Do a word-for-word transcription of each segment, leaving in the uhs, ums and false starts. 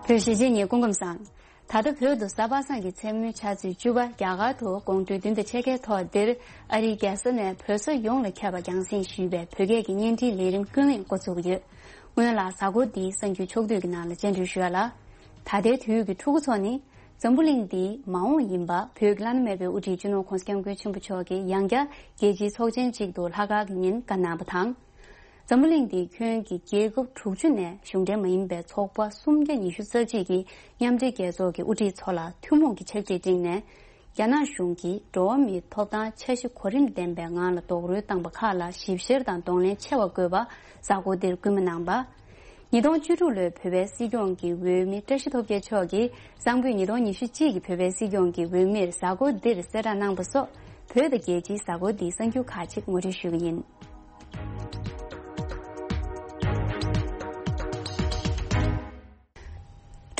བོད་གཞིས་བྱེས་གཉིས་སྐུ་ཁམས་བཟང་། ད་ལྟ་བོད་དུ་གཟའ་པ་སངས་ཀྱི་མཚན་མོའི་ཆུ་ཚོད་བཅུ་པ་རྒྱ་གར་དུ་དགོང་དྲོའི་བདུན་དང་ཕྱེད་ཀའི་ཐོག་འདིར་ཨ་རིའི་རྒྱལ་ས་ནས་བོད་ས་ཡོངས་ལ་ཁྱབ་པ་རྒྱང་སྲིང་ཞུས་པའི་བོད་སྐད་ཀྱི་བརྙན་འཕྲིན་ལས་རིམ་ཀུན་གླེང་འགོ་ཚུགས་ཀྱི་ཡོད། སྔོན་ལ་གཟའ་འཁོར་འདིའི་གསར་འགྱུར་ཕྱོགས་བསྡུས་ཀྱི་ནང་ལ་སྤྱན་འབུལ་ཞུ་ཡ་ལ། ད་ལྟའི་དུས་ཀྱི་ཕྲུ་གུ་ཚོ་ནི། འཛམ་བུ་གླིང་འདིའི་མ་འོངས་ཡིན་པ་བོད་ཀྱི་བླ་ན་མེད་པའི་དབུ་ཁྲིད་སྤྱི་ནོར་༧གོང་ས་༧སྐྱབས་མགོན་ཆེན་པོ་མཆོག་གིས་ཡང་བསྐྱར་རྒྱལ་སྤྱིའི་ཚོགས་ཆེན་གཅིག་ཏུ་ལྷག་དཀར་གྱི་ཉིན་བཀའ་གནང་བ་དང་། འཛམ་བུ་གླིང་འདིའི་ཁྱོན་གྱི་རྒྱལ་ཁབ་དྲུག་ཅུ་ནས་གཞུང་འབྲེལ་མ་ཡིན་པའི་ཚོགས་པ་སུམ་བརྒྱ་ཉི་ཤུ་རྩ་གཅིག་གི་མཉམ་འབྲེལ་རྒྱལ་ཚོགས་ཀྱི་དབུ་ཁྲིད་ཚོ་ལ་ཐུན་མོང་གི་ཕྱག་བྲིས་བསྒྲིགས་ནས། རྒྱ་ནག་གཞུང་གིས་འགྲོ་བ་མིའི་ཐོབ་ཐང་འཆར་གཞི་གོ་རིམ་ལྡན་པའི་ངང་ལ་རྡོག་རོལ་བཏང་པ་ཁག་ལ་ཞིབ་བཤེར་དང་གདོང་ལེན་ཆེ་བ་དགོས་པ་གཟའ་འཁོར་འདིར་སྐུལ་མ་གནང་བ། ཉིས་སྟོང་བཅུ་དྲུག་ལོའི་བོད་པའི་སྲིད་སྐྱོང་གི་འོས་མི་བཀྲ་ཤིས་སྟོབས་རྒྱལ་མཆོག་གིས་གསང་ཕུད་ཉིས་སྟོང་ཉི་ཤུ་གཅིག་གི་བོད་པའི་སྲིད་སྐྱོང་གི་འོས་མིར་གཟའ་འཁོར་འདིར་གསལ་བསྒྲགས་གནང་པ་སོགས་བོད་དང་རྒྱལ་སྤྱིའི་གཟའ་འཁོར་འདིའི་གསར་འགྱུར་ཁག་ཅིག་ངོ་སྤྲོད་ཞུ་གི་ཡིན།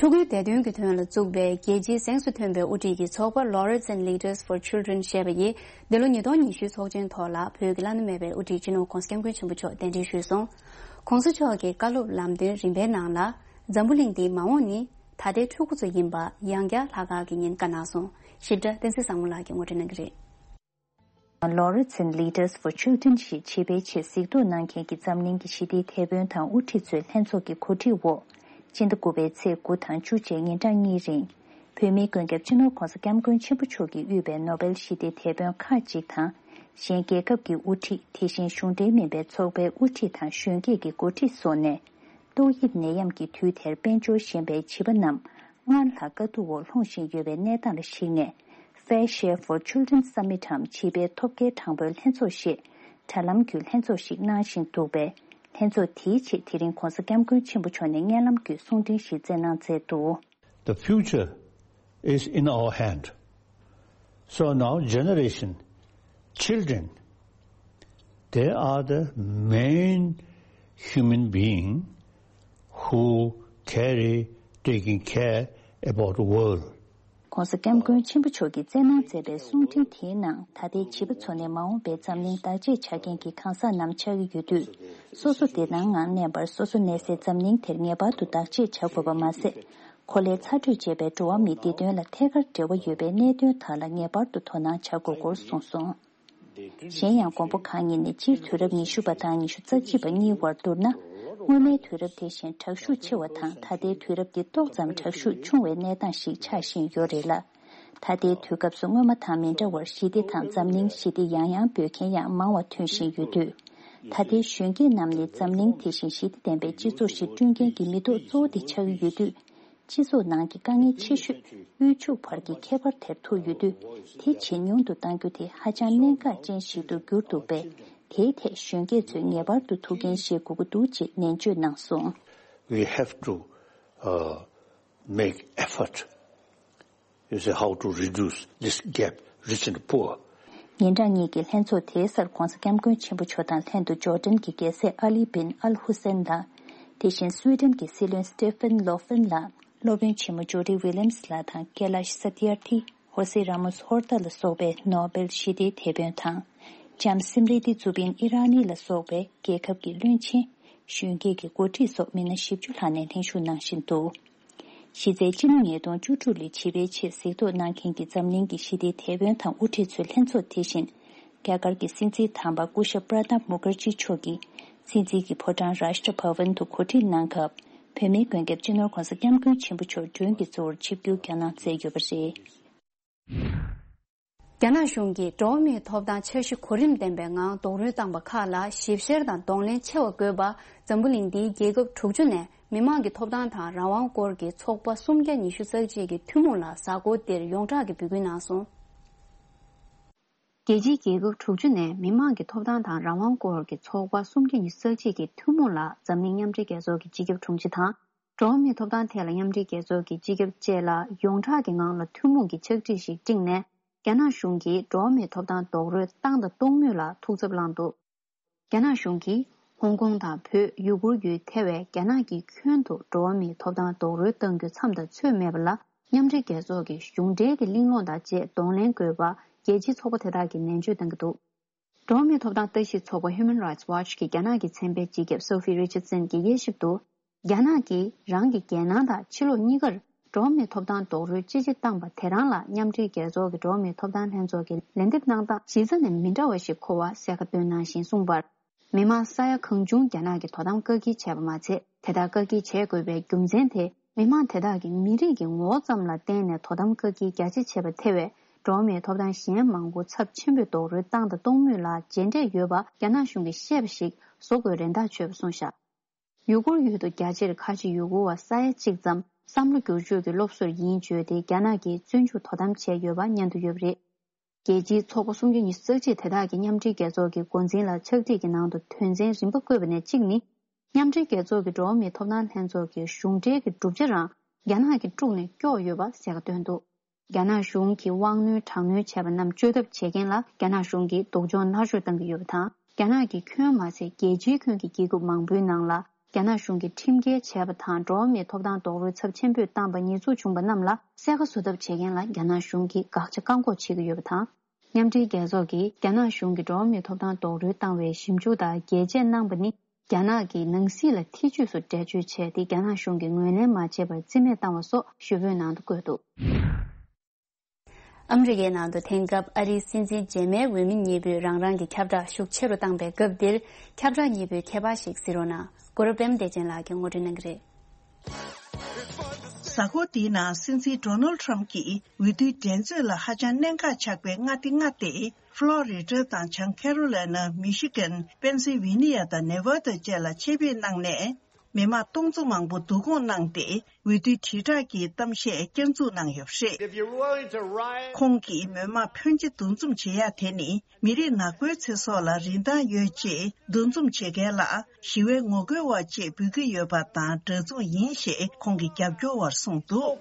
ཕྲུ་གུའི་བདེ་དོན་གྱི་དོན་ལ་བཙུགས་པའི་རྒྱལ་སྤྱིའི་གཟེངས་སུ་ཐོན་པའི་དབུ་ཁྲིད་ཀྱི་ཚོགས་པ་Lawyers and Leaders for Children ཞེས་པ་ཡིས་འདི་ལོ་ཉིས་སྟོང་ཉི་ཤུའི་ཚོགས་ཆེན་ཐོག་ལ་བོད་ཀྱི་བླ་ན་མེད་པའི་དབུ་ཁྲིད་སྤྱི་ནོར་༧གོང་ས་༧སྐྱབས་མགོན་ཆེན་པོ་མཆོག་གདན་འདྲེན་ཞུས་སོང་། ༸གོང་ས་མཆོག་གི་བཀའ་སློབ་ལམ་སྟོན་རིམ་པའི་ནང་ལ། འཛམ་བུ་གླིང་འདིའི་མ་འོངས་ནི་ད་ལྟའི་ཕྲུ་གུ་ཚོ་ཡིན་པ་ཡང་བསྐྱར་ལྷག་དཀར་གྱི་ཉིན་བཀའ་གནང་སོང་། ཞིབ་ཕྲ་བསྟན་འཛིན་བཟང་མོ་ལགས་ཀྱིས་ངོ་སྤྲོད་གནང་གི་རེད། Lawyers and Leaders for Children ཞེས་བྱིས་པའི་ཆེད་གཟིགས་རྟོག་གནང་མཁན་གྱི་འཛམ་གླིང་གི་ཞི་བདེའི་དེད་དཔོན་དང་དབུ་ཁྲིད་ཚོའི་ལྷན་ཚོགས་ཀྱི་གོ་སྒྲིག་འོག་སྤྱི་ཟླ་དགུ་པའི་ཚེས་དགུ་དང་བཅུ་བཅས་ཉིན་གྲངས་གཉིས་རིང་། བོད་མིའི་མགོན་སྐྱབས་སྤྱི་ནོར་༸གོང་ས་༸སྐྱབས་མགོན་ཆེན་པོ་མཆོག་གིས་དབུས་པའི་ནོ་བེལ་ཞི་བདེའི་དེད་དཔོན་ཁག་ཅིག་དང་། གཞན་རྒྱལ་ཁབ་ཀྱི་དབུ་ཁྲིད་དེ་བཞིན་གཞུང་འབྲེལ་མིན་པའི་ཚོགས་པའི་དབུ་ཁྲིད་དང་གཞོན་སྐྱེས་ཀྱི་འགོ་ཁྲིད་སོགས་ནས། ཏོག་དབྱིབས་ནད་ཡམས་ཀྱི་དུས་དེར་དཔལ་འབྱོར་ཞན་པའི་བྱིས་པ་རྣམས་སྔར་ལྷག་དཀའ་སྡུག་འོག་ལྷུང་བཞིན་ཡོད་པའི་གནས་སྟངས་ལ་གཞིགས་ནས། Fair Share for Children Summit འམ་བྱིས་པའི་ཐོབ་སྐལ་དྲང་པོའི་ལྷན་ཚོགས་ཞེས་དྲ་ལམ་བརྒྱུད་ལྷན་ཚོགས་ཤིག་གནང་བཞིན་འདུག་པས། ལྷན་ཚོགས་དེའི་ཆེད་དེ་རིང་༸གོང་ས་༸སྐྱབས་མགོན་ཆེན་པོ་མཆོག་ནས་སྙན་ལམ་བརྒྱུད་གསུང་འཕྲིན་ཞིག་སྩལ་གནང་མཛད་འདུག The future is in our hand. So now generation, children, they are the main human being who carry, taking care about the world. ༸གོང་ས་༸སྐྱབས་མགོན་ཆེན་པོ་མཆོག་གིས་སྩལ་གནང་མཛད་པའི་གསུང་འཕྲིན་དེའི་ནང་། ད་ལྟའི་བྱིས་པ་ཚོ་ནི་མ་འོངས་པའི་འཛམ་གླིང་བདག་གཅེས་བྱ་མཁན་གྱི་གང་ཟག་རྣམས་ཆགས་ཀྱི་ཡོད་དུས། སོ་སོ་བདེ་ཐང་ངང་གནས་པར་སོ་སོ་གནས་སའི་འཛམ་གླིང་དེར་ངེས་པར་དུ་བདག་གཅེས་བྱ་དགོས་པ་མ་ཟད། གོ་ལའི་ཚ་དྲོད་ཅེས་པའི་འགྲོ་བ་མིའི་བདེ་དོན་ལ་ཐད་ཀར་འབྲེལ་བ་ཡོད་པའི་གནད་དོན་དག་ལ་ངེས་པར་དུ་དོ་སྣང་བྱ་དགོས་སྐོར་གསུངས་སོང་། གཞན་ཡང་། མགོན་པོ་གང་ཉིད་ནས་སྤྱིར་དུས་རབས་ཉི་ཤུ་པ་དང་ཉི་ཤུ་རྩ་གཅིག་པ་གཉིས་བར་བསྡུར་ན། སྔོན་མའི་དུས་རབས་དེ་བཞིན་དྲག་ཤུགས་ཆེ་བ་དང་། ད་ལྟའི་དུས་རབས་འདི་ཏོག་ཙམ་དྲག་ཤུགས་ཆུང་བའི་གནས་སྟངས་ཤིག་ཆགས་བཞིན་ཡོད་རེད་ལ། ད་ལྟའི་དུས་སྐབས་སུ་སྔོན་མ་དང་མི་འདྲ་བར་ཞི་བདེ་དང་འཛམ་གླིང་ཞི་བདེ་ཡང་ཡང་འབོད་མཁན་ཡང་མང་བ་ཐོན་བཞིན་ཡོད་དུས། ད་ལྟའི་གཞོན་སྐྱེས་རྣམས་ནི་འཛམ་གླིང་དེ་བཞིན་ཞི་བདེ་ལྡན་པའི་སྤྱི་ཚོགས་ཤིག་བསྐྲུན་མཁན་གྱི་མི་ཐོག་གཙོ་བོ་དེ་ཆགས་ཀྱི་ཡོད་དུས། སྤྱི་ཚོགས་ནང་གི་དཀའ་ངལ་ཆེ་ཤོས་དབུལ་ཕྱུག་བར་གྱི་ཁྱད་པར་དེར་ཐུག་ཡོད་དུས། དེ་ཇེ་ཉུང་དུ་གཏང་རྒྱུ་དེ་ཧ་ཅང་གནད་འགག་ཅན་ཞིག་ཏུ་གྱུར་འདུག་པས། དེའི་ཐད་གཞོན་སྐྱེས་ཚོས་ངེས་པར་དུ་ཐུགས་འགན་བཞེས་དགོས་ཀྱི་འདུག་ཅེས་ནན་བརྗོད་གནང་སོང་། We have to, uh, make effort, you see, how to reduce this gap, rich and poor. ཉིན་གྲངས་གཉིས་ཀྱི་ལྷན་ཚོགས་དེའི་སར་༸གོང་ས་༸སྐྱབས་མགོན་ཆེན་པོ་མཆོག་དང་ལྷན་དུ་ཇོར་ཌན་གྱི་རྒྱལ་སྲས་ཨ་ལི་བིན་ཨལ་ཧུ་སེན་ལགས། དེ་བཞིན་སུའེ་ཌེན་གྱི་སྲིད་བློན་སི་ཏེ་ཕན་ལོ་ཧྥིན་ལགས། སློབ་དཔོན་ཆེན་མོ་ཇོ་ཌི་ཝི་ལི་ཡམ་སི་ལགས་དང་ཀེ་ལཱཤ་ས་ཏི་ཨར་ཐི། ཧོ་སེ་ར་མོ་སི་ཧོར་ཏ་ལ་སོགས་པའི་ནོ་བེལ་ཞི་བདེའི་དེད་དཔོན་དང་། ལྕམ་སིམ་རི་ཏི་ཛུ་བིན་ཨི་ར་ནི་ལ་སོགས་པའི་རྒྱལ་ཁབ་ཀྱི་བློན་ཆེན། གཞོན་སྐྱེས་ཀྱི་འགོ་ཁྲིད་སོགས་མི་སྣ་བཞི་བཅུ་ལྷག་ནས་ལྷན་ཞུགས་གནང་བཞིན་འདུག་གཞི་རྩའི་སྤྱི་ལོ་ཉིས་སྟོང་བཅུ་དྲུག་ལོའི་བྱིས་པའི་ཆེད་གཟིགས་རྟོག་གནང་མཁན་གྱི་འཛམ་གླིང་གི་ཞི་བདེའི་དེད་དཔོན་དང་དབུ་ཁྲིད་ཚོའི་ལྷན་ཚོགས་དེ་བཞིན། རྒྱ་གར་གྱི་སྲིད་འཛིན་དམ་པ་སྐུ་ཞབས་པྲ་ནབ་མུ་ཁར་ཇི་མཆོག་གིས་སྲིད་འཛིན་གྱི་ཕོ་བྲང་རཱཤ་ཏྲ་བྷ་ཝན་དུ་གོ་སྒྲིག་གནང་སྐབས། བོད་མིའི་མགོན་སྐྱབས་སྤྱི་ནོར་༸གོང་ས་༸སྐྱབས་མགོན་ཆེན་པོ་མཆོག་མགྲོན་གྱི་གཙོ་བོར་ཆིབས་བསྒྱུར་བསྐྱངས་གནང་མཛད་ཡོད་པ་རེད། རྒྱ་ནག་གཞུང་གིས་འགྲོ་བ་མིའི་ཐོབ་ཐང་འཆར་གཞི་གོ་རིམ་ལྡན་པའི་ངང་རྡོག་རོལ་བཏང་པ་ཁག་ལ་ཞིབ་བཤེར་དང་གདོང་ལེན་ཆེ་བ་དགོས་པ། འཛམ་བུ་གླིང་འདིའི་རྒྱལ་ཁབ་དྲུག་ཅུ་ནས་མི་དམངས་ཀྱི་ཐོབ་ཐང་དང་རང་དབང་སྐོར་གྱི་ཚོགས་པ་སུམ་བརྒྱ་ཉི་ཤུ་རྩ་གཅིག་གི་ཐུན་མོང་ལ་གཟའ་འཁོར་འདིར་ཡོངས་གྲགས་ཀྱི་འབོད་སྐུལ་གནང་སོང་། རྒྱལ་སྤྱིའི་རྒྱལ་ཁབ་དྲུག་ཅུ་ནས་མི་དམངས་ཀྱི་ཐོབ་ཐང་དང་རང་དབང་སྐོར་གྱི་ཚོགས་པ་སུམ་བརྒྱ་ཉི་ཤུ་རྩ་གཅིག་གི་ཐུན་མོང་ལ་འཛམ་གླིང་མཉམ་འབྲེལ་རྒྱལ་ཚོགས་ཀྱི་སྤྱི་ཁྱབ་དྲུང་ཆེ་དང་། འགྲོ་བ་མིའི་ཐོབ་ཐང་ཐད་ལ་མཉམ་འབྲེལ་རྒྱལ་ཚོགས་ཀྱི་སྤྱི་ཁྱབ་བཅས་ལ་ཡོངས་གྲགས་ཀྱི་ངང་ལ་ཐུན་མོང་གི་ཕྱག་བྲིས་ཤིག་བསྒྲིགས་ནས། རྒྱ་ནག་གཞུང་གིས་འགྲོ་བ་མིའི་ཐོབ་ཐང་རྡོག་རོལ་བཏང་དང་གཏོང་མུས་ལ་ཐུགས་འཚབ་བསླངས་འདུག་རྒྱ་ནག་གཞུང་གིས་ཧོང་ཀོང་དང་བོད་ཡུ་གུར་ཡུལ་ཐེ་བའི་རྒྱ་ནག་གི་ཁྱོན་དུ་འགྲོ་བ་མིའི་ཐོབ་ཐང་རྡོག་རོལ་གཏང་རྒྱུ་མཚམས་དང་ཚོད་མེད་པ་ལ། མཉམ་འབྲེལ་རྒྱལ་ཚོགས་ཀྱི་གཞུང་འབྲེལ་གྱི་གླེང་སློང་དང་བཅས་གདོང་ལེན་དགོས་པ། རྒྱལ་སྤྱིའི་ཚོགས་པ་དེ་དག་གིས་ནན་བརྗོད་གནང་གི་འདུག་འགྲོ་བ་མིའི་ཐོབ་ཐང་ལྟ་ཞིབ་ཚོགས་པ་Human Rights Watch གི་རྒྱ་ནག་གི་ཚན་པའི་སྤྱི་ཁྱབ་Sophie Richardson གྱིས་དབྱེ་ཞིབ་ཏུ། རྒྱ་ནག་གིས་རང་གི་རྒྱལ་ནང་དང་ཕྱི་ལོགས་གཉིས་ཀར་འགྲོ་བ་མིའི་ཐོབ་ཐང་རྡོག་རོལ་ཅི་ཆེ་བཏང་པ་དེ་རང་ལ་མཉམ་འབྲེལ་རྒྱལ་ཚོགས་ཀྱི་འགྲོ་བ་མིའི་ཐོབ་ཐང་ལྷན་ཚོགས་ཀྱི་ལན་འདེབས་གནང་སྟངས་གཞི་རྩ་ནས་མི་འདྲ་བ་ཞིག་གོ་བ་གསལ་ཁ་བཏོན་གནང་བཞིན་གསུངས་པར། མི་མང་ས་ཡ་གང་བྱུང་རྒྱ་ནག་གིས་དོ་དམ་བཀག་སྐྱིལ་བྱས་པ་མ་ཚད། དེ་ལྟར་བཀག་སྐྱིལ་བྱེད་དགོས་པའི་རྒྱུ་མཚན་དེ། མི་མང་དེ་དག་གིས་མི་རིགས་ཀྱི་ངོ་བོ་ཙམ་ལ་བརྟེན་ནས་དོ་དམ་བཀག་སྐྱིལ་རྒྱ་ཆེ་བྱས་པ་ཐེ་བའི་འགྲོ་བ་མིའི་ཐོབ་ཐང་གཞན་མང་པོ་ཚབས་ཆེན་པོས་རྡོག་རོལ་བཏང་དང་གཏོང་མུས་ལ་རྗེས་འབྲས་ཡོད་པ་རྒྱ་ནག་གཞུང་གིས་བཤད་པ་ཞིག་བཟོ་དགོས་རེ་ཐག་ཆོད་པ་གསུངས་བཞག་ཡུ་གུར་ཡུལ་དུ་རྒྱ་ཆེར་ཁ་ཆེ་ཡུ་གུར་བ་ས་ཡ་གཅིག་ཙམ་བསམ་བློ་བསྒྱུར་བཅོས་ཀྱི་སློབ་གསོར་ཡིན་བརྗོད་དེ་རྒྱ་ནག་གིས་བཙོན་འཇུག་དོ་དམ་བྱས་ཡོད་པ་སྙན་ཐོ་ཡོད་པ་རེད། རྒྱལ་སྤྱིའི་ཚོགས་པ་སུམ་ཅུ་ཉི་ཤུ་རྩ་གཅིག་དེ་དག་གིས་མཉམ་འབྲེལ་རྒྱལ་ཚོགས་ཀྱི་འགོ་འཛིན་ལ་ཕྱག་བྲིས་ཀྱི་ནང་དུ་དོན་ཚན་རིམ་པ་བཀོད་པ་ནས་གཅིག་ནི། མཉམ་འབྲེལ་རྒྱལ་ཚོགས་ཀྱི་འགྲོ་བ་མིའི་ཐོབ་ཐང་ལྷན་ཚོགས་ཀྱི་གཞུང་འབྲེལ་གྱི་གྲུབ་ཆ་རང་རྒྱ་ནག་གིས་དཀྲུགས་ནས་སྐྱོར་ཡོད་པ་གསལ་ཁ་བཏོན་འདུག་རྒྱ་ནག་གཞུང་གིས་དབང་གནོད་དྲག་གནོན་བྱས་པ་རྣམས་བཅོས་ཐབས་བྱེད་མཁན་ལ་རྒྱ་ནག་གཞུང་གིས་སྡུག་སྦྱོང་མནར་གཅོད་བཏང་གི་ཡོད་པ་དང་། རྒྱ་ནག་གི་ཁྱོན་མ་ཟད་རྒྱལ་སྤྱིའི་ཁྱོན་གྱི་རྒྱལ་ཁབ་མང་པོའི་ནང་ལ་རྒྱ་ནག་གཞུང་གིས་ཁྲིམས་འགལ་བྱས་པ་དང་འགྲོ་བ་མིའི་ཐོབ་ཐང་རྡོག་རོལ་ཚབས་ཆེན་པོས་བཏང་པ་ཉེས་འཛུགས་བྱུང་པ་རྣམས་ལ་གསལ་ཁ་བཟོ་ཐབས་བྱེད་མཁན་ལ་རྒྱ་ནག་གཞུང་གིས་དགག་བྱ་བཀག་འགོག་བྱེད་ཀྱི་ཡོད་པ་དང་། མཉམ་འབྲེལ་རྒྱལ་ཚོགས་ཀྱིས་རྒྱ་ནག་གཞུང་གིས་འགྲོ་བ་མིའི་ཐོབ་ཐང་རྡོག་རོལ་བཏང་བའི་ཞིབ་འཇུག་དང་རྒྱས་བཅད་གནང་པ་ནི། རྒྱ་ནག་གིས་ནང་སྲིད་ལ་ཐེ་བྱུས་སུ་འགྲེལ་བརྗོད་བྱས་ཏེ་རྒྱ་ནག་གཞུང་གིས་ངོས་ལེན་མ་བྱས་པར་རྩིས་མེད་བཏང་བ་སོགས་ཞུ་འབོད་ནང་དུ་བཀོད་འདུག་ཨ་མི་རི་ཀའི་ནང་དུ་དེང་སྐབས་ཨ་རིའི་སྲིད་འཛིན་རྗེས་མའི་འོས་མི་གཉིས་པོས་རང་རང་གི་ཁྱབ་བསྒྲགས་ཤུགས་ཆེ་རུ་བཏང་པའི་སྐབས་འདིར། ཁྱབ་བསྒྲགས་གཉིས་པོའི་ཁྱད་པར་ཞིག་གཟིགས་རོགས་གནང་། གུ་རུ་པད་མ་བདེ་ཆེན་ལགས་ཀྱིས་ངོ་སྤྲོད་གནང་གི་རེད། གཟའ་འཁོར་འདིའི་ནང་སྲིད་འཛིན་ཌོ་ནལ་ཊམ་གྱིས་འོས་བསྡུའི་འགྲན་རྩོད་ལ་ཧ་ཅང་གནད་འགག་ཆགས་པའི་མངའ་སྡེ་ལྔ་སྟེ། ཕློ་རི་ཌ་དང་བྱང་ཁེ་རོ་ལི་ན། མི་ཤི་གན། པེན་སིལ་ཝེ་ནི་ཡ་དང་ནེ་ཝ་ད་བཅས་ལ་ཆེད་ཕེབས་གནང་ནས། མི་མང་སྟོང་ཚོ་མང་པོ་བསྡུ་སྐོང་གནང་སྟེ། འོས་བསྡུའི་དྲིལ་བསྒྲགས་ཀྱི་གཏམ་བཤད་བསྐྱར་འཛུགས་གནང་ཡོད་པ་རེད། If you're willing to riot, ཁོང་གིས་མི་མང་ཕོན་ཆེ་འདུ་འཛོམས་བྱེད་ཡ་དེ་ནི། མི་རིགས་ནག་པོའི་ཚེ་སྲོག་ལ་རིན་ཐང་ཡོད་ཅེས་འདུ་འཛོམས་བྱེད་མཁན་ལ་ཞི་བའི་ངོ་རྒོལ་བ་ཅེས་འབོད་ཀྱི་ཡོད་པ་དང་འདྲ་མཚུངས་ཡིན་ཞེས་ཁོང་གི་རྒྱབ་སྐྱོར་བར་གསུངས་འདུག་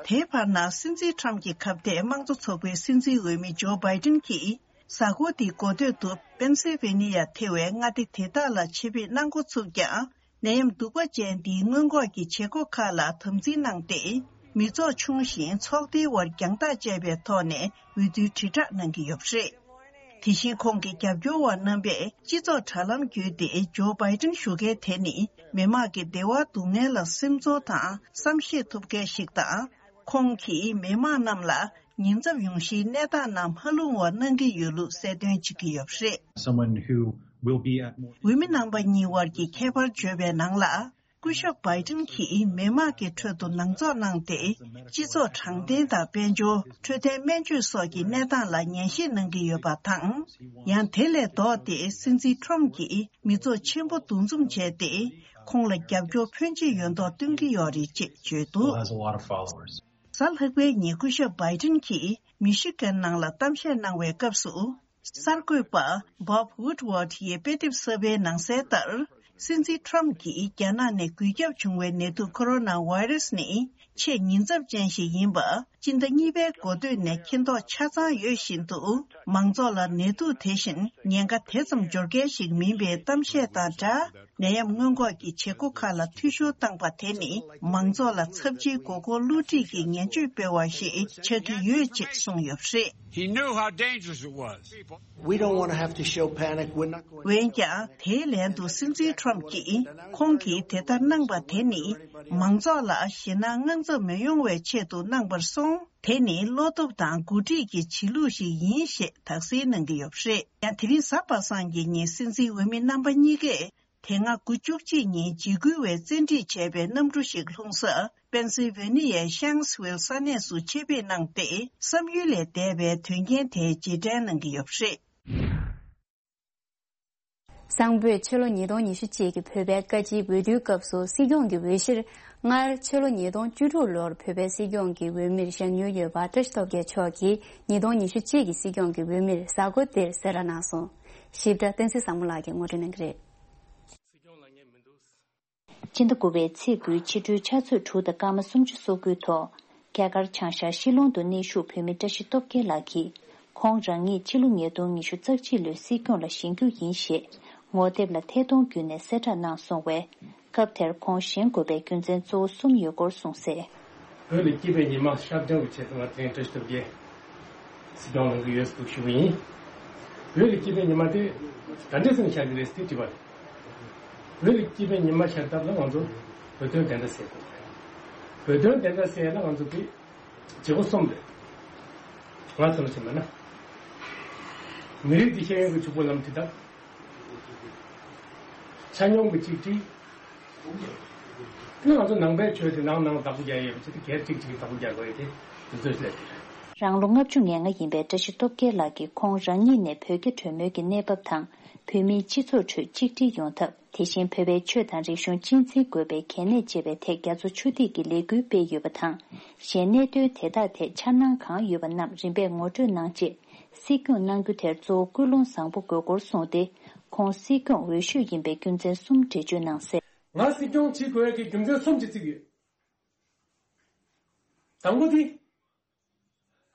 དེའི་བར་ན་སྲིད་འཛིན་ཊམ་གྱི་ཁ་གཏད་དམངས་གཙོ་ཚོགས་པའི་སྲིད་འཛིན་འོས་མི་ཇོ་བྷའི་ཏིན་གྱིས་གཟའ་འཁོར་འདིའི་འགོ་སྟོད་དུ་པེན་སིལ་ཝེ་ནི་ཡ་ཐེ་བའི་མངའ་སྡེ་དེ་དག་ལ་ཆེད་ཕེབས་གནང་འགོ་ཚུགས་ཀྱང་། ནད་ཡམས་གདུག་པ་ཅན་འདིའི་སྔོན་འགོག་གི་བྱེད་སྒོ་ཁག་ལ་དམ་འཛིན་གནང་སྟེ། མི་ཚོགས་ཆུང་ཞིང་ཚོགས་སྡེའི་དབར་རྒྱང་ཐག་བཅད་པའི་ཐོག་ནས་འོས་བསྡུའི་དྲིལ་བསྒྲགས་གནང་གི་ཡོད་པ་རེད། དེ་བཞིན་ཁོང་གི་རྒྱབ་སྐྱོར་བ་རྣམ་པས་སྤྱི་ཚོགས་དྲ་ལམ་བརྒྱུད་དེ་ཇོ་བྷའི་ཏིན་ཞུ་མཁན་དེ་ནི་མི་དམངས་ཀྱི་བདེ་བ་སྡུག་བསྔལ་ལ་སེམས་ཚོར་དང་བསམ་ཤེས་ཐུབ་མཁན་ཞིག་དང་། ཁོང་གིས་མི་དམངས་རྣམས་ལ་ཉེན་ཚབས་ཡོང་གཞིའི་གནས་སྟངས་ནང་མ་ལྷུང་བར་གནང་གི་ཡོད་ལུགས་གསལ་སྟོན་བྱེད་ཀྱི་ཡོད་པ་རེད། Someone who will be at more འོས་མི་རྣམ་པ་གཉིས་དབར་གྱི་ཁྱད་པར་བརྗོད་པའི་ནང་ལ། སྐུ་ཞབས་བྷའི་ཏིན་གྱིས་མི་དམངས་ཀྱི་ཁྲོད་དུ་ནང་འཛུགས་གནང་སྟེ། སྤྱི་ཚོགས་དྲང་བདེན་དང་དཔལ་འབྱོར། འཕྲོད་བསྟེན་སྨན་བཅོས་སོགས་ཀྱི་གནས་སྟངས་ལ་ངེས་ཤེས་གནང་གི་ཡོད་པ་དང་། ཡང་དེ་ལས་ལྡོག་སྟེ་སྲིད་འཛིན་ཊམ་གྱིས་མི་ཚོགས་ཆེན་པོ་འདུ་འཛོམས་བྱས་ཏེ། ཁོང་ལ་རྒྱབ་སྐྱོར་ཕོན་ཆེ་ཡོད་མདོག་སྟོན་གྱི་ཡོད་རེད་ཅེས་བརྗོད་འདུག Who has a lot of followers. གཟའ་ལྷག་པའི་ཉིན་སྐུ་ཞབས་བྷའི་ཏིན་གྱིས་མི་ཤི་གན་ནང་ལ་གཏམ་བཤད་གནང་བའི་སྐབས་སུ། གསར་འགོད་པ་Bob Woodward ཡིས་དཔེ་དེབ་གསར་པའི་ནང་གསལ་ལྟར། སྲིད་འཛིན་ཊམ་གྱིས་རྒྱ་ནག་ནས་འགོས་ཁྱབ་བྱུང་བའི་ནད་དུག་ཁོ་རོ་ན་བྷའི་རུ་སི་ནི་ཆེས་ཉེན་ཚབས་ཅན་ཞིག་ཡིན་པ། སྤྱི་ཟླ་གཉིས་པའི་འགོ་སྟོད་ནས་མཁྱེན་རྟོགས་ཆ་ཚང་ཡོད་བཞིན་དུ། མང་ཚོགས་ལ་ནད་དུག་དེ་བཞིན་ཉེན་ཁ་དེ་ཙམ་འབྱོར་མཁན་ཞིག་མིན་པའི་གཏམ་བཤད་དང་སྦྲགས། ནད་ཡམས་སྔོན་འགོག་གི་བྱེད་སྒོ་ཁག་ལ་འཐུས་ཤོར་བཏང་པ་དེ་ནི། མང་ཚོགས་ལ་ཚབས་ཆེའི་མགོ་སྐོར་བསླུ་བྲིད་ཀྱི་ངན་བྱུས་སྤེལ་བ་ཞིག་ཆགས་ཀྱི་ཡོད་ཅེས་གསུངས་ཡོད་པ་རེད། He knew how dangerous it was. We don't want to have to show panic. We're not going འོན་ཀྱང་། དེའི་ལན་དུ་སྲིད་འཛིན་ཊམ་གྱིས་ཁོང་གིས་དེ་ལྟར་གནང་པ་དེ་ནི། མང་ཚོགས་ལ་ཞེད་སྣང་དངངས་འཚབ་མི་ཡོང་བའི་ཆེད་དུ་གནང་བར་སོང་། དེ་ནི་བློ་སྟོབས་དང་འགོ་ཁྲིད་ཀྱི་བྱེད་ལུགས་ཤིག་ཡིན་ཞེས་དག་སེལ་གནང་གི་ཡོད་པ་རེད། ཡང་དེ་རིང་གཟའ་པ་སངས་ཀྱི་ཉིན་སྲིད་འཛིན་འོས་མི་རྣམ་པ་གཉིས་ཀས། དེ་སྔ་དགུ་བཅུ་གཅིག་ཉིན་འཇིགས་སྐུལ་བས་བཙན་ཁྲིད་བྱས་པའི་གནམ་གྲུ་ཞིག་ལྷུང་ས། པེན་སིལ་ཝེ་ནི་ཡའི་ཤང་སི་ཝིལ་ས་གནས་སུ་ཆེད་ཕེབས་གནང་སྟེ། བསམ་ཡུལ་ལས་འདས་པའི་དོན་རྐྱེན་དེ་རྗེས་དྲན་གནང་གི་ཡོད་པ་རེད། སང་ཕོད་ཕྱི་ལོ་ཉིས་སྟོང་ཉི་ཤུ་གཅིག་གི་བོད་པའི་བཀའ་སྤྱིའི་འོས་བསྡུའི་སྐབས་སུ་སྲིད་སྐྱོང་གི་འོས་གཞིར། སྔར་ཕྱི་ལོ་ཉིས་སྟོང་བཅུ་དྲུག་ལོར་བོད་པའི་སྲིད་སྐྱོང་གི་འོས་མིར་བཞེངས་མྱོང་ཡོད་པ་བཀྲ་ཤིས་སྟོབས་རྒྱལ་མཆོག་གིས་ཉིས་སྟོང་ཉི་ཤུ་གཅིག་གི་སྲིད་སྐྱོང་གི་འོས་མིར་གཟའ་འཁོར་འདིར་གསལ་བསྒྲགས་གནང་སོང་། ཞིབ་ཕྲ་བསྟན་འཛིན་བཟང་མོ་ལགས་ཀྱིས་ངོ་སྤྲོད་གནང་གི་རེད། སྤྱི་ཟླ་དགུ་པའི་ཚེས་དགུའི་ཕྱི་དྲོའི་ཆུ་ཚོད་དྲུག་དང་སྐར་མ་སུམ་ཅུ་སོ་དགུའི་ཐོག་རྒྱ་གར་བྱང་ཤར་ཤི་ལོང་དུ་གནས་བཞུགས་བོད་མི་བཀྲ་ཤིས་སྟོབས་རྒྱལ་ལགས་ཀྱིས། ཁོང་རང་ཉིད་ཕྱི་ལོ་ཉིས་སྟོང་ཉི་ཤུ་རྩ་གཅིག་ལོའི་སྲིད་སྐྱོང་ལ་བཞེངས་རྒྱུ་ཡིན་ཞེས་ངོ་དེབ་ལ་ཐད་གཏོང་བརྒྱུད་ནས་གསལ་བསྒྲགས་གནང་སོང་བས། སྐབས་དེར་ཁོང་བཞེངས་དགོས་པའི་རྒྱུ་མཚན་གཙོ་བོ་གསུམ་ཡོད་སྐོར་གསུངས་གསལ། བོད་ལ་སྐྱིད་པའི་ཉི་མ་ཤར་འདྲ་བོ་བྱས་སོང་བ་དེ་བཀྲ་ཤིས་སྟོབས་རྒྱལ་སྲིད་སྐྱོང་ལངས་ཀྱི་ཡོད་ཟེར་ཞུ་གི་ཡིན། བོད་ལ་སྐྱིད་པའི་ཉི་མ་དེ་ག་འདྲས་སེ་ཤར་གྱི་རེད་ཟེར་དྲིས་པ་རེད། བོད་ལ་སྐྱིད་པའི་ཉི་མ་ཤར་ཐབས་ལ་ང་ཚོ་ བོད་དོན་བདེན་མཐའ་གསལ་དགོས། བོད་དོན་བདེན་མཐའ་གསལ་ན་ང་ཚོ་དེ་བྱེད་སྒོ་གསུམ་རེད། ང་ཚོ་ལ་བྱེད་མ་ན། མི་རིགས་འདི་ཤེས་ཡོན་གྱི་ཕྱུག་པོ་ལམ་ཁྲིད་དང་། ཆ་སྙོམས་ཀྱི་གཅིག་སྒྲིལ། ང་ཚོ་ནང་པའི་ཆོས་དེ་ནང་ནང་བདག་པོ་རྒྱག་ཡས་པ་ཅིག་དེ་སྒེར་གཅིག་གཅིག་གིས་བདག་པོ་རྒྱག་དགོས་ཡས་དེ་དེ་ཚོ་སླེབས་དེ་རེད། རང་ལོ་ལྔ་བཅུ་ང་ལྔ་ཡིན་པའི་བཀྲ་ཤིས་སྟོབས་རྒྱལ་ལགས་ཀྱིས་ཁོང་རང་ཉིད་ནས་བོད་རྒྱ་གྲོས་མོལ་གྱི་གནས་བབ་དང་བོད་མིའི་སྤྱི་ཚོགས་ཁྲོད་གཅིག་སྒྲིལ་ཡོང་ཐབས། དེ་བཞིན་བོད་པའི་ཆོས་དང་རིག་གཞུང་གཅེས་འཛིན་དགོས་པའི་གལ་གནད་བཅས་པའི་ཐད་རྒྱ་མཚོ་ཆུ་ཐིགས་ཀྱིས་ལས་འགུལ་སྤེལ་ཡོད་པ་དང་། གཞན་གནད་དོན་དེ་དག་ཐད་འཆར་སྣང་གང་ཡོད་པ་རྣམས་རིམ་པས་ངོ་སྤྲོད་གནང་རྗེས། སྲིད་སྐྱོང་གནང་རྒྱུ་དེར་གཙོ་བོ་ཀུན་སློང་བཟང་པོ་དགོས་སྐོར་གསུངས་ཏེ། ཁོང་སྲིད་སྐྱོང་འོས་ཤོས་ཡིན་པའི་རྒྱུ་མཚན་གསུམ་འགྲེལ་བརྗོད་གནང་གསལ། ང་སྲིད་སྐྱོང་བྱེད་དགོས་ཀྱི་རྒྱུ་མཚན་གསུམ་ཅིག་བརྩིས་ཡོད། དང་པོ་དེ།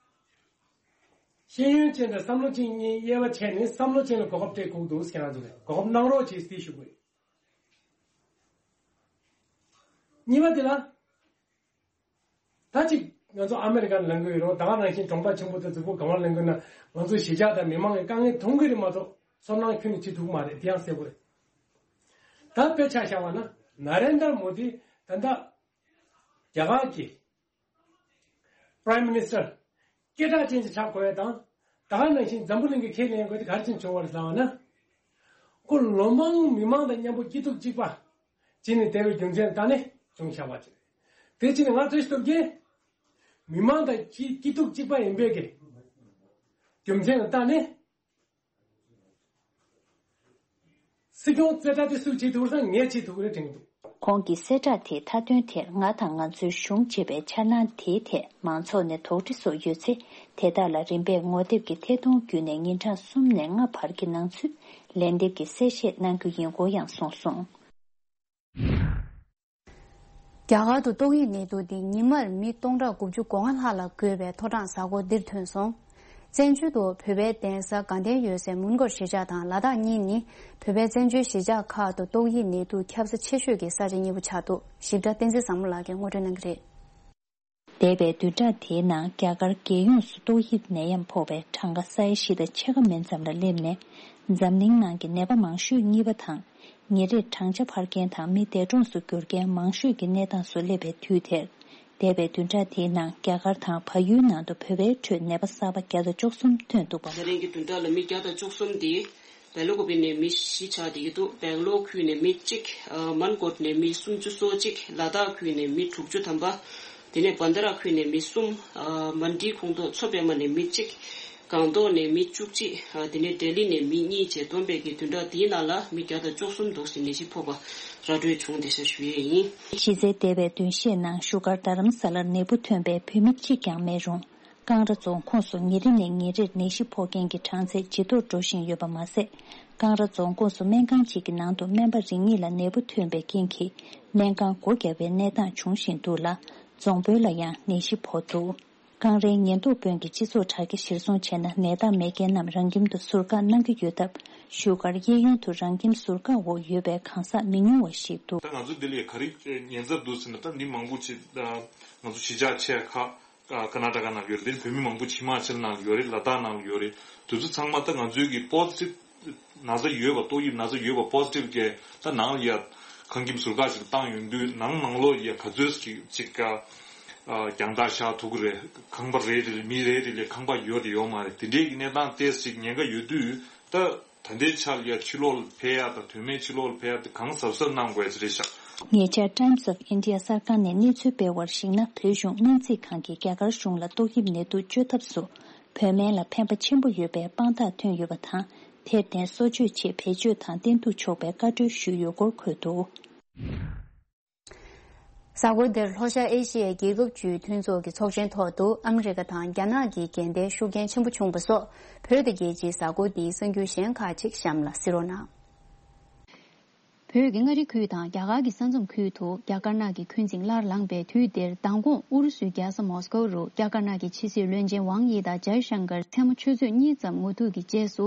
ཤེས་ཡོན་ཅན་དང་བསམ་བློ་ཅན་གཉིས་དབྱེ་བ་ཕྱེ་ནས་བསམ་བློ་ཅན་ལ་གོ་སྐབས་སྤྲད་དགོས་འདུག་ཟེར་ང་ཚོ་ལ་གོ་སྐབས་གནང་རོགས་བྱེད་ཟེར་ཞུ་དགོས། གཉིས་པ་དེ་ལ། ད་ཅིག་ང་ཚོ་ཨ་མེ་རི་ཀར་ལེན་གི་ཡོད་རུང་ད་ག་ནང་བཞིན་གྲོང་པ་ཆེན་པོ་དང་རྫིག་པོ་གང་བར་ལེན་གི་ན་ང་ཚོ་གཞིས་ཆགས་དང་མི་མང་གི་དཀའ་ངལ་མཐོང་གི་རེད་མ་གཏོགས་ཚོར་སྣང་ཁྱོན་ནས་བྱེད་ཐུབ་ཀྱི་མ་རེད། དེ་ཡང་གསལ་པོ་རེད། ད་དཔེ་ཆ་བཞག་པ་ན་ན་རེན་དར་མོ་དི་ད་ལྟ་རྒྱ་གར་གྱི་Prime Minister སྐད་གྲགས་ཅན་ཅིག་ཆགས་དགོས་ཡ་དང་། ད་ག་ནང་བཞིན་འཛམ་བུ་གླིང་གི་ཁས་ལེན་དགོས་དེ་ག་རེ་བྱས་བྱུང་བ་རེད་ལབ་པ་ན། ཁོ་ལོ་མང་མི་མང་དང་མཉམ་པོ་སྐྱིད་སྡུག་གཅིག་པ་བྱས་ནས་བསྡད་པའི་རྒྱུ་མཚན་ལ་བལྟས་ནས་བྱུང་ཆགས་པ་ཅིག་རེད། དེ་བྱས་ནས་ང་བཀྲ་ཤིས་སྟོབས་རྒྱལ་མི་མང་དང་སྐྱིད་སྐྱིད་སྡུག་གཅིག་པ་ཡིན་པའི་གི་རྒྱུ་མཚན་ལ་བལྟས་ནས། སྲིད་སྐྱོང་གསལ་བསྒྲགས་དེ་སུས་བྱེད་ཐུབ་ཀྱི་རེད་ཟེར་ན་ངས་བྱེད་ཐུབ་ཀྱི་རེད་དྲན་གྱི་འདུག་ཁོང་གི་གསལ་བསྒྲགས་དེའི་མཐའ་དོན་དེར་ང་དང་ང་ཚོའི་གཞུང་ཅེས་པའི་འཆར་སྣང་དེའི་ཐད་མང་ཚོགས་ནས་དོགས་འདྲི་སོགས་ཡོད་ཚེ། དེ་དག་ལ་རིམ་པས་ངོ་དེབ་ཀྱི་ཐད་གཏོང་བརྒྱུད་ནས་ཉིན་གྲངས་གསུམ་ནས་ལྔ་བར་གྱི་ནང་ཚུད་ལན་འདེབས་ཀྱི་གསལ་བཤད་གནང་རྒྱུ་ཡིན་སྐོར་ཡང་གསུངས་སོང་། རྒྱ་གར་དུ་ཏོག་དབྱིབས་ནད་དུག་འདི་ཉི་མར་མི་སྟོང་ཕྲག་དགུ་བཅུ་གོ་ལྔ་ལྷག་ལ་འགོས་པའི་མཐོ་གྲང་གཟའ་འཁོར་འདིར་ཐོན་སོང་། བཙན་བྱོལ་དུ་བོད་པའི་གདན་ས་དགའ་ལྡན་འོད་ཟེར་མོན་གྷོ་གཞིས་ཆགས་དང་ལ་དྭགས་གཉིས་ནི་བོད་པའི་བཙན་བྱོལ་གཞིས་ཆགས་ཁག་ཏུ་ཏོག་དབྱིབས་ནད་དུག་ཁྱབ་ས་ཆེ་ཤོས་ཀྱི་ས་ཆ་གཉིས་པོ་ཆགས་འདུག་ཞིབ་ཕྲ་བསྟན་འཛིན་བཟང་མོ་ལགས་ཀྱིས་ངོ་སྤྲོད་གནང་གི་རེད། འདས་པའི་བདུན་ཕྲག་དེའི་ནང་རྒྱ་གར་རྒྱལ་ཡོངས་སུ་ཏོག་དབྱིབས་ནད་ཡམས་ཕོག་པའི་གྲངས་ཀ་ས་ཡ་བཞི་དང་ཕྱེད་ཀ་མན་ཙམ་ལ་སླེབས་ནས། འཛམ་གླིང་ནང་གི་ནད་པ་མང་ཤོས་གཉིས་པ་དང་། ཉིན་རེར་གྲངས་ཆ་འཕར་མཁན་དང་མི་འདས་གྲོངས་སུ་གྱུར་མཁན་མང་ཤོས་ཀྱི་གནས་སྟངས་སུ་སླེབས་པའི་དུས་དེར། འདས་པའི་བདུན་ཕྲག་དེའི་ནང་རྒྱ་གར་དང་བལ་ཡུལ་ནང་དུ་བོད་པའི་ཁྲོད་ནད་པ་གསར་པ་བརྒྱ་དང་བཅུ་གསུམ་ཐོན་འདུག་པ། ད་རིང་གི་བདུན་ཕྲག་ལ་མི་བརྒྱ་དང་བཅུ་གསུམ་དེ་སྦེ་ལ་ཀུ་པེ་ནས་མི་བཞི་ཆགས་བསྡད་ཀྱི་འདུག་སྦེང་ལོར་ཁུལ་ནས་མི་གཅིག་ཨ་མན་གོཊ་ནས་མི་སུམ་ཅུ་སོ་གཅིག་ལ་དྭགས་ཁུལ་ནས་མི་དྲུག་ཅུ་ཐམ་པ། དེ་ནས་བན་དྷ་ར་ཁུལ་ནས་མི་གསུམ། ཨ་མན་ཌི་ཁོངས་གཏོགས་མཚོ་པདྨ་ནས་མི་གཅིག་སྒང་ཏོག་ནས་མི་བཅུ་གཅིག་ཨ་དེ་ནས་ལྡི་ལི་ནས་མི་གཉིས་བཅས་བསྡོམས་པའི་གི་བདུན་ཕྲག་འདིའི་ནང་ལ་མི་བརྒྱ་དང་བཅུ་གསུམ་འདུག་ཟེར་ནད་གཞི་ཕོག་པ་ར་སྤྲོད་བྱུང་བསྡད་ཤག་ཞུ་ཡས་ཡིན། གཞི་རྩའི་འདས་པའི་བདུན་ཤས་ནང་བཞུགས་སྒར་རྡ་རམ་ས་ལར་ནད་འབུ་ཐོན་པའི་བོད་མི་གཅིག་ཀྱང་མེད་རུང་། ཀང་ར་རྫོང་ཁོངས་སུ་ཉིན་རེ་ནས་ཉིན་རེར་ནད་གཞི་ཕོག་མཁན་གྱི་གྲངས་ཚད་ཇེ་མཐོར་འགྲོ་བཞིན་ཡོད་པ་མ་ཟད། ཀང་ར་རྫོང་ཁོངས་སུ་སྨན་ཁང་གཅིག་གི་ནང་དུ་སྨན་པ་རེ་གཉིས་ལ་ནད་འབུ་ཐོན་པའི་རྐྱེན་གྱིས་སྨན་ཁང་སྒོ་བརྒྱབ་པའི་གནས་སྟངས་བྱུང་བཞིན་འདུག་ལ། རྫོང་དཔོན་ལ་ཡང་ནད་གཞི་ཕོག་འདུག་ཀང་རའི་ཉེན་རྟོག་དཔོན་གྱིས་སྤྱི་ཚོགས་དྲ་རྒྱ་གཞིར་བཟུང་བྱས་ན་ནད་རྟགས་མེད་མཁན་རྣམས་རང་ཁྱིམ་དུ་ཟུར་བཀག་གནང་གི་ཡོད་སྟབས། བཞུགས་སྒར་གཡས་གཡོན་དུ་རང་ཁྱིམ་ཟུར་བཀག་འོག་ཡོད་པའི་གང་ཟག་མི་ཉུང་བ་ཞིག་འདུག་ད་ང་ཚོ་འདི་ལ་ག་རེ་ཉེན་ཚབས་འདུག་ཟེར་ན། ད་མི་མང་པོ་ཅིག་ང་ཚོ་གཞིས་ཆགས་ཆེ་ཁག་ཀ་ཀར་ནཱ་ཊ་ཀ་ནང་ཡོད་རེད། དེ་བོད་མི་མང་པོ་ཅིག་ཧི་མ་ཅལ་ནང་ཡོད་རེད། ལ་དྭགས་ནང་ཡོད་རེད། དེ་ཚོ་ཚང་མ་ད་ང་ཚོའི་གི་པོ་ཛི་ཊིབ་ན་ཚ་ཡོད་པ། ཏོག་དབྱིབས་ན་ཚ་ཡོད་པ་པོ་ཛི་ཊིབ་གི་ད་ནང་ལ་ཡ་ཁང་ཁྱིམ་ཟུར་བཀག་ཅིག་བཏང་ཡོང་དུས་ནང་ནང་ལོགས་ཡ་ག་ཚོད་ཅིག་ཅིག་ག་རྒྱང་ཐག་བཞག་ཐུབ་ཀྱི་རེད། ཁང་པ་རེ་རེ་ལ་མི་རེ་རེ་ལ་ཁང་པ་ཡོད་དང་ཡོད་མ་རེད། དེ་འདྲའི་གི་གནས་སྟངས་ཏོག་ཙམ་ཅིག་ཉེན་ཁ་ཡོད་དུས་ད། ད་ལྟའི་ཆར་ལ་ཡ་ཕྱི་ལོགས་ལ་ཕེབས་ཡ་དང་དོན་མེད་ཕྱི་ལོགས་ལ་ཕེབས་ཡ་དེ་གང་གཟབ་གཟབ་གནང་དགོས་ཡ་ཅིག་རེད་ཤག་ཉེ་ཆར་Times of India གསར་ཁང་ནས་གནས་ཚུལ་སྤེལ་བར་གཞིགས་ན། བོད་གཞུང་སྨན་རྩིས་ཁང་གིས་རྒྱ་གར་གཞུང་ལ་ཏོག་དབྱིབས་ནད་དུག་བཅོས་ཐབས་སུ་བོད་སྨན་ལ་ཕན་པ་ཆེན་པོ་ཡོད་པའི་དཔང་རྟགས་ཐོན་ཡོད་པ་དང་། དེར་བརྟེན་གསོ་བཅོས་ཆེད་བེད་སྤྱོད་དང་བསྟེན་གཏུག་ཆོག་པའི་བཀའ་འཁྲོལ་ཞུས་ཡོད་སྐོར་འཁོད་འདུག་གཟའ་འཁོར་འདིར་ལྷོ་ཤར་ཨེ་ཤི་ཡའི་རྒྱལ་ཁབ་བཅུའི་མཐུན་ཚོགས་ཀྱི་ཚོགས་ཆེན་ཐོག་ཏུ་ཨ་མི་རི་ཀ་དང་རྒྱ་ནག་གི་འགན་ལྡན་ཤུགས་རྐྱེན་ཆེན་པོ་བྱུང་བ་སོགས། བོད་དང་རྒྱལ་སྤྱིའི་གཟའ་འཁོར་འདིའི་གསར་འགྱུར་གཞན་ཁག་ཅིག་གཤམ་ལ་གཟིགས་རོགས་གནང་། བོད་ཀྱི་མངའ་རིས་ཁུལ་དང་རྒྱ་གར་གྱི་ས་མཚམས་ཁུལ་དུ་རྒྱ་དཀར་ནག་གི་འཁོན་འཛིན་སླར་ལངས་པའི་དུས་འདིར། མདང་དགོང་ཨུ་རུ་སུའི་རྒྱལ་ས་མོ་སི་ཀོ་རུ་རྒྱ་དཀར་ནག་གི་ཕྱི་སྲིད་བློན་ཆེན་ཝང་དབྱི་དང་ཇའི་ཤང་ཀར་མཚན་མོ་ཆུ་ཚོད་གཉིས་ཙམ་ངོ་ཐུག་གི་རྗེས་སུ།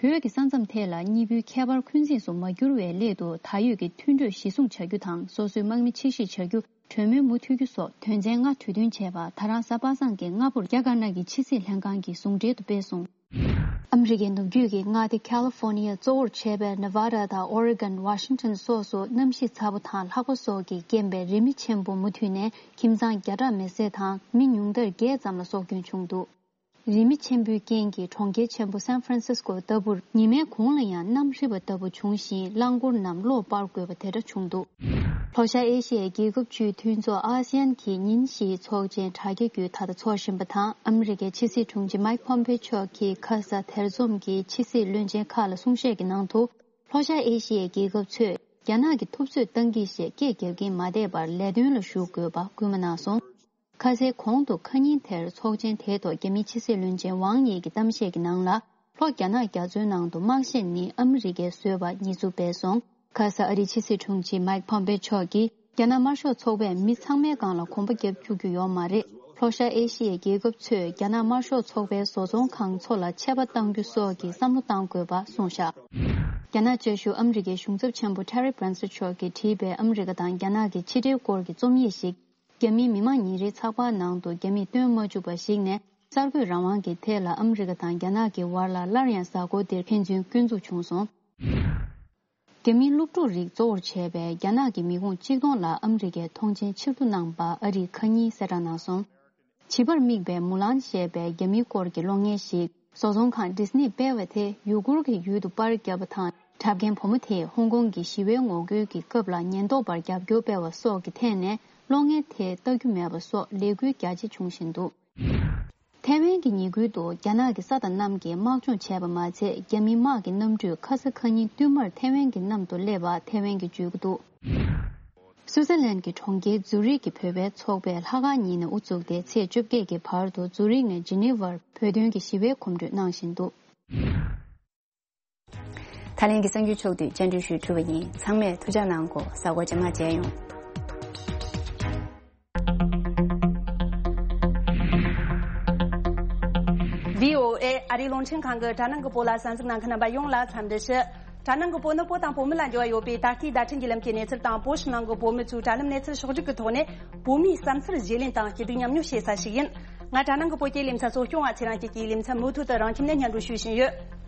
བོད་ཀྱི་ས་མཚམས་ཐད་ལ་གཉིས་པོའི་ཁྱད་པར་འཁོན་འཛིན་སུ་མ་གྱུར་བའི་སླད་དུ། ད་ཡོད་ཀྱི་མཐུན་གྲོས་གཞི་བཟུང་བྱ་རྒྱུ་དང་། སོ་སོའི་དམག་མི་ཕྱིར་བཤིག་བྱ་རྒྱུ། གྲོས་མོལ་མུ་མཐུད་རྒྱུ་སོགས་དོན་ཚན་ལྔ་གྲོས་མཐུན་བྱས་པ། ད་རང་གཟའ་པ་སངས་ཀྱི་སྔ་པོར་རྒྱ་དཀར་ནག་གི་ཕྱི་སྲིད་ལྷན་ཁང་གིས་ཟུང་འབྲེལ་དུ་སྤེལ་སོང་། ཨ་མི་རི་ཀའི་ནུབ་རྒྱུད་ཀྱི་མངའ་སྡེ་ཁ་ལི་ཧྥོར་ནི་ཡ་གཙོ་བོར་བྱས་པའི་ནེ་ཝ་ཌ་དང་ཨོ་རེ་གོན། ཝ་ཤིང་ཊོན་སོགས་སུ་གནམ་གཤིས་ཚ་པོ་དང་ལྷགས་པ་སོགས་ཀྱིས་རྐྱེན་པས་རི་མེ་ཆེན་པོ་མུ་མཐུད་ནས་ཁྱིམ་ཚང་བརྒྱ་ཕྲག་མེ་བསྲེགས་དང་མི་ཉུང་མཐར་བརྒྱད་ཙམ་ལ་སྲོག་སྐྱོན་བྱུང་འདུག་རི་མེ་ཆེན་པོའི་རྐྱེན་གྱིས་གྲོང་ཁྱེར་ཆེན་པོ་སན་ཧྥ་རན་སིས་ཀོ་ལྟ་བུར་ཉི་མའི་གུང་ལ་ཡང་གནམ་རིབ་པ་ལྟ་བུ་བྱུང་ཞིང་། རླངས་འཁོར་རྣམས་གློག་སྤར་དགོས་པ་དེ་འདྲ་བྱུང་འདུག་ལྷོ་ཤར་ཨེ་ཤི་ཡའི་རྒྱལ་ཁབ་བཅུའི་མཐུན་ཚོགས་ཨ་སི་ཡན་གྱིས་ཉིན་བཞིའི་ཚོགས་ཆེན་དྲ་རྒྱ་བརྒྱུད་ད་ལྟ་འཚོགས་བཞིན་པ་དང་། ཨ་མི་རི་ཀའི་ཕྱི་སྲིད་དྲུང་ཆེ་མའིག་ཕོམ་པེ་ཆོ་གིས་ཁ་ས་དེར་འཛོམས་ཀྱི་ཕྱི་སྲིད་བློན་ཆེན་ཁག་ལ་གསུང་བཤད་ཀྱི་ནང་དུ། ལྷོ་ཤར་ཨེ་ཤི་ཡའི་རྒྱལ་ཁབ་ཚོས་རྒྱ་ནག་གི་ཐུབ་ཚོད་བཏང་གི་ཞེས་སྐད་རྒྱག་གིན་མ་བསྡད་པར་ལས་དོན་ལ་ཞུགས་དགོས་པ་སྐུལ་མ་གནང་སོང་། ཁ་སའི་གོང་དུ་ཁ་ཉིན་དེར་ཚོགས་ཆེན་དེའི་ཐོག་རྒྱ་མིའི་ཕྱི་སྲིད་བློན་ཆེན་ཝང་ཡེ་གི་གཏམ་བཤད་ཀྱི་ནང་ལ། ལྷོ་རྒྱ་ནག་རྒྱ་མཚོའི་ནང་དུ་དམག་ཤེད་ནི་ཨ་མི་རི་ཀས་བཟོས་པ་ཉེས་འཛུགས་སྤེལ་སོང་། ཁ་ས་ཨ་རིའི་ཕྱི་སྲིད་དྲུང་ཆེ་མའིག་ཕོམ་པེ་མཆོག་གིས། རྒྱ་ནག་དམར་ཤོག་ཚོགས་པས་མི་ཚང་མའི་སྒང་ལ་གོམ་པ་རྒྱབ་བཅུག་རྒྱུ་ཡོད་མ་རེད། ལྷོ་ཤར་ཨེ་ཤི་ཡའི་རྒྱལ་ཁབ་ཚོས་རྒྱ་ནག་དམར་ཤོག་ཚོགས་པའི་བཟོ་ཚོང་ཁང་ཚོ་ལ་ཆད་པ་གཏང་རྒྱུ་སོགས་ཀྱི་བསམ་བློ་གཏང་དགོས་པ་གསུངས་བཞག་རྒྱ་ནག་བཅའ་བཞུགས་ཨ་མི་རི་ཀའི་གཞུང་ཚབ་ཆེན་པོ་ཊེ་རི་བྷན་སི་མཆོག་གིས་བྲིས་པའི་ཨ་མི་རི་ཀ་དང་རྒྱ་ནག་གི་ཕྱི་འབྲེལ་སྐོར་གྱི་རྩོམ་ཡིག་ཞིག་རྒྱ་མིའི་མི་དམངས་ཉིན་རེའི་ཚགས་པར་ནང་དུ་རྒྱ་མིས་སྟོན་མ་བཅུག་པ་ཞིག་ནས། གསར་འགོད་རང་དབང་གི་ཐད་ལ་ཨ་མི་རི་ཀ་དང་རྒྱ་ནག་གི་བར་ལ་སླར་ཡང་གཟའ་འཁོར་འདིར་ཕན་ཚུན་སྐྱོན་འཛུགས་བྱུང་སོང་། རྒྱ་མིའི་སློབ་ཕྲུག་རིགས་གཙོ་བོར་བྱས་པའི་རྒྱ་ནག་གི་མི་ཁུངས་གཅིག་སྟོང་ལ་ཨ་མི་རི་ཀས་ཐོངས་མཆན་ཕྱིར་བསྡུ་གནང་པ་ཨ་རིས་ཁ་ཉིན་གསལ་བསྒྲགས་གནང་སོང་། བྱིས་པར་དམིགས་པའི་མུ་ལན་ཞེས་པའི་རྒྱ་མིའི་སྐོར་གྱི་གློག་བརྙན་ཞིག་བཟོ་ཚོང་ཁང་ཌི་སི་ནིས་སྤེལ་བ་དེ་ཡུ་གུར་གྱི་ཡུལ་དུ་པར་བརྒྱབ་པ་དང་། འཁྲབ་མཁན་བུ་མོ་དེས་ཧོང་ཀོང་གི་ཞི་བའི་ངོ་རྒོལ་གྱི་སྐབས་ལ་ཉེན་རྟོག་པར་རྒྱབ་སྐྱོར་སྤེལ་བ་སོགས་ཀྱི་ཐད་ནས་གློག་བརྙན་དེ་ལྟ་རྒྱུ་མེད་པ་སོགས་ལས་འགུལ་རྒྱ་ཆེ་འབྱུང་བཞིན་འདུག་ཐའེ་ཝན་གྱི་ཉེ་ཁུལ་དུ་རྒྱ་ནག་གི་ས་དང་གནམ་གྱིས་དམག་སྦྱོང་བྱས་པ་མ་ཚད། རྒྱ་མིའི་དམག་གི་གནམ་གྲུས་ཁ་ས་ཁ་ཉིན་བསྟུད་མར་ཐའེ་ཝན་གྱི་གནམ་དུ་སླེབས་པ་ཐའེ་ཝན་གྱིས་བརྗོད་ཀྱི་འདུག་སུའུ་ཙེར་ལན་གྱི་གྲོང་ཁྱེར་ཛུ་རིག་གི་བོད་པའི་ཚོགས་པས་ལྷག་དཀར་ཉིན་ནས་དབུ་བཙུགས་ཏེ་ཚེས་བཅོ་བརྒྱད་ཀྱི་བར་དུ་ཛུ་རིག་ནས་ཇི་ནི་ཝར་བོད་དོན་གྱི་ཞི་བའི་གོམ་བགྲོད་གནང་བཞིན་འདུག་ད་ལན་གྱི་གསར་འགྱུར་ཕྱོགས་བསྡུས་སྙན་སྒྲོན་ཞུས་གྲུབ་པ་ཡིན། ཚང་མས་ཐུགས་ཅག་གནང་གོ། གཟའ་འཁོར་རྗེས་མ་མཇལ་ཡོང་། བྷི་ཨོ་ཨེ་ཨ་རིའི་རླུང་འཕྲིན་ཁང་གི་དྲ་ནང་གི་བོད་ལ་གསན་གཟིགས་གནང་མཁན་རྣམ་པ་ཡོངས་ལ་འཚམས་འདྲི་ཞུ། དྲ་ནང་གི་བོད་ནི་བོད་དང་བོད་མི་ལ་འབྲེལ་བ་ཡོད་པའི་ད་ལྟའི་བརྡ་འཕྲིན་བརྒྱུད་ལམ་གྱི་གནས་ཚུལ་དང་། བོད་ཕྱི་ནང་གི་བོད་མི་ཚོའི་དྲ་ལམ་གནས་ཚུལ་ཕྱོགས་བསྒྲིགས་ཀྱི་ཐོག་ནས། བོད་མིའི་བསམ་ཚུལ་བརྗེ་ལེན་དང་སྐྱིད་སྡུག་མཉམ་མྱོང་བྱེད་ས་ཞིག་ཡིན། ང་དྲ་ནང་གི་བོད་སྐད་ལེ་ཚན་གཙོ་སྐྱོང་བ་ཚེ་རིང་སྐྱིད་ཀྱིས་ལེ་ཚན་མུ་མཐུད་དུ་རང་ཁྱིམ་ནས་སྙན་སྒྲོན་ཞུ་བཞིན་ཡོད།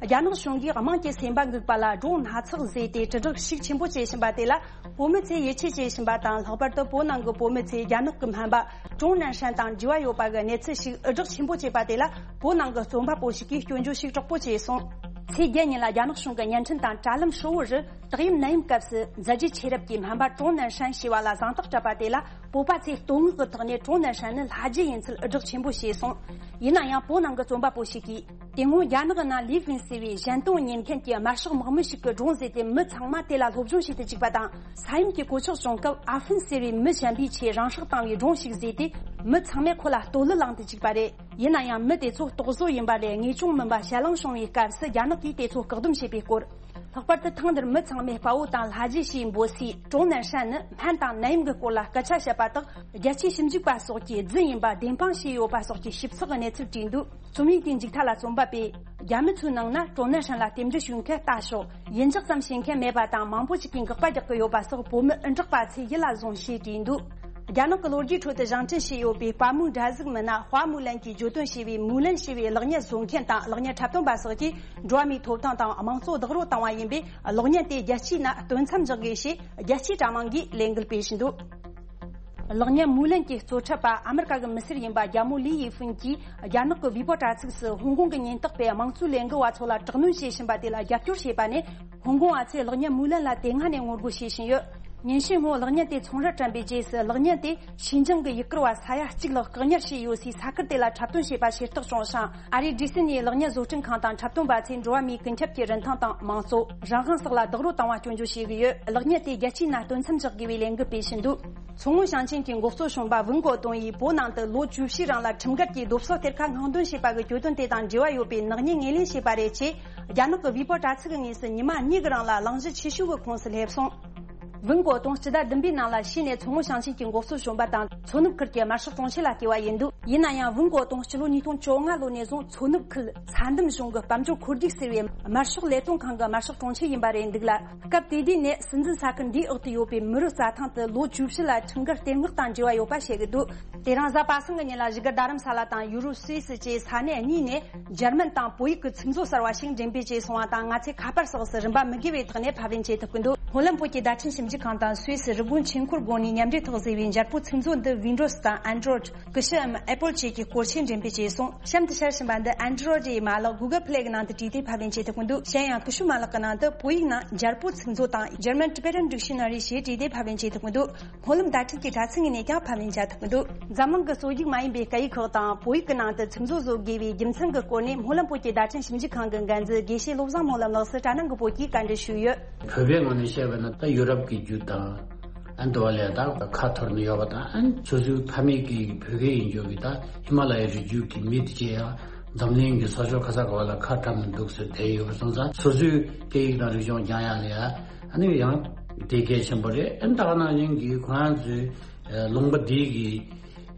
རྒྱ་ནག་གཞུང་གིས་དམངས་ཀྱི་སེམས་པ་འགུག་པ་ལ་ཌྲོན་སྣ་ཚོགས་བཟོས་ཏེ་དྲིལ་བསྒྲགས་ཤུགས་ཆེན་པོ་བྱེད་བཞིན་པ་དེ་ལ་བོད་མི་ཚོས་ཡིད་ཆེས་བྱེད་བཞིན་པ་དང་། ལྷག་པར་དུ་བོད་ནང་གི་བོད་མི་ཚོས་རྒྱ་ནག་གི་སྨན་པ་ཀྲོང་ནན་ཧྲན་དང་འབྲེལ་བ་ཡོད་པ་གི་གནས་ཚུལ་ཞིག་དབུ་སྒྲགས་ཆེན་པོ་བྱས་པ་དེ་ལ། བོད་ནང་གི་རྩོམ་པ་པོ་ཞིག་གིས་སྐྱོན་བརྗོད་ཤུགས་དྲག་པོ་བྱས་སོང་། ཚེས་བརྒྱད་ཉིན་ལ་རྒྱ་ནག་གཞུང་གི་བརྙན་འཕྲིན་དང་དྲ་ལམ་ཧྲིལ་བོ་རུ། དག་ཡིག་ནད་ཡམས་སྐབས་སུ་མཛད་རྗེས་ཆེ་རབས་ཀྱི་སྨན་པ་ཀྲོང་ནན་ཧྲན་ཞེས་པ་ལ་གཟེངས་རྟགས་སྤྲད་པ་དེ་ལ། བོད་པ་ཚོས་བསྟོད་བསྔགས་ཀྱི་ཐོག་ནས་ཀྲོང་ནན་ཧྲན་ནི་ལྷ་རྗེ་ཡིན་ཚུལ་དབུ་སྒྲགས་ཆེན་པོ་བྱས་སོང་། ཡིན་ན་ཡང་། བོད་ནང་གི་རྩོམ་པ་པོ་ཞིག་གིས། དེ་སྔོན་རྒྱ་ནག་གི་ནང་ལི་ཧྥིན་ཟེར་བའི་གཞན་དོན་གཉེར་མཁན་གྱི་དམར་ཤོག་དམག་མི་ཞིག་གིས་ཌྲོན་བཟོས་ཏེ། མི་ཚང་མ་དེ་ལ་སློབ་སྦྱོང་བྱེད་དུ་བཅུག་པ་དང་། ས་ཡོམ་གྱི་གོད་ཆག་བྱུང་སྐབས་ཨ་ཧྥིན་ཟེར་བའི་མི་གཞན་པས་ཆེས་རང་སྲོག་བཏང་བའི་ཌྲོན་ཞིག་བཟོས་ཏེ། མི་ཚང་མས་ཁོ་ལ་བསྟོད་གླུ་བླངས་ཏེ་བཅུག་པ་རེད། ཡིན་ན་ཡང་། མི་དེ་ཚོ་རྟོག་བཟོ་ཡིན་པ་ལས་ངེས་བྱུང་མིན་པ་ཞེད་སྣང་བྱུང་བའི་སྐབས་སུ། རྒྱ་ནག་གིས་དེ་ཚོ་བཀག་སྡོམ་བྱས་པའི་སྐོར། ལྷག་པར་དུ་ཐེངས་འདིར་མི་ཚང་མས་དཔའ་བོ་དང་ལྷ་རྗེ་ཞེས་འབོད་སའི་ཀྲོང་ནན་ཧྲན་ནི་སྨན་དང་ནད་ཡམས་ཀྱི་སྐོར་ལ་སྐད་ཆ་བཤད་པ་དག་རྒྱལ་སྤྱིའི་ཞིབ་འཇུག་པ་སོགས་ཀྱིས་རྫུན་ཡིན་པ་བདེན་དཔང་བྱས་ཡོད་པ་སོགས་ཀྱི་ཞིབ་ཚགས་ཀྱི་གནས་ཚུལ་བྲིས་འདུག་རྩོམ་ཡིག་དེའི་མཇུག་མཐའ་ལ་རྩོམ་པ་པས། རྒྱ་མི་ཚོའི་ནང་ན་ཀྲོང་ནན་ཧྲན་ལ་རྟེན་འབྲེལ་ཞུ་མཁན་ལྟ་ཞོག་ཡིན་འཇོག་ཙམ་བྱེད་མཁན་མེད་པ་དང་། མང་པོ་ཞིག་གིས་འགག་པ་རྒྱག་གི་ཡོད་པ་སོགས་བོད་མི་འུ་དྲག་པ་ཚོས་ཡིད་ལ་བཟུང་ཞེས་བྲིས་འདུག་རྒྱ་ནག་གི་ལོ་རྒྱུས་ཁྲོད་དུ་བཞེངས་སྐྲུན་བྱས་ཡོད་པའི་དཔའ་མོའི་འདྲ་གཟུགས་མི་སྣ་ཧྭ་མུ་ལན་གྱིས་བརྗོད་དོན་བྱས་པའི་མུ་ལན་ཞེས་པའི་གློག་བརྙན་བཟོ་མཁན་དང་གློག་བརྙན་འཁྲབ་སྟོན་པ་སོགས་ཀྱིས་འགྲོ་བ་མིའི་ཐོབ་ཐང་དང་དམངས་གཙོ་བདག་རོལ་བཏང་བ་ཡིན་པས། གློག་བརྙན་དེ་རྒྱལ་སྤྱིའི་ནང་སྟོན་མཚམས་འཇོག་དགོས་ཞེས་རྒྱལ་སྤྱིའི་དྲ་དམངས་ཀྱིས་ལས་འགུལ་སྤེལ་བཞིན་འདུག་གློག་བརྙན་མུ་ལན་གྱི་གཙོ་འཁྲབ་པ་ཨ་མི་རི་ཀ་གི་མི་སེར་ཡིན་པ་རྒྱ་མོ་ལི་ཡི་ཧྥུན་གྱིས་རྒྱ་ནག་གི་ཝི་པོ་དྲ་ཚིགས་སུ་ཧོང་ཀོང་གི་ཉེན་རྟོག་པས་དམངས་གཙོའི་ལས་འགུལ་བ་ཚོ་ལ་དྲག་གནོན་བྱེད་བཞིན་པ་དེ་ལ་རྒྱབ་སྐྱོར་བྱས་པ་ནས། ཧོང་ཀོང་བ་ཚོས་གློག་བརྙན་མུ་ལན་ལ་དེ་སྔ་ནས་ངོ་རྒོལ་བྱེད་བཞིན་ཡོད། ཉིན་ཤས་སྔོན་གློག་བརྙན་དེ་ཚོང་རར་བཀྲམ་པའི་རྗེས་སུ། གློག་བརྙན་དེ་ཤིན་ཅང་གི་ཡུལ་སྐོར་བ་ས་ཡ་གཅིག་ལྷག་བཀག་ཉར་བྱས་ཡོད་སའི་ས་ཁུལ་དེ་ལ་འཁྲབ་སྟོན་བྱས་པ་ཤེས་རྟོགས་བྱུང་ཞིང་། ཨ་རིའི་ཌི་སི་ནས་གློག་བརྙན་བཟོ་སྐྲུན་ཁང་དང་འཁྲབ་སྟོན་པ་ཚོས་འགྲོ་བ་མིའི་ཀུན་ཁྱབ་ཀྱི་རིན་ཐང་དང་། དམངས་གཙོ། རང་དབང་སོགས་ལ་རྡོག་རོལ་བཏང་བ་སྐྱོན་བརྗོད་བྱས་ཡོད། གློག་བརྙན་དེ་རྒྱལ་སྤྱིའི་ནང་སྟོན་མཚམས་འཇོག་དགོས་པའི་ལས་འགུལ་སྤེལ་བཞིན་འདུག་མཚོ་སྔོན་ཞིང་ཆེན་གྱི་འགོ་གཙོ་གཞོན་པ་ཝུན་གོ་ཏུང་ཡིས་བོད་ནང་དུ་ལོ་བཅུ་བཞིའི་རིང་ལ་ཁྲིམས་འགལ་གྱིས་རྡོབ་གསོག་གཏེར་ཁ་སྔོག་འདོན་བྱས་པ་གི་གྱོད་དོན་དེ་དང་འབྲེལ་བ་ཡོད་པའི་ནག་ཉེས་ངོས་ལེན་བྱས་པ་རེད་ཅེས། རྒྱ་ནག་གི་ཝི་པོ་དྲ་ཚིགས་ཀྱི་ངོས་སུ་ཉི་མ་གཉིས་ཀྱི་རིང་ལ་གླེང་གཞི་ཆེ་ཤོས་ཀྱི་ཁོངས་སུ་སླེབས་སོང་། ཝུན་གོ་ཏུང་སྤྱི་ཟླ་བདུན་པའི་ནང་ལ་ཕྱིས་ནས་མཚོ་སྔོན་ཞིང་ཆེན་གྱི་འགོག་སྲུང་གཞོན་པ་དང་མཚོ་ནུབ་ཁུལ་གྱི་དམར་ཤོག་དྲུང་ཆེ་ལ་བསྐོས་པ་ཡིན་འདུག་ཡིན་ན་ཡང་ཝུན་གོ་ཏུང་སྤྱི་ལོ་ཉིས་སྟོང་བཅོ་ལྔ་ལོ་ནས་བཟུང་མཚོ་ནུབ་ཁུལ་ས་འདམ་གཞུང་གི་དཔལ་འབྱོར་འཁོར་རྒྱུག་ཟེར་བའི་དམར་ཤོག་ལས་དོན་ཁང་གི་དམར་ཤོག་དྲུང་ཆེ་ཡིན་པ་རེད་འདུག་ལ། སྐབས་དེ་དུས་ནས་སྲིད་འཛིན་ས་ཁུལ་འདིའི་འོག་ཏུ་ཡོད་པའི་མི་རབས་རྩྭ་ཐང་དུ་ལོ་བཅུ་བཞི་ལ་ཁྲིམས་འགལ་གཏན་དབང་དང་འབྲེལ་བ་ཡོད་པ་བཤད་ཀྱི་འདུག་དེ་རིང་གཟའ་པ་སངས་ཀྱི་ཉིན་ལ་བཞུགས་སྒར་རྡ་རམ་ས་ལ་དང་ཡུ་རོབ་སུད་སི་བཅས་ས་གནས་གཉིས་ནས་འཇར་མན་དང་བོད་ཡིག་གི་ཚིག་མཛོད་གསར་བ་ཞིག་འགྲེམས་སྤེལ་བྱས་སོང་བ་དང་། ང་ཚོས་ཁ་པར་སོགས་སུ་རིན་པ་མི་དགོས་པའི་ཐོག་ནས་ཕབ་ལེན་བྱེད་ཐུབ་ཀྱི་འདུག་སྨོན་ལམ་བོད་ཀྱི་བརྡ་འཕྲིན་ཞིབ་འཇུག་ཁང་དང་སུད་སི་རི་ཀོན་ཆོས་འཁོར་དགོན་ནས་མཉམ་འབྲེལ་ཐོག་བཟོས་པའི་འཇར་པོ་ཚིག་མཛོད་འདི་Windows དང་Android། སྐུ་ཞབས་Apple བཅས་ཀྱི་སྐོར་ཆས་འགྲེམས་སྤེལ་བྱས་སོང་། གཤམ་དུ་བཤད་བཞིན་པ་འདི་Android ཡི་མ་ལག་Google Play གི་ནང་དུ་བྲིས་ཏེ་ཕབ་ལེན་བྱེད་ཐུབ་ཀྱི་འདུག་གཞན་ཡང་ཀུ་ཤུ་མ་ལག་གི་ནང་དུ་བོད་ཡིག་ནང་འཇར་པོ་ཚིག་མཛོད་དང་German Tibetan Dictionary ཞེས་བྲིས་ཏེ་ཕབ་ལེན་བྱེད་ཐུབ་ཀྱི་འདུག་སྨོན་ལམ་བརྡ་འཕྲིན་གྱི་དྲ་ཚིགས་ནས་ཀྱང་ཕབ་ལེན་བྱེད་ཐུབ་ཀྱི་འདུག་འཛམ་གླིང་གི་སོ་རྒྱུག་མ་ཡིན་པའི་སྐད་ཡིག་ཁག་དང་བོད་ཡིག་གི་ནང་དུ་ཚིག་མཛོད་བཟོ་དགོས་པའི་རྒྱུ་མཚན་གྱི་སྐོར་ནས་སྨོན་ལམ་བོད་ཀྱི་བརྡ་འཕྲིན་ཞིབ་འཇུག་ཁང་གི་འགན་འཛིན་དགེ་བཤེས་བློ་བཟང་སྨོན་ལམ་ལགས་སུ་དྲ་སྣང་གི་བོད་ཀྱིས་བཀའ་འདྲི་ཞུས་ཡོད། བོད་པའི་ངོས་ནས་བཤད་པ་ན་ད་ཡོ་རོབ་ཀྱི་རྒྱུད་དང་། ཨ་འདི་བ་ལས་ད་ཁ་འཐོར་ནས་ཡོད་པ་དང་། ཨ་སོ་སོའི་ཕ་མེས་ཀྱི་བོད་སྐད་ཡིན་རྒྱུ་གི་ད་ཧི་མ་ལ་ཡའི་རི་རྒྱུད་ཀྱི་མི་དེ་ཅེ་ཡང་འཛམ་གླིང་གི་ས་ཕྱོགས་ག་ས་ག་བ་ལ་ཁ་བཀྲམ་ནས་འདུག་ཟེར་བསྡད་ཡོད་པ་སོང་ཙང་། སོ་སོའི་སྐད་ཡིག་དང་རིག་གཞུང་སྦྱང་ཡག་ལ་ཡ་ཨ་ནི་ཡང་དེ་གལ་ཆེན་པོ་རེད། ཨ་ནི་ད་ག་ནང་བཞིན་གྱི་ཁོ་རང་ཚོའི་ལུང་པ་འདི་གི་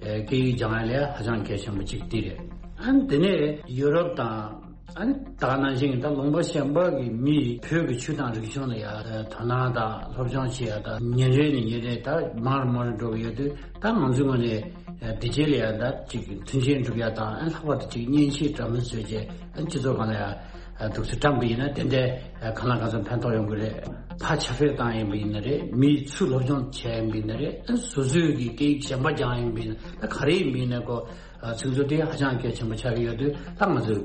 སྐད་ཡིག་སྦྱང་ཡག་ལ་ཡ་ཧ་ཅང་གལ་ཆེན་པོ་གཅིག་དེ་རེད། ཨ་ནི་དེ་ནས་ཡུ་རོབ་དང་། ཨ་ནི་ད་ག་ནང་བཞིན་ད་ལུང་པ་གཞན་པ་གི་མིས་བོད་ཀྱི་ཆོས་དང་རིག་གཞུང་ལ་ཡ་དོ་སྣང་དང་སློབ་སྦྱོང་བྱེད་ཡ་ད་ཉིན་རེ་ནས་ཉིན་རེ་ད་མང་རུ་མང་རུ་འགྲོ་གི་ཡོད་དུས། ད་ང་ཚོའི་ངོས་ནས་དེ་རྗེས་ལ་ཡ་ད་ཅིག་མཐུན་རྐྱེན་སྒྲུབ་ཡ་དང་། ཨ་ལྷག་པར་དུ་ཅིག་མཉེན་ཆས་འདྲ་མིན་བཟོས་རྗེས་ཨ་སྤྱི་ཚོགས་སྒང་ལ་ཡ་འདུག་སེ་བཀྲམ་པ་ཡིན་ན་དེ་འདྲའི་གང་ལ་གང་འཚམ་ཕན་ཐོགས་ཡོང་གི་རེད། ཕར་ཁྱབ་སྤེལ་བཏང་ཡིན་པ་ཡིན་ན་རེད། མིའི་ཚུར་སློབ་སྦྱོང་བྱས་ཡིན་པ་ཡིན་ན་རེད། ཨ་སོ་སོའི་གི་སྐད་ཡིག་གཞན་པ་སྦྱང་ཡིན་པ་ཡིན་ན། ད་ག་རེ་ཡིན་པ་ཡིན་ན་ཁོ། ཚིག་མཛོད་དེ་ཧ་ཅང་གལ་ཆེན་པོ་ཆགས་ཀྱི་ཡོད་དུས། ད་ང་ཚོས་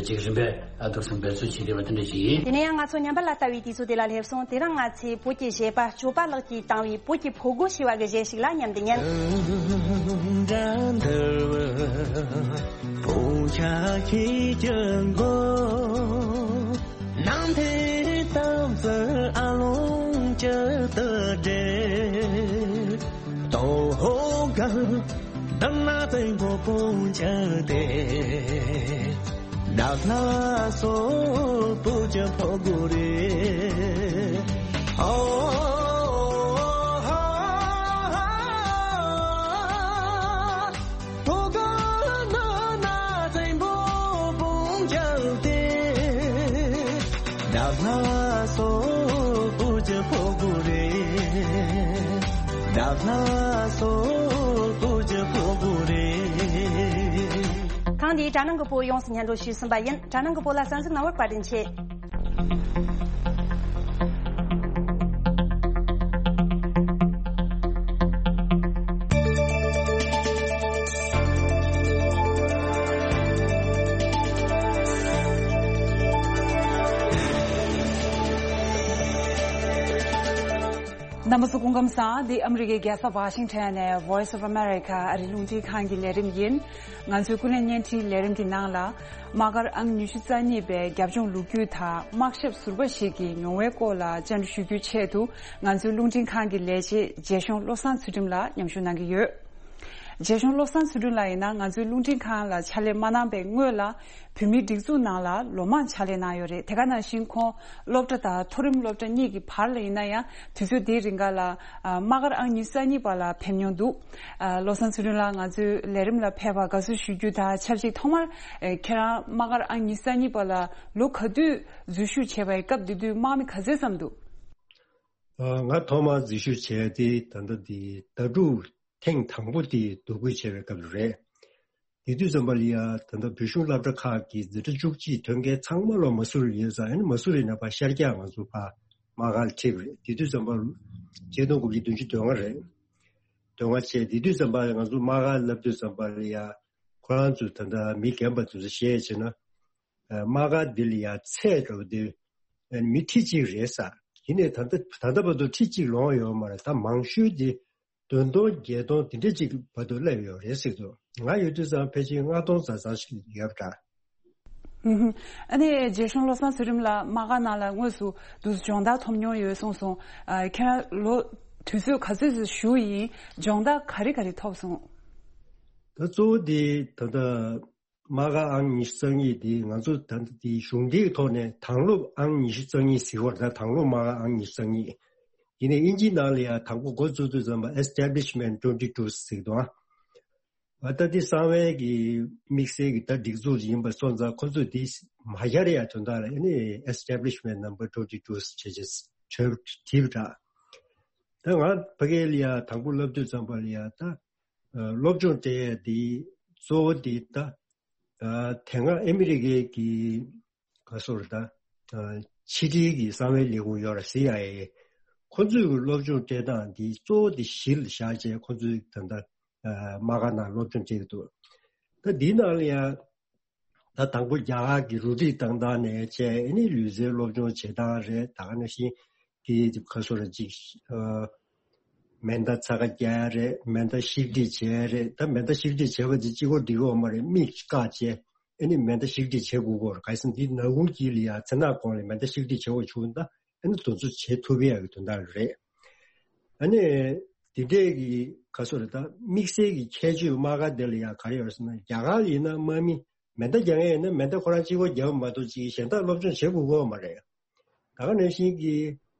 ཅིག་རིམ་པས་འདུག་སེ་འབད་རྩོལ་བྱེད་བསྡད་པ་དེ་འདྲ་ཞིག་ཡིན། དེ་ནས་ཡང་ང་ཚོ་ཉམས་པ་ལ་ལྟ་བའི་དུས་ཚོད་དེ་ལ་སླེབས་སོང་། དེ་རིང་ང་ཚོས་བོད་ཀྱི་གཞས་པ་སྐྱོབ་པ་ལགས་ཀྱིས་བཏང་བའི་བོད་ཀྱི་ཕོ་རྒོད་ཞེས་པ་གི་གཞས་ཤིག་ལ་མཉམ་དུ་ཉན། ཐེངས་འདིའི་དྲ་སྣང་གི་བོད་ཡོངས་སུ་སྙན་སྒྲོན་ཞུས་ཟིན་པ་ཡིན། དྲ་སྣང་གི་བོད་ལ་གསན་གཟིགས་གནང་བར་བཀའ་དྲིན་ཆེ། རྣམ་པ་ཚོ་སྐུ་ཁམས་བཟང་། འདི་ཨ་མི་རི་ཀའི་རྒྱལ་ས་ཝ་ཤིང་ཊོན་ནས་Voice of America ཨ་རིའི་རླུང་འཕྲིན་ཁང་གི་ལས་རིམ་ཡིན། ང་ཚོའི་ཀུན་གླེང་བརྙན་འཕྲིན་ལས་རིམ་གྱི་ནང་ལ། དམག་སྒར་ཨང་ཉི་ཤུ་རྩ་གཉིས་པའི་རྒྱབ་ལྗོངས་ལོ་རྒྱུས་དང་དམག་ཞབས་ཟུར་པ་ཞིག་གི་མྱོང་བའི་སྐོར་ལ་བཅར་འདྲི་ཞུ་རྒྱུའི་ཆེད་དུ། ང་ཚོའི་རླུང་འཕྲིན་ཁང་གི་ལས་བྱེད་རྒྱལ་གཞུང་བློ་བཟང་ཚུལ་ཁྲིམས་ལགས་མཉམ་ཞུགས་གནང་གི་ཡོད། རྗེ་གཞུང་བློ་བཟང་ཚུལ་ཁྲིམས་ལགས་ཡིན་ན། ང་ཚོའི་རླུང་འཕྲིན་ཁང་ལ་ཕྱག་ལས་མ་གནང་པའི་སྔོན་ལ། བོད་མིའི་སྒྲིག་འཛུགས་ནང་ལ་ལོ་མང་ཕྱག་ལས་གནང་ཡོད་རེད། དེ་ག་ནང་བཞིན་ཁོང་སློབ་གྲྭ་དང་མཐོ་རིམ་སློབ་གྲྭ་གཉིས་ཀྱི་བར་ལ་ཡིན་ན་ཡང་། དུས་ཚོད་དེའི་རིང་ག་ལ་ཨ་དམག་སྒར་ཨང་ཉི་ཤུ་རྩ་གཉིས་པ་ལ་ཕེབས་མྱོང་འདུག་ཨ་བློ་བཟང་ཚུལ་ཁྲིམས་ལགས་ང་ཚོའི་ལས་རིམ་ལ་ཕེབས་པར་དགའ་བསུ་ཞུ་རྒྱུ་དང་ཆབས་ཅིག་ཐོག་མར་ཨེ་ཁྱེད་རང་དམག་སྒར་ཨང་ཉི་ཤུ་རྩ་གཉིས་པ་ལ་ལོ་ག་དུས་འཛུལ་ཞུགས་བྱས་པ་ཡིན། སྐབས་དེ་དུས་དམག་མི་ག་ཚོད་ཙམ་འདུག་ཨ་ང་ཐོག་མར་འཛུལ་ཞུགས་བྱས་ཏེ་ད་ལྟ་འདི་ཟླ་དྲུག་ཐེངས་དང་པོ་དེ་འདུ་འགོད་བྱས་པའི་སྐབས་རེད། དེ་དུས་ཙམ་པ་ལ་ཡ་ད་ལྟ་བོད་གཞུང་སློབ་གྲྭ་ཁག་གི་འཛིན་གྲྭ་བཅུ་གཅིག་ཐོན་མཁན་ཚང་མ་ལོ་མ་སུ་རི་ཡོད་ཙང་། ཨ་ནི་མ་སུ་རི་ནས་ཕར་ཤར་རྒྱག་ང་ཚོ་ཕར་དམག་སྒར་ལ་ཁྲིད་པ་རེད། དེ་དུས་ཙམ་པ་ཆིག་སྟོང་དགུ་བརྒྱ་བདུན་ཅུ་དོན་ལྔ་རེད། དོན་ལྔ་བྱས། དེ་དུས་ཙམ་པ་ང་ཚོ་དམག་སྒར་སླེབས་དུས་ཙམ་པ་ལ་ཡ་ཁོ་རང་ཚོས་ད་ལྟ་མི་རྒན་པ་ཚོས་བཤད་བྱས་ན། ཨ་དམག་སྒར་འདི་ལ་ཡ་ཚད་འདྲ་བོ་དེ་ཨ་ནི་མི་ཁྲི་གཅིག་རེད་ཟེར། ཡིན་ནའི་ད་ལྟ་ད་ལྟ་བར་དུ་ཁྲི་གཅིག་ལོངས་ཡོད་མ་རེད། ད་མང་ཤོས་དེ་བདུན་སྟོང་བརྒྱད་སྟོང་དེ་འདྲ་ཅིག་བར་དུ་སླེབས་ཡོད་རེད་ཟེར་འདུག་ང་ཡོད་དུས་ཙམ་ཕལ་ཆེར་ལྔ་སྟོང་ཙམ་ཙམ་ཞིག་ཡོད་པ་འདྲ། ཧུམ་ཧུམ། ཨ་ནི་རྗེ་གཞུང་བློ་བཟང་ཚུལ་ཁྲིམས་ལགས་དམག་སྒར་ནང་ལ་དངོས་སུ་འདུག་སྦྱོང་བརྡར་ཐོབ་མྱོང་ཡོད་གསུངས་སོང་། ཨ་ཁྱེད་རང་ལོ་དུས་ཚོད་ག་ཚོད་ཙམ་བཞུགས་ཡིན། སྦྱོང་བརྡར་ག་རེ་ག་རེ་ཐོབ་སོང་། ད་གཙོ་བོ་དེ་ད་ལྟ་དམག་སྒར་ཨང་ཉི་ཤུ་རྩ་གཉིས་དེ་ང་ཚོ་ད་ལྟ་དེ་གཞུང་འབྲེལ་གྱི་ཐོག་ནས་དྭང་སློབ་ཨང་ཉི་ཤུ་རྩ་གཉིས་ཟེར་བ་རེད། ད་དྭང་སློབ་དམག་སྒར་ཨང་ཉི་ཤུ་རྩ་གཉིས། ཡིན་ནའི་དབྱིན་ཇིའི་ནང་ལ་ཡང་དང་པོ་འགོ་བཙུགས་དུས་ཙམ་པ་Establishment twenty two ཟེར་གི་འདུག་ཨ། ད་འདི་གསང་བའི་གི་དམིགས་བསལ་གྱི་ད་སྒྲིག་འཛུགས་ཡིན་པ་སོང་ཙང་ཁོ་ཚོས་འདི་མ་ཡར་ཡ་དོན་དག་ལ་ཨ་ནི་Establishment number twenty two ཟེར་བྱས་བྲིས་པ་འདྲ། ད་ང་ཕ་གི་ལ་ཡ་དང་པོ་སླེབས་དུས་ཙམ་པ་ལ་ཡ་ད་སློབ་སྦྱོང་སྤྲད་ཡ་འདི་གཙོ་བོ་འདི་ད་དེ་སྔ་ཨ་མི་རི་ཀའི་གི་ག་སོར་ད་ཕྱི་དྲིལ་གྱི་གསང་བའི་ལས་ཁུངས་ཡོད་ར་སི་ཨའི་ཨེ། ཁོ་ཚོས་གི་སློབ་སྦྱོང་སྤྲད་སྟངས་འདི་གཙོ་བོ་འདི་གཞི་ལ་བཞག་བྱས་ཁོ་ཚོས་ད་ལྟ་དམག་སྒར་ནང་སློབ་སྦྱོང་བྱེད་ཀྱི་འདུག་ད་འདིའི་ནང་ལ་ཡང་ད་དང་པོ་རྒྱ་གར་གྱི་རུ་སྒྲིག་བཏང་སྟངས་ནས་བྱས་ཨ་ནི་ལུས་རྩལ་སློབ་སྦྱོང་བྱེད་སྟངས་རེད། ད་ག་ནང་བཞིན་གྱི་ཁ་སོ་ར་ཅིག་མེ་མདའ་ཚ་ཁ་རྒྱག་ཡ་རེད། མེ་མདའ་བཤིག་སྒྲིལ་བྱེད་ཡ་རེད། ད་མེ་མདའ་བཤིག་སྒྲིལ་བྱེད་པ་དེ་གཅིག་པོ་འགྲིག་གི་ཡོད་མ་རེད། མིག་བཀག་བྱས་ཨ་ནི་མེ་མདའ་བཤིག་སྒྲིལ་བྱེད་དགོས་ཀྱི་ཡོད་རེད། གལ་སྲིད་འདི་ནག་ཁུང་དཀྱིལ་ལ་ཡ་མཚན་ནག་གོང་ལ་མེ་མདའ་བཤིག་སྒྲིལ་བྱེད་དགོས་བྱུང་ན་ཨ་ནི་དེ་ཚོ་བྱེད་ཐུབ་ཡ་གི་དོན་དག་རེད། ཨ་ནི་དེ་འདྲས་ཀྱི་ག་སོ་རེད། ད་དམིགས་བསལ་གྱི་ཁྱད་ཆོས་དམག་སྒར་དེ་ལ་ཡ་ག་རེ་ཡོད་ཟེར་ན་རྒྱ་གར་ཡིན་ན་དམག་མི་མེ་མདའ་རྒྱག་མཁན་ཡིན་ན་མེ་མདའ་ཁོ་རང་གཅིག་པོ་རྒྱབ་མ་གཏོགས་ཅིག་གཞན་དག་སློབ་སྦྱོང་བྱེད་དགོས་ཀྱི་ཡོད་མ་རེད། ད་ག་ནང་བཞིན་གྱི་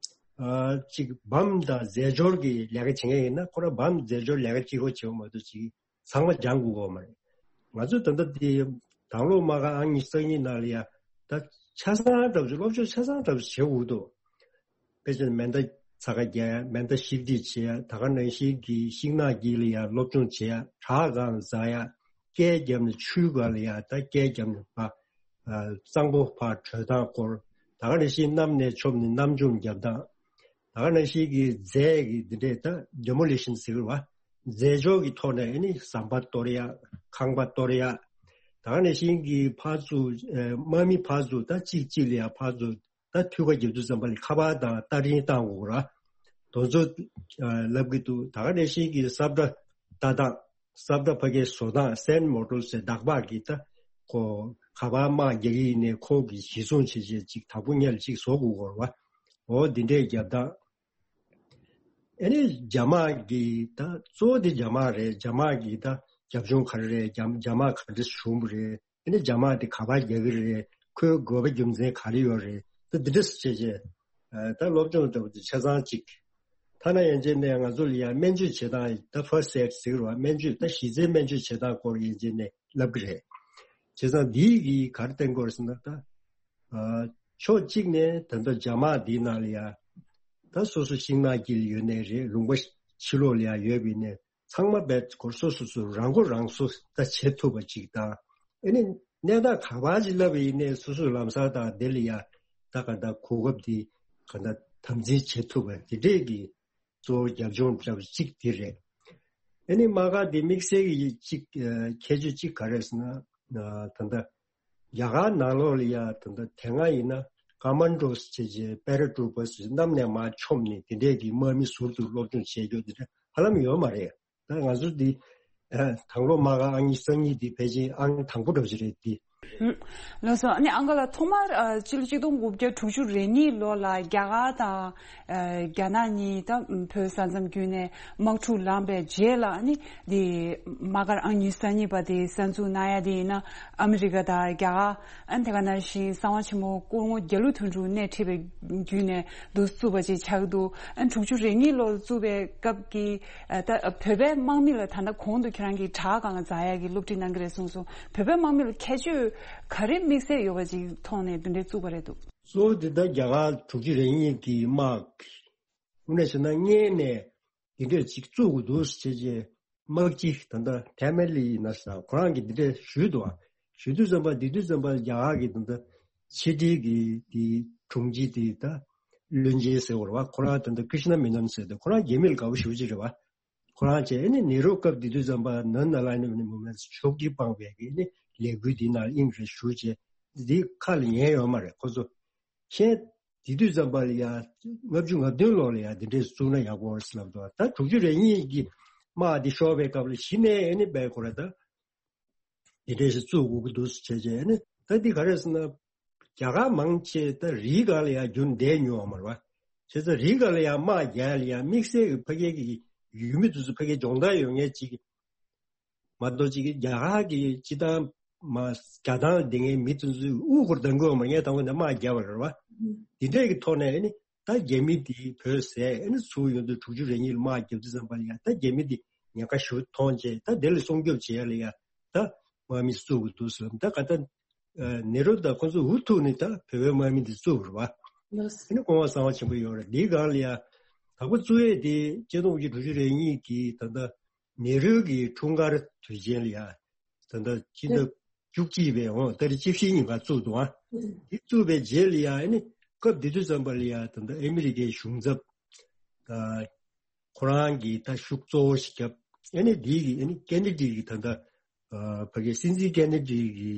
ཨ་ཅིག་བམ་དང་རྫས་སྦྱོར་གྱི་ལས་ཀ་བྱེད་མཁན་ཡིན་ན་ཁོ་རང་བམ་རྫས་སྦྱོར་ལས་ཀ་གཅིག་པོ་བྱེད་པ་མ་གཏོགས་ཅིག་ཚང་མ་སྦྱང་དགོས་ཀྱི་ཡོད་མ་རེད། ང་ཚོས་ད་ལྟ་དེ་དང་ལོ་མ་ག་ཨང་ཉི་ཤུ་རྩ་གཉིས་ནང་ལ་ཡ་ད་ཆ་ཚང་འདྲ་པོ་ཅིག་སློབ་སྦྱོང་ཆ་ཚང་འདྲ་པོ་ཅིག་བྱེད་དགོས་འདུག་དཔེ་ཆ་མེ་མདའ་ཚ་ཁ་རྒྱག་ཡ། མེ་མདའ་བཤིག་སྒྲིལ་བྱེད་ཡ། ད་ག་ནང་བཞིན་གྱི་ཤིང་ནགས་དཀྱིལ་ལ་ཡ་སློབ་སྦྱོང་བྱེད་ཡ། བྲག་སྒང་ལ་འཛེག་ཡ། སྐས་བརྒྱབ་ནས་ཆུའི་སྒང་ལ་ཡ་ད་སྐས་བརྒྱབ་ནས་ཕར་གཙང་པོ་ཕར་བྲོས་སྟངས་སྐོར། ད་ག་ནང་བཞིན་གནམ་ནས་མཆོངས་ནས་གནམ་མཆོངས་བརྒྱབ་སྟངས། ད་ག་ནང་བཞིན་གྱི་རྫས་ཀྱི་འདི་འདྲས་ད་demolition ཟེར་བ། རྫས་སྦྱོར་གྱི་ཐོག་ནས་ཨ་ནི་ཟམ་པ་གཏོར་ཡ། ཁང་པ་གཏོར་ཡ། ད་ག་ནང་བཞིན་གྱི་ཕར་ཚུར་ཨ་དམག་མི་ཕར་ཚུར་ད་གཅིག་གཅིག་ལ་ཡ་ཕར་ཚུར་ད་ཐུག་པ་རྒྱབ་དུས་ཙམ་པ་ལ་ཁ་པར་དང་སྟ་རིང་བཏང་དགོས་ར། དེ་ཚོ་ཨ་ལབ་ཀྱི་འདུག་ད་ག་ནང་བཞིན་གྱི་སབ་ཏྲ་ལྟ་སྟངས། སབ་ཏྲ་ཕ་གིའི་བཟོ་སྟངས་སན་མོ་ཊོར་ཟེར་བདག་པ་གི་ད་ཁོ་ག་པར་དམག་རྒྱག་གི་ཡིན་ནའི་ཁོ་གི་གཞི་བཟུང་བྱེད་བྱེད་ཅིག་དང་པོ་ཉིད་ལ་ཅིག་བཟོ་དགོས་ཀྱི་ཡོད་རེད་བ། འོ་འདི་འདྲའི་རྒྱབ་སྟངས། ཨ་ནི་རྒྱ་དམག་གི་ད་གཙོ་བོ་དེ་རྒྱ་དམག་རེད། རྒྱ་དམག་གི་ད་རྒྱབ་ལྗོངས་ག་རེ་རེད། རྒྱ་རྒྱ་དམག་ག་འདྲ་བྱུང་བ་རེད། ཨ་ནི་རྒྱ་དམག་དེ་ག་པར་རྒྱག་གི་རེད། ཁོའི་དགོས་པ་རྒྱུ་མཚན་ག་རེ་ཡོད་རེད། ད་འདི་འདྲ་བྱས་བྱས་ད་སློབ་སྦྱོང་ལྟ་བུ་དེ་ཆ་ཚང་གཅིག་ཐ་ན་ཡན་ཆད་ནས་ང་ཚོ་ལ་ཡང་སྨན་བཅོས་བྱེད་སྟངས་ད་first aid ཟེར་གི་རེད་བ། སྨན་བཅོས་ད་གཞི་རྩའི་སྨན་བཅོས་བྱེད་སྟངས་སྐོར་ཡན་ཆད་ནས་བསླབ་གི་རེད། བྱས་ཙང་འདིས་གིས་ག་རེ་བསྟན་གྱི་ཡོད་རེད་ཟེར་ན་ད་ཕྱོགས་གཅིག་ནས་ད་ལྟ་རྒྱ་དམག་འདིའི་ནང་ལ་ཡང་ད་སོ་སོ་ཤིང་ནགས་དཀྱིལ་ཡོད་ནའི་རེད། ལུང་པ་ཕྱི་ལོགས་ལ་ཡང་ཡོད་པ་ཡིན་ནའི་ཚང་མ་རྦད་དེ་སོ་སོ་སོ་རང་མགོ་རང་གསོ་ད་བྱེད་ཐུབ་པ་ཅིག་དང་། ཨ་ནི་གནས་སྟངས་ག་པར་ཅིག་སླེབས་པ་ཡིན་ནའི་སོ་སོའི་ལམ་སང་དང་དེ་ལ་ཡ་ད་ག་ད་གོ་སྐབས་དེ་ག་ད་དམ་འཛིན་བྱེད་ཐུབ་པ་དེ་འདྲས་ཀྱི་གཙོ་བོ་རྒྱབ་ལྗོངས་འདྲ་བ་གཅིག་དེ་རེད། ཨ་ནི་དམག་སྒར་དེ་དམིགས་བསལ་གྱི་གཅིག་ཁྱད་ཆོས་གཅིག་ག་རེ་ཟེར་ན་ད་ལྟ་རྒྱ་གར་ནང་ལོགས་ལ་ཡ་ད་ལྟ་དེ་སྔ་ཡིན་ན་ཀ་མན་ཌོ་སི་བྱས་བྱས་པེ་ར་ཊུ་རུ་པ་སི་གནམ་ནས་མར་མཆོངས་ནས་དེ་འདྲས་ཀྱི་དམག་མི་ཟུར་དུ་སློབ་སྦྱོང་བྱེད་རྒྱུ་དེ་འདྲ་ཧ་ལམ་ཡོད་མ་རེད། ད་ང་ཚོ་འདི་ཨ་དང་ལོ་མ་ག་ཨང་གཉིས་གསར་རྙིང་འདི་ཕལ་ཆེར་ཨང་དང་པོ་འདྲ་བོ་ཞིག་རེད་འདི། ལགས་སོ། ཨ་ནི་ཨང་ག་ལགས་ཐོག་མར་ཨ་ཕྱི་ལོ་ཆིག་སྟོང་དགུ་བརྒྱ་དྲུག་ཅུ་རེ་གཉིས་ལོ་ལ་རྒྱ་གར་དང་ཨ་རྒྱ་ནག་གཉིས་ད་བོད་ས་མཚམས་བརྒྱུད་ནས་དམག་འཁྲུག་ལངས་པའི་རྗེས་ལ་ཨ་ནི་འདི་དམག་སྒར་ཨང་གཉིས་གསར་རྙིང་པ་དེ་གསར་འཛུགས་གནང་ཡ་དེ་ཡིན་ན་ཨ་མི་རི་ཀ་དང་རྒྱ་གར་ཨ་ནི་དེ་ག་ནང་བཞིན་གསང་བ་ཆེན་མོ་སྐུ་ངོ་རྒྱ་ལོ་དོན་གྲུབ་སྣེ་ཁྲིད་པའི་བརྒྱུད་ནས་འདུག་བཙུགས་པ་ཅིག་ཆགས་འདུག་ཨ་ནི་དྲུག་ཅུ་རེ་གཉིས་ལོར་བཙུགས་པའི་སྐབས་ཀྱི་ཨ་ད་བོད་པའི་དམག་མི་ལ་ད་ལྟ་གོང་དུ་ཁྱེད་རང་གིས་དྲ་སྒང་ལ་འཛེག་ཡག་གི་སློབ་ཁྲིད་གནང་གི་རེད་གསུངས་སོང་། བོད་པའི་དམག་མི་ལ་ཁྱད་ཆོས་ག་རེ་དམིགས་བསལ་ཡོད་པ་ཅིག་མཐོང་ནས་འདི་འདྲའི་བཙུགས་པ་རེད་འདུག་གཙོ་བོ་འདི་ལྟར་རྒྱ་གར་དྲུག་ཅུ་རེ་གཉིས་ཀྱི་དམག་དངོས་གནས་བྱས་ན་སྔོན་ནས་འདི་འདྲས་ཅིག་བཙུགས་དགོས་འདུག་ཟེར་བྱས་དམག་སྤྱི་ད་ལྟ་ཕེ་མི་ལི་ཡིན་ན་ས་ཁོ་རང་གིས་འདི་འདྲས་ཞུས་འདུག་ཞུ་དུས་ཙམ་པ་འདི་དུས་ཙམ་པ་རྒྱ་གར་གྱི་ད་ལྟ་ཕྱི་དྲིལ་གྱི་དེ་དྲུང་ཆེ་དེ་ད་བློན་ཆེན་ཟེར་བ་རེད་བ། ཁོ་རང་ད་ལྟ་ཀྲི་ཤི་ན་མེ་ནོན་ཟེར་དུས་ཁོ་རང་རྒྱ་མི་ལ་དགའ་པོ་ཞེ་པོ་ཅིག་རེད་བ། ཁོ་རང་བྱས་ཨ་ནི་ནེ་རུ་སྐབས་དེ་དུས་ཙམ་པ་ནན་ན་ལ་ནི་མུ་མེན་ཤོག་གི་སྤངས་པའི་གི་ཨ་ནི་ལས་འགུལ་འདི་ནང་དབྱིངས་རེ་ཞུགས་བྱས་འདི་ཁ་ལ་ཉན་ཡོད་མ་རེད། ཁོ་ཚོ་ཁྱེད་དེ་དུས་ཙམ་པ་ལ་ཡ་ལྔ་བཅུ་ང་བདུན་ལོ་ལ་ཡ་འདི་འདྲས་བཙུགས་ན་ཡག་པོ་རེད་ཟེར་ལབ་འདུག་ད་དྲུག་ཅུ་རེ་གཉིས་ཀྱི་དམག་འདི་ཤོར་བའི་སྐབས་ལ་གཞི་ནས་ཨ་ནི་བས་ཁོ་ར་ད། དེ་འདྲས་ཞིག་བཙུགས་དགོས་ཀྱི་འདུག་ཟེར་བྱས་བྱས་ནས་ད་འདི་ག་རེ་ཟེར་ན། རྒྱ་གར་མང་ཆེ་ད་རིའི་སྒང་ལ་ཡང་རྒྱུན་བསྡད་མྱོང་བ་མ་རེད་བ། བྱས་ཙང་རིའི་སྒང་ལ་ཡང་དམག་རྒྱག་ཡ་ལ་ཡང་དམིགས་བསལ་གྱི་ཕ་གི་གི་ཡུལ་མི་དེ་ཚོ་ཕ་གི་སྦྱོང་བརྡར་ཡོད་མཁན་ཅིག་མ་གཏོགས་ཅིག་རྒྱ་གར་གྱི་སྤྱི་བཏང་མ་རྒྱ་ཐང་ལ་བསྡད་མཁན་མི་དེ་ཚོས་དབུ་སྐོར་གཏོང་གི་ཡོད་མ་རེད། ངས་དང་པོ་ནས་དམག་རྒྱག་པ་རེད་བ། འདི་འདྲས་ཀྱི་ཐོག་ནས་ཨ་ནི། ད་རྒྱ་མི་དེ་བོད་ཟས་ཨ་ནི་ཚུར་ཡོང་དུས་དྲུག་ཅུ་རེ་གཉིས་ལ་དམག་བརྒྱབ་དུས་ཙམ་པ་ལ་ཡ་ད་རྒྱ་མི་དེ་ཉེན་ཁ་ཞེ་པོ་མཐོང་བྱས། ད་དེ་ལ་སྲུང་སྐྱོབ་བྱེད་ཡ་ལ་ཡ་ད་དམག་མི་བཙུགས་དགོས་འདུག་ཟེར། ད་ག་ད་ནེ་རོ་དང་ཁོང་ཚོ་འུ་ཐུག་ནས་ད་བོད་པའི་དམག་མི་དེ་བཙུགས་པ་རེད་བ། ཨ་ནི་སྐུ་ངོ་གསང་བ་ཆེན་པོ་ཡོད་རེད། འདིའི་སྒང་ལ་ཡ་དང་པོ་བཙུགས་ཡས་དེ་གཅིག་སྟོང་དགུ་བརྒྱ་དྲུག་ཅུ་རེ་གཉིས་ཀྱི་ད་ལྟ་ནེ་རོའི་གི་འཁྲུངས་སྐར་དུས་ཆེན་ལ་ཡ་ད་ལྟ་སྤྱི་ཟླ་བཅུ་གཅིག་པའི་འོང་ཏ་རིག་བཅུ་བཞི་ཉིན་ཀ་བཙུགས་འདུག་ཨ། འདི་བཙུགས་པའི་རྗེས་ལ་ཡ་ཨ་ནི་སྐབས་དེ་དུས་ཙམ་པ་ལ་ཡ་ད་ལྟ་ཨ་མི་རི་ཀའི་གཞུང་ཚབ་ད་ཁོ་རང་གི་ད་ཤུགས་གཙོ་བོ་ཞིག་བརྒྱབ། ཨ་ནི་འདི་གི་ཨ་ནི་ཀེ་ནེ་ཌི་གི་ད་ལྟ་ཕ་གི་སྲིད་འཛིན་ཀེ་ནེ་ཌི་གི་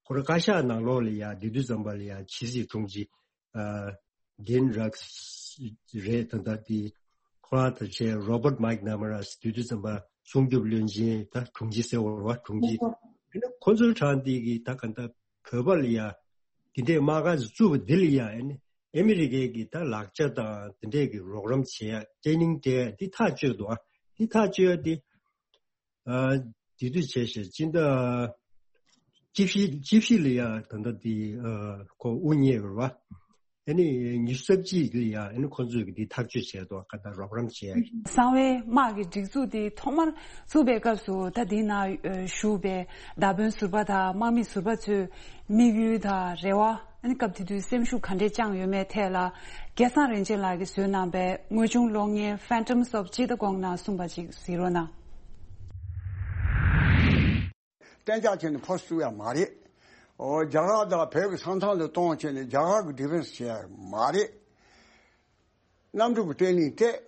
ཁོ་རང་བཀའ་ཤག་ནང་ལོགས་ལ་ཡ་དེ་དུས་ཙམ་པ་ལ་ཡ་ཕྱི་སྲིད་དྲུང་ཆེ་ཨ་ཌིན་རག་རེད། ད་ལྟ་དེ་ཁོ་རང་དང་བཅས་རོ་བར་མའིག་ནམ་ར་དེ་དུས་ཙམ་པ་སྲུང་སྐྱོབ་བློན་ཆེན་ད་དྲུང་ཆེ་ཟེར་བ་རེད་བ། དྲུང་ཆེ་ཁོ་ཚོའི་གྲས་དེ་གི་ད་ག་ད་བོད་པ་ལ་ཡ་དེ་འདྲའི་དམག་སྒར་བཙུགས་པ་འདི་ལ་ཡ་ཨ་ནི་ཨ་མི་རི་ཀའི་གི་ད་ལག་ཆ་དང་དེ་འདྲའི་གི་རོགས་རམ་བྱེད་ཡ་ཊེ་ནིང་སྤྲད་ཡ་འདི་ཐག་གཅོད་འདུག་ཨ། འདི་ཐག་གཅོད་ཡ་འདི་ཨ་དེ་དུས་བྱས་ཤག་སྤྱི་ཟླ་བཅུ་བཞི་བཅུ་བཞི་ལ་ཡ་ད་ལྟ་འདི་ཨ་ཁོ་དབུ་བརྙེས་པ་རེད་བ། ཨ་ནི་ཉི་ཤུ་རྩ་གཅིག་ལ་ཡ་ཨ་ནི་ཁོ་ཚོས་གི་འདི་ཐག་གཅོད་བྱས་འདུག་ག་ད་རོགས་རམ་བྱེད་ཡ་གི་གསང་བའི་དམག་གི་སྒྲིག་འཛུགས་འདི་ཐོག་མར་བཙུགས་པའི་སྐབས་སུ་ད་འདི་ན་བཞུགས་པའི་མདའ་དཔོན་ཟུར་པ་དང་དམག་མི་ཟུར་པ་ཚོའི་དམིགས་ཡུལ་དང་རེ་བ། ཨ་ནི་སྐབས་དེ་དུས་སེམས་ཤུགས་ག་འདྲས་བཅངས་ཡོད་མེད་ཐད་ལ་སྐལ་བཟང་རིན་ཆེན་ལགས་ཀྱིས་བཟོས་གནང་པའི་དངོས་བྱུང་གློག་བརྙན་Phantoms of Chittagong ནང་གསུངས་པ་ཅིག་གཟིགས་རོགས་གནང་། གཏན་འཇགས་བྱས་ནས་ཕར་བཙུགས་ཡ་མ་རེད། ཨོ་རྒྱ་གར་དང་བོད་ཀྱི་ས་མཚམས་ལ་གཏོང་བྱས་ནས་རྒྱ་གར་གྱི་ཌི་ཕེན་སི་བྱེད་ཡ་མ་རེད། གནམ་གྲུ་གི་ཊེ་ནིང་སྤྲད།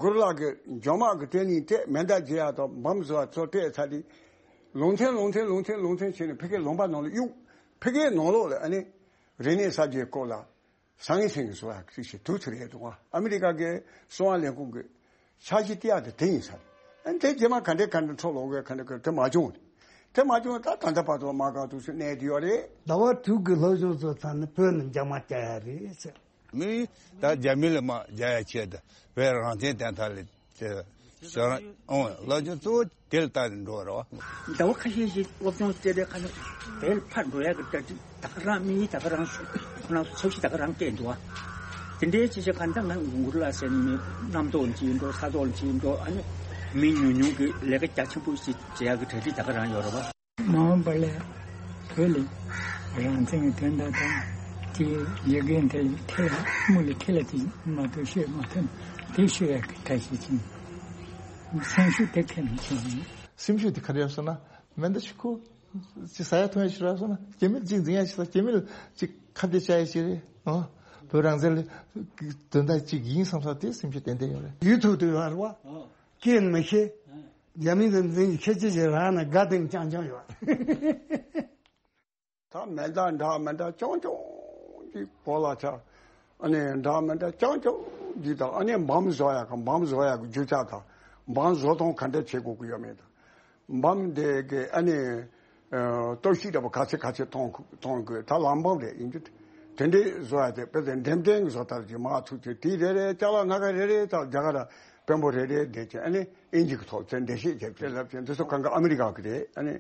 གུ་རུ་ལགས་ཀྱི་འཇོན་དམག་གི་ཊེ་ནིང་སྤྲད། མེ་མདའ་རྒྱག་ཡག་དང་འབོམ་བཟོ་ཡག་ཚོ་སྤྲད་ཚར་དུས། ལུང་ཚན་ལུང་ཚན་ལུང་ཚན་ལུང་ཚན་བྱས་ནས་ཕ་གིའི་ལུང་པ་ནང་ལ་གཡུགས། ཕ་གིའི་ནང་ལོགས་ལ་ཨ་ནི་རིག་གནས་གསར་བརྗེའི་སྐོར་ལ་སང་ངེ་སང་ངེ་བཟོ་ཡག་ཅིག་བྱས་འདུག་ཚར་ཡོད་འདུག་ཨ་མི་རི་ཀ་གི་གསང་བ་ལས་ཁུངས་ཀྱི་འཆར་གཞི་དེ་ཡག་དེ་དེ་ཡིན་ས་རེད། ཨ་ནི་དེ་རྗེས་མ་ག་འདྲས་ག་འདྲས་འཕྲོ་ལོག་གི་ག་འདྲས་ག་འདྲས་མ་བྱུང་། དེ་མ་བྱུང་ད་ད་ལྟ་བར་དུ་དམག་སྒར་དུ་ཞིག་གནས་བསྡད་ཡོད་རེད། ཟླ་བ་དྲུག་གི་སློབ་སྦྱོང་ཚོ་ཚར་ནས་བོད་ནས་འཇབ་མ་རྒྱག་ཡ་རེད་ཟེར། མི་ད་རྒྱ་མི་ལ་དམག་རྒྱག་ཡ་ཆེད་དུ་བོད་རང་བཙན་བསྟན་ཐབས་ལ་དེ་ཞོ་རང་ཨོ་སློབ་སྦྱོང་གཙོ་བོ་དེ་ལ་བལྟ་ནས་འགྲོ་བ་རེད་བ། ཟླ་བ་ཁ་ཤས་ཤིག་སློབ་སྦྱོང་སྤྲད་དེ་ཁ་ནས་བོད་ལ་ཕར་འགྲོ་ཡ་གི་གྲ་སྒྲིག་ད་ག་རང་དམིགས་ཡུལ་ད་ག་རང་ཁོ་རང་ཚོ་འཆར་གཞི་ད་ག་རང་བཀལ་འདུག་བ། དེ་འདྲའི་ཆེ་ཆེ་ག་འདྲ་ང་གུ་རུ་ལགས་ཟེར་ནས་མི་རྣམ་རྟོག་ཅིག་འགྲོ་ས་རྟོག་ཅིག་འགྲོ་ཨ་ནི་མི་ཉུང་ཉུང་གི་ལས་ཀ་རྒྱ་ཆེན་པོ་ཞིག་བྱེད་ཡ་གི་གྲ་སྒྲིག་ད་ག་རང་ཡོད་རེད་བ། མ་འོངས་པ་ལ་བོད་ལ་རང་བཙན་གྱི་དོན་དག་དང་དེའི་ལས་འགན་དེ་ཁྲིད་ལ་དམིགས་ལ་ཁྲིད་ལ་དེ་མ་གཏོགས་ཤོད་མ་ཐུབ་དེ་ཤོད་ཡག་གི་གྲ་ཞིག་ཅིང་སེམས་ཤུགས་དེ་ཁྱོན་ནས་ཆེ་ཡིན། སེམས་ཤུགས་དེ་ག་རེ་ཡོད་ཟེར་ན་མེ་མདའ་ཞིག་ཁུར་ཅིག་ཟ་ཡ་འཐུང་ཡ་ཞིག་རག་སོང་ན་རྒྱ་མིར་ཅིག་འཛིང་ཡ་ཞིག་ལ་རྒྱ་མིར་ཅིག་ཁ་གཏད་བཅག་ཡ་ཞིག་རེད། ཨོ་བོད་རང་བཙན་ལ་དོན་དག་ཅིག་ཡིན་བསམ་ས་དེ་སེམས་ཤུགས་ཏན་ཏན་ཡོད་རེད། ཡུལ་ཐུག་དུས་ཡོད་རེད་བ། སྐྱེས་ནི་མི་ཤེས། རྒྱ་མི་དང་འཛིང་གི་ཁྱེད་ཅི་ཞིག་རག་ན་དགའ་ལྡན་རྐྱང་རྐྱང་ཡོད། ད་མེ་མདའ་འདྲ་མི་འདྲ་རྐྱང་རྐྱང་གི་གོ་ལ་ཆ། ཨ་ནི་འདྲ་མི་འདྲ་རྐྱང་རྐྱང་གི་དང་ཨ་ནི་འབམ་བཟོ་ཡག་གི་འབམ་བཟོ་ཡག་གི་རྒྱུ་ཆ་དང་འབམ་བཟོ་སྟངས་ག་འདྲ་བྱེད་དགོས་ཀྱི་ཡོད་མེད་དང་། འབམ་དེ་གི་ཨ་ནི་ཨ་སྟོབས་ཤུགས་འདྲ་པོ་ག་ཚད་ག་ཚད་གཏོང་གི་གཏོང་དགོས་ད་ལམ་འབམ་རེད་ཡིན་རྒྱུ་དེ་འདྲའི་བཟོ་ཡག་དེ་དཔེ་དེ་འགྲེམས་སྟོན་གྱི་བཟོ་ལྟར་གྱི་མ་ཐུག་ཚེ་དེ་རེ་རེ་ཅ་ལག་སྣ་ཁ་རེ་རེ་དང་རྒྱ་གར་དཔོན་པོ་རེ་རེ་བསྡད་ཀྱི་ཨ་ནི་ཨིན་ཇི་གི་ཐོག་ཚད་འགྲེལ་བཤད་བྱས་ཏེ་ལབ་ཀྱི་འདི་ཚོ་གང་ག་ཨ་མི་རི་ཀ་གི་རེད། ཨ་ནི་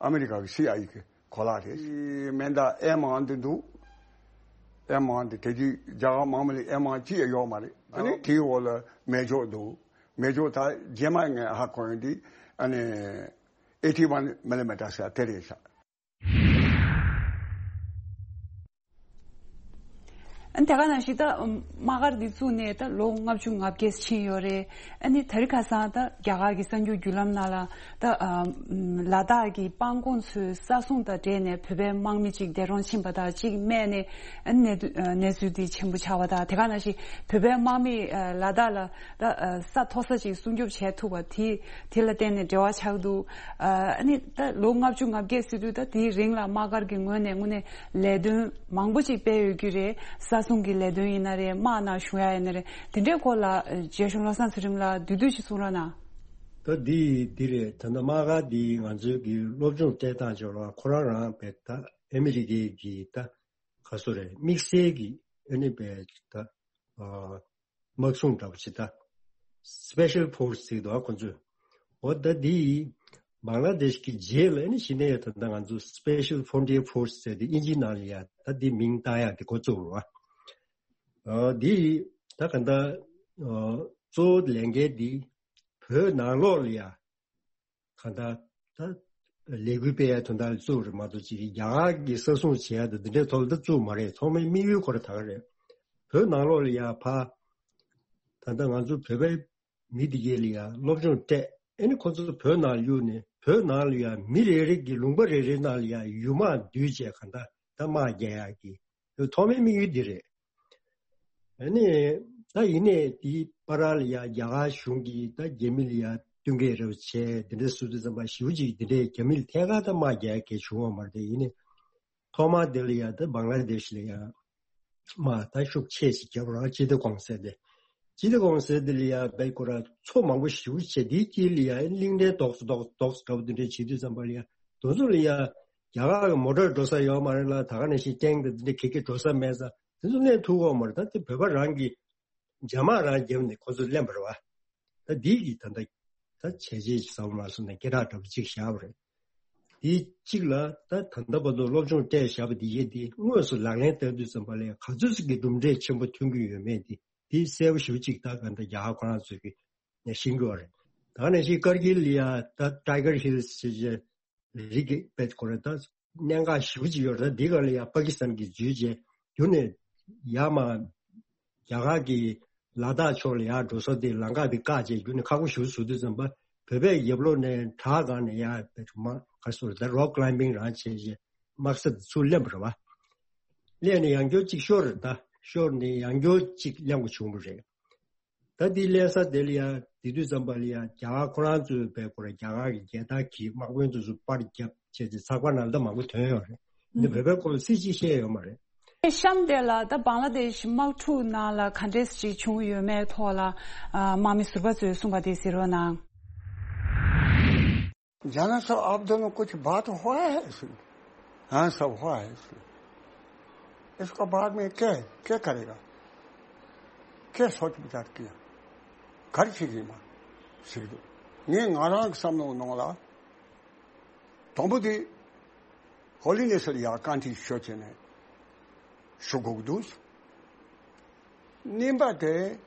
ཨ་མི་རི་ཀ་གི་སི་ཨའི་ཨེ་གི་གོ་ལག་རེད། མེ་མདའ་ཨེམ་ཝན་འདི་འདུག་ཨེམ་ཝན་འདི་དེ་དུས་རྒྱ་གར་དམག་མི་ལ་ཨེམ་ཝན་གཅིག་ཡང་ཡོད་མ་རེད། ཨ་ནི་དེའི་འོག་ལ་མེ་སྒྱོགས་འདུག་མེ་སྒྱོགས་ད་རྗེས་མ་ངས་ཧ་གོ་ཡོང་དུས་ཨ་ནི་ཨེ་ཊི་ཝན་མི་ལི་མི་ཊར་ཟེར་དེ་རེད་ཤག་ཨ་ནི་དེ་ག་ནང་བཞིན་ད་དམག་སྒར་འདི་བཙུགས་ནས་ད་ལོ་ལྔ་བཅུ་ང་བརྒྱད་ཕྱིན་ཡོད་རེད། ཨ་ནི་དེ་རིང་ཁ་སང་ད་རྒྱ་གར་གྱི་གསར་འགྱུར་བརྒྱུད་ལམ་ནང་ལ་ད་ཨ་ལ་དྭགས་ཀྱི་སྤང་གོང་ཚོའི་ས་སྲུང་དང་འབྲེལ་ནས་བོད་པའི་དམག་མི་གཅིག་འདས་གྲོངས་ཕྱིན་པ་དང་གཅིག་རྨས་ནས་ཨ་ནི་གནས་དུ་ཨ་གནས་ཚུལ་འདི་ཆེན་པོ་ཆགས་པ་དང་དེ་ག་ནང་བཞིན་བོད་པའི་དམག་མི་ཨ་ལ་དྭགས་ལ་ད་ཨ་ས་མཐོ་ས་ཅིག་སྲུང་སྐྱོབ་བྱས་ཐུབ་པ་དེ་དེ་ལ་བརྟེན་ནས་འབྲེལ་བ་ཆགས་འདུག་ཨ་ནི་ད་ལོ་ལྔ་བཅུ་ང་བརྒྱད་ཟེར་དུས་ད་དེའི་རིང་ལ་དམག་སྒར་གྱི་ངོས་ནས་དངོས་གནས་ལས་དོན་མང་པོ་ཅིག་སྤེལ་ཡོད་རྒྱུ་རེད། ས་སྲུང་གི་ལས་དོན་ཡིན་ན་རེད། དམག་ནང་ཞུགས་ཡ་ཡིན་ན་རེད། དེ་འདྲའི་སྐོར་ལ་རྒྱལ་གཞུང་བློ་བཟང་ཚུལ་ཁྲིམས་ལགས་བསྡུས་བསྡུས་ཅིག་གསུང་རོགས་གནང་། ད་འདི་འདི་རེད། ད་ལྟ་དམག་སྒར་འདི་ང་ཚོའི་གི་སློབ་སྦྱོང་སྤྲད་སྟངས་ཅིག་ལ་ཁོ་རང་རང་བས་ད་ཨ་མི་རི་ཀའི་གི་ད་ག་སོ་རེད། དམིགས་བསལ་གྱི་ཨ་ནི་བས་ད་ཨ་དམག་སྲུང་འདྲ་པོ་ཅིག་ད་སི་པེ་ཤལ་ཕོར་སི་ཟེར་འདུག་ཨ་ཁོ་ཚོས། འོ་ད་འདི་བང་ལ་དེཤ་གི་རྗེས་ལ་ཨ་ནི་གཞི་ནས་ད་ལྟ་ང་ཚོ་སི་པེ་ཤལ་ཕོན་ཊི་ཡར་ཕོར་སི་ཟེར་ཏེ་ཨིན་ཇིའི་ནང་ལ་ཡ་ད་འདི་མིང་བཏགས་ཡག་གི་འགོ་བཙུགས་རེད་བ། འདི་ད་ག་འདྲ་གཙོ་བོ་ལས་འགན་འདི་བོད་ནང་ལོགས་ལ་ཡ་ག་འདྲ་ད་ལས་འགུལ་སྤེལ་ཡ་དོན་དག་ལ་བཙུགས་རེད་མ་གཏོགས་ཅིག་རྒྱ་གར་གྱི་ས་སྲུང་བྱེད་ཡ་དང་འདི་འདྲའི་ཐོག་ལ་ད་བཙུགས་མ་རེད། ཐོག་མའི་དམིགས་ཡུལ་ཁོ་ར་ད་ག་རེད། བོད་ནང་ལོགས་ལ་ཡ་ཕ་ད་ལྟ་ང་ཚོ་བོད་པའི་མི་དེ་གས་ལ་ཡ་སློབ་སྦྱོང་སྤྲད། ཨེ་ནི་ཁོ་ཚོ་བོད་ནང་གཡུགས་ནས་བོད་ནང་ལ་ཡ་མི་རེ་རེ་གི་ལུང་པ་རེ་རེ་ནང་ལ་ཡ་ཡུལ་དམག་བསྡུས་བྱས་ག་འདྲ་ད་དམག་རྒྱག་ཡག་གི་ཐོག་མའི་དམིགས་ཡུལ་འདི་རེད། ཨེ་ནི་ད་ཡིན་ནའི་དེའི་བར་ལ་ཡ་རྒྱ་གར་གཞུང་གིས་ད་རྒྱ་མི་ལ་ཡ་བསྟུན་མཁས་རེ་བྱས་འདི་འདྲ་བཟོ་དུས་ཙམ་པ་ཞེ་པོ་ཅིག་འདི་འདྲའི་རྒྱ་མི་ལ་ཐད་ཀར་ད་དམག་རྒྱག་ཡག་གི་བྱུང་བ་མ་རེད། དེ་ཡིན་ནའི་ཐོག་མར་དེ་ལ་ཡ་ད་བང་ལ་དེ་ཤི་ལ་ཡ་མ་ད་ཤུགས་ཆེ་ཞིག་རྒྱབ་རང་སྤྱི་བདེ་གོང་ཟེར་དེ། སྤྱི་བདེ་གོང་ཟེར་དེ་ལ་ཡ་བའི་ཁོ་ར་ཚོ་མང་པོ་ཞེ་པོ་བྱས་དེའི་དཀྱིལ་ལ་ཡ་གླིང་ཕྲན་རྡོག་རྡོག་རྡོག་འདྲ་བོ་དེ་འདྲ་བྱེད་དུས་ཙམ་པ་ལ་ཡ་དེ་ཚོ་ལ་ཡ་རྒྱ་གར་གི་མོ་ཊར་འགྲོ་ས་ཡོད་མ་རེད་ལ། ད་ག་ནང་བཞིན་ཊེང་དང་དེ་འདྲ་ག་ག་འགྲོ་ས་མེད་ས་དེ་ཚོ་གནོན་ཐུབ་ཀྱི་ཡོད་མ་རེད། ད་དེ་བོད་པ་རང་གི་འཇབ་དམག་རང་བརྒྱབ་ནས་ཁོ་ཚོ་ལེན་པ་རེད་བ། ད་འདི་གི་ད་ལྟ་ད་བྱས་རྗེས་ཀྱི་ཟབ་མ་སོང་ནས་སྐད་གྲགས་འདྲ་པོ་གཅིག་བཞག་པ་རེད། དེ་གཅིག་ལ་ད་ད་ལྟ་བར་དུ་སློབ་སྦྱོང་སྤྲད་བཞག་པ་འདི་ཡས་དེ་དངོས་སུ་ལག་ལེན་བསྟར་དུས་ཙམ་པ་ལ་ག་ཚོད་ཅིག་གི་གྲུབ་འབྲས་ཆེན་པོ་ཐོན་གྱི་ཡོད་མེད་དེ་དེ་གསལ་པོ་ཞེ་པོ་ཅིག་ད་ག་འདྲ་རྒྱ་གར་ཁོ་རང་ཚོས་ཀྱི་ནས་ཤེས་ཀྱི་ཡོད་རེད། ད་ག་ནང་བཞིན་ཀར་གིལ་ལ་ཡ་ད་ཊའི་གར་ཧིལ་ཟེར་བྱས་རི་གི་དཔེ་ཁོ་རེ་ད་གནད་འགག་ཞེ་པོ་ཅིག་ཡོད་རེད། ད་འདི་ག་ལ་ཡ་པ་ཀི་སི་ཐན་གྱིས་འཛུལ་རྗེས་རྒྱུ་ནས་ཡ་མ་རྒྱ་གར་གྱི་ལ་དྭགས་ཕྱོགས་ལ་ཡར་འགྲོ་ས་དེ་ལམ་ཁ་དེ་བཀག་བྱས་རྒྱུ་ནས་ཁག་པོ་ཞེ་པོ་བཟོ་དུས་ཙམ་པ་བོད་པས་རྒྱབ་ལོགས་ནས་བྲག་སྒང་ནས་ཡར་དཔེ་མ་ག་སོ་ད་རོག་ཀི་ལའིམ་བིང་རང་བྱས་རྗེས་དམག་ས་དེ་ཚུར་ལེན་པ་རེད་བ། ལེན་ནས་ཡང་བསྐྱར་གཅིག་ཤོར་རེད། ད་ཤོར་ནས་ཡང་བསྐྱར་གཅིག་ལེན་དགོས་བྱུང་བ་རེད། ད་འདི་ལེན་ས་དེ་ལ་ཡ་དེ་དུས་ཙམ་པ་ལ་ཡ་རྒྱ་གར་ཁོ་རང་ཚོའི་བས་ཁོ་ར་རྒྱ་གར་གྱི་རྒྱལ་དར་གྱིས་དམག་དཔོན་ཚོ་ཚོ་པར་བརྒྱབ་བྱས་ཏེ་ཚགས་པར་ནང་ལ་ད་མང་པོ་ཐོན་ཡོད་རེད། འདི་བོད་པའི་སྐོར་ལ་སྲིད་ཅིག་བཤད་ཡོད་མ་རེད། གཤམ་དེ་ལ་ད་བང་ལ་དེ་ཤི་དམག་འཁྲུག་ནང་ལ་ག་འདྲས་ཅིག་བྱུང་ཡོད་མེད་ཐོག་ལ་དམག་མི་ཟུར་པ་ཚོས་གསུངས་པ་དེ་གཟིགས་རོགས་གནང་། جانا صاحب، آپ دونوں کچھ بات ہوا ہے اس میں؟ ہاں، سب ہوا ہے اس میں۔ اس کا بعد میں کیا، کیا کرے گا؟ کیا سوچ بچار کیا؟ گھر چیزیں ماں سیکھ دو۔ یہ ناران سامنے نولا تمبو دی ہولی نے سر یا کانٹی شوچے نے شگوگ دوس۔ ནིམ་པ་དེ་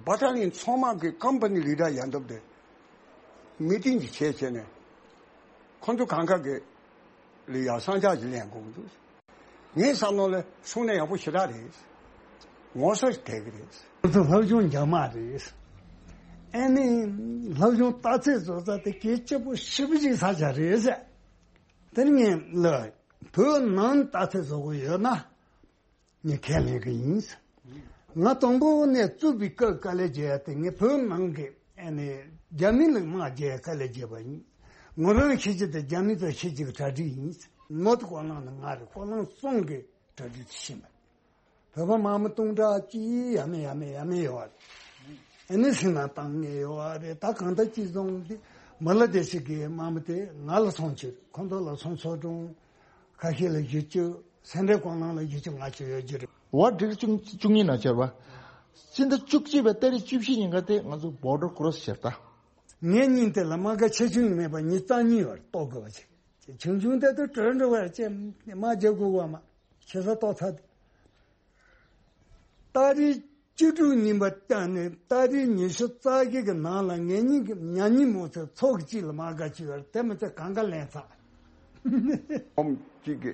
བ་ཏཱ་ལིན་ཚང་མ་གི་ཀམ་པ་ནི་ལི་ཌར་ཡང་འདབ་དེ་མི་ཏིང་གི་བྱས་བྱས་ནས་ཁོང་ཚོ་གང་ག་གི་ལི་ཡ་སང་ཆ་ཞིག་ལེན་དགོས་ཀྱི་འདུག་ངའི་བསམ་བློ་ལ་གསུང་ན་ཡག་པོ་ཞེ་དྲག་རེད། ངོ་སོ་ཞིག་དེ་གི་རེད། ཁོ་ཚོ་སློབ་སྦྱོང་རྒྱག་མ་རེད། ཨ་ནི་སློབ་སྦྱོང་རྟགས་ཚད་བཟོ་ས་དེ་གལ་ཆེ་པོ་ཞེ་པོ་ཅིག་ས་ཆ་རེད་ཟེར། དེ་ནི་ངས་ལ་བོད་ནང་རྟགས་ཚད་བཟོ་དགོས་ཡོད་ན། ངས་ཁས་ལེན་གི་ཡིན། ང་དང་པོ་ནས་བཙུགས་པའི་སྐབས་དཀའ་ལས་བརྒྱབ་ཡ་དེ་ངས་བོད་ནང་གི་ཨ་ནི་རྒྱ་མི་ལ་དམག་རྒྱག་ཡ་དཀའ་ལས་བརྒྱབ་པ་ཡིན། ངོ་རང་ཤེས་ཀྱི་དེ་རྒྱ་མི་དང་ཤེས་ཀྱི་གྲ་སྒྲིག་ཡིན། ནོར་དུ་ཀོ་ལང་ནི་ང་རེད། ཀོ་ལང་སོང་གི་གྲ་སྒྲིག་དུ་ཕྱིན་པ། བོད་པ་དམག་མི་སྟོང་ཕྲག་གཅིག་ཡ་མེད་ཡ་མེད་ཡ་མེད་ཡོད་པ་རེད། ཨ་ནི་སེམས་ནང་བཏང་ངེས་ཡོད་པ་རེད། ད་གང་ལྟར་ཅི་སོང་དེ་མ་ལ་དེ་ཞིག་གི་དམག་མི་དེ་ང་ལ་སོང་ཕྱིར་ཁོང་ཚོ་ལ་སོང་ཚོགས་དྲུང་། ཁ་ཤས་ལ་བཞི་བཅུ། སེ་འབྲས་དགོན་ནང་ལ་བཞི་བཅུ་ལྔ་བཅུ་ཡོད་རྒྱུ་རེད། བ་ཌི་རི་བཅུ་བཅུ་གཉིས་ནང་བཅར་བ། སྤྱི་ཟླ་བཅུ་གཅིག་པའི་ཏ་རིག་བཅུ་བཞི་ཉིན་ཀ་དེ་ང་ཚོ་བོར་ཌར་ཀོ་རོ་སི་བྱས་ད། ངའི་སྙིང་དེ་ལ་དམག་སྒར་ཆེ་ཆུང་མེད་པར་མི་རྩ་གཉིས་བར་གཏོགས་དགོས་པ་བྱས། ཆུང་ཆུང་དེ་དུ་གྲོས་འགྲོ་བར་བཅས་དམག་རྒྱག་དགོས་པ་མ་ཆེ་ས་གཏོགས་ཚར་དུས། ཏ་རིག་བཅུ་དྲུག་ཉིན་པ་སྟེང་ནས་ཏ་རིག་ཉི་ཤུ་རྩ་བཞི་གི་ནང་ལ་ངེད་གཉིས་ཀྱི་ཉ་ཉིན་མོ་ཚོའི་ཚོགས་གཅིག་ལ་དམག་སྒར་བྱས་ཡོད་རེད། དེ་མི་ཚད་གང་ག་ལེན་ཚར། ཨོམ་གཅིག་གི་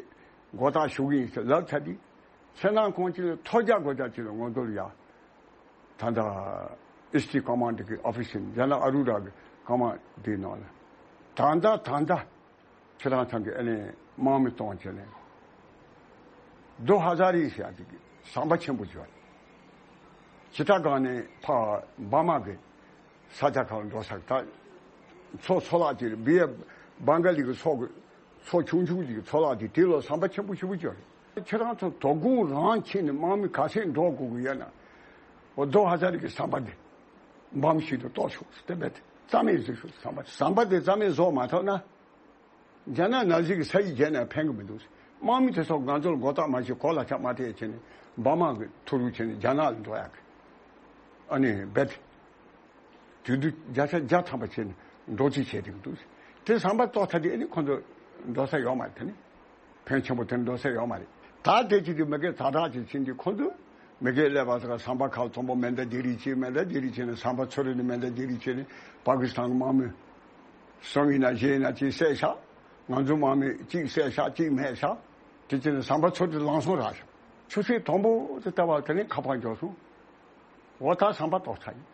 མགོ་བཏགས་ཞུ་གི་ཡིན་ཟེར་ལབ་ཚར་དུས། ཁྱེད་རང་ཁོང་གཅིག་ལ་ཐོ་རྒྱག་དགོས་ཚར་གཅིག་ལ་ངོ་རྒོལ་ཡ། ད་ལྟ་ཨི་སི་ཊི་ཀོ་མན་ཌི་གི་ཨོ་ཕི་སི་ཡིན། ཡང་ན་ཨ་རུ་ར་གི་ཀོ་མན་ཌི་ནང་ལ། ད་ལྟ་ད་ལྟ། ཁྱེད་རང་ཚང་གི་ཨ་ནི་དམག་མི་གཏོང་བྱས་ནས། རྡོ་ཧ་ཛ་རི་ཟེར་ཡ་དེ་གི་ཟམ་པ་ཆེན་པོ་ཅིག་ཡོད་རེད། ཇི་ལྟ་གང་ནས་ཕ་འབར་མ་གི་ས་ཆ་ཁག་ལ་འགྲོ་ས་ད་མཚོ་མཚོ་ལག་ཅིག་རེད། བི་ཡ་བང་ག་ལི་གི་མཚོ་གི་མཚོ་ཆུང་ཆུང་ཅིག་གི་མཚོ་ལག་དེ་དེ་ལ་ཟམ་པ་ཆེན་པོ་ཆེན་པོ་ཅིག་ཡོད་རེད། ཁྱེད་རང་ཚོ་དོ་དགོང་རང་ཕྱིན་ནས་དམག་མི་ག་ཚད་འགྲོ་དགོས་ཀྱི་ཡོད་ན། འོ་རྡོ་ཧ་ཛ་རི་གི་ཟམ་པ་དེ་འབམ་ཞིག་ཏུ་གཏོར་ཤོག་ཟེར་དེ་རྦད་དེ་རྩ་མེད་བཟོ་ཤོག་ཟམ་པ་ཟམ་པ་དེ་རྩ་མེད་བཟོ་མ་ཐུབ་ན། རྒྱ་ནག་ནང་བཞིན་གྱི་ས་ཡིག་བརྒྱབ་ནས་ཕན་གྱི་མི་འདུག་དམག་མི་དེ་ཚོ་ང་ཚོར་མགོ་བཏགས་མ་བྱེད་གོ་ལ་ཆ་མ་ཐེ་བྱས་ནས་འབར་མ་གི་ཐུ་རུ་བྱས་ནས་རྒྱ་ནག་ལ་འགྲོ་ཡག་གི་ཨ་ནི་རྦད་དེ་དུས་བརྒྱ་ཆ་བརྒྱ་ཐམ་པ་བྱས་ནས་འགྲོ་རྩིས་བྱས་བསྡད་ཀྱི་འདུག་དེ་ཟམ་པ་གཏོར་ཐལ་དུས་ཨ་ནི་ཁོ་ཚོ་འགྲོ་ས་ཡོད་མ་རེད། དེ་ནི་ཕན་ཆེན་པོ་དེ་འགྲོ་ས་ཡོད་མ་རེད། ད་དེ་ཅིག་དེ་མི་སྒེར་ཛ་དྲག་ཅིག་ཕྱིན་དུས་ཁོང་ཚོས་མི་སྒེར་ཀླད་པ་ཟེར་ཁ་ཟམ་པ་ཁག་དང་པོ་མེ་མདའ་རྒྱག་རེས་བྱས། མེ་མདའ་རྒྱག་རེས་བྱས་ནས་ཟམ་པ་ཚུར་རེ་ནས་མེ་མདའ་རྒྱག་རེས་བྱས་ནས་པ་ཀི་སི་ཐན་གྱི་དམག་མི་གསུམ་ཡིན་ན་བཞི་ཡིན་ན་གཅིག་བསད་བཞག་ང་ཚོའི་དམག་མི་གཅིག་བསད་བཞག་གཅིག་མེད་བཞག་དེ་བྱས་ནས་ཟམ་པ་ཚུར་དེ་ལངས་སོང་ར་ཤག་ཆུ་ཚོད་དང་པོ་དེ་ལྟ་བ་དེ་ནས་ཁ་པར་འབྱོར་སོང་། འོ་ད་ཟམ་པ་གཏོར་ཚར་ཡིན།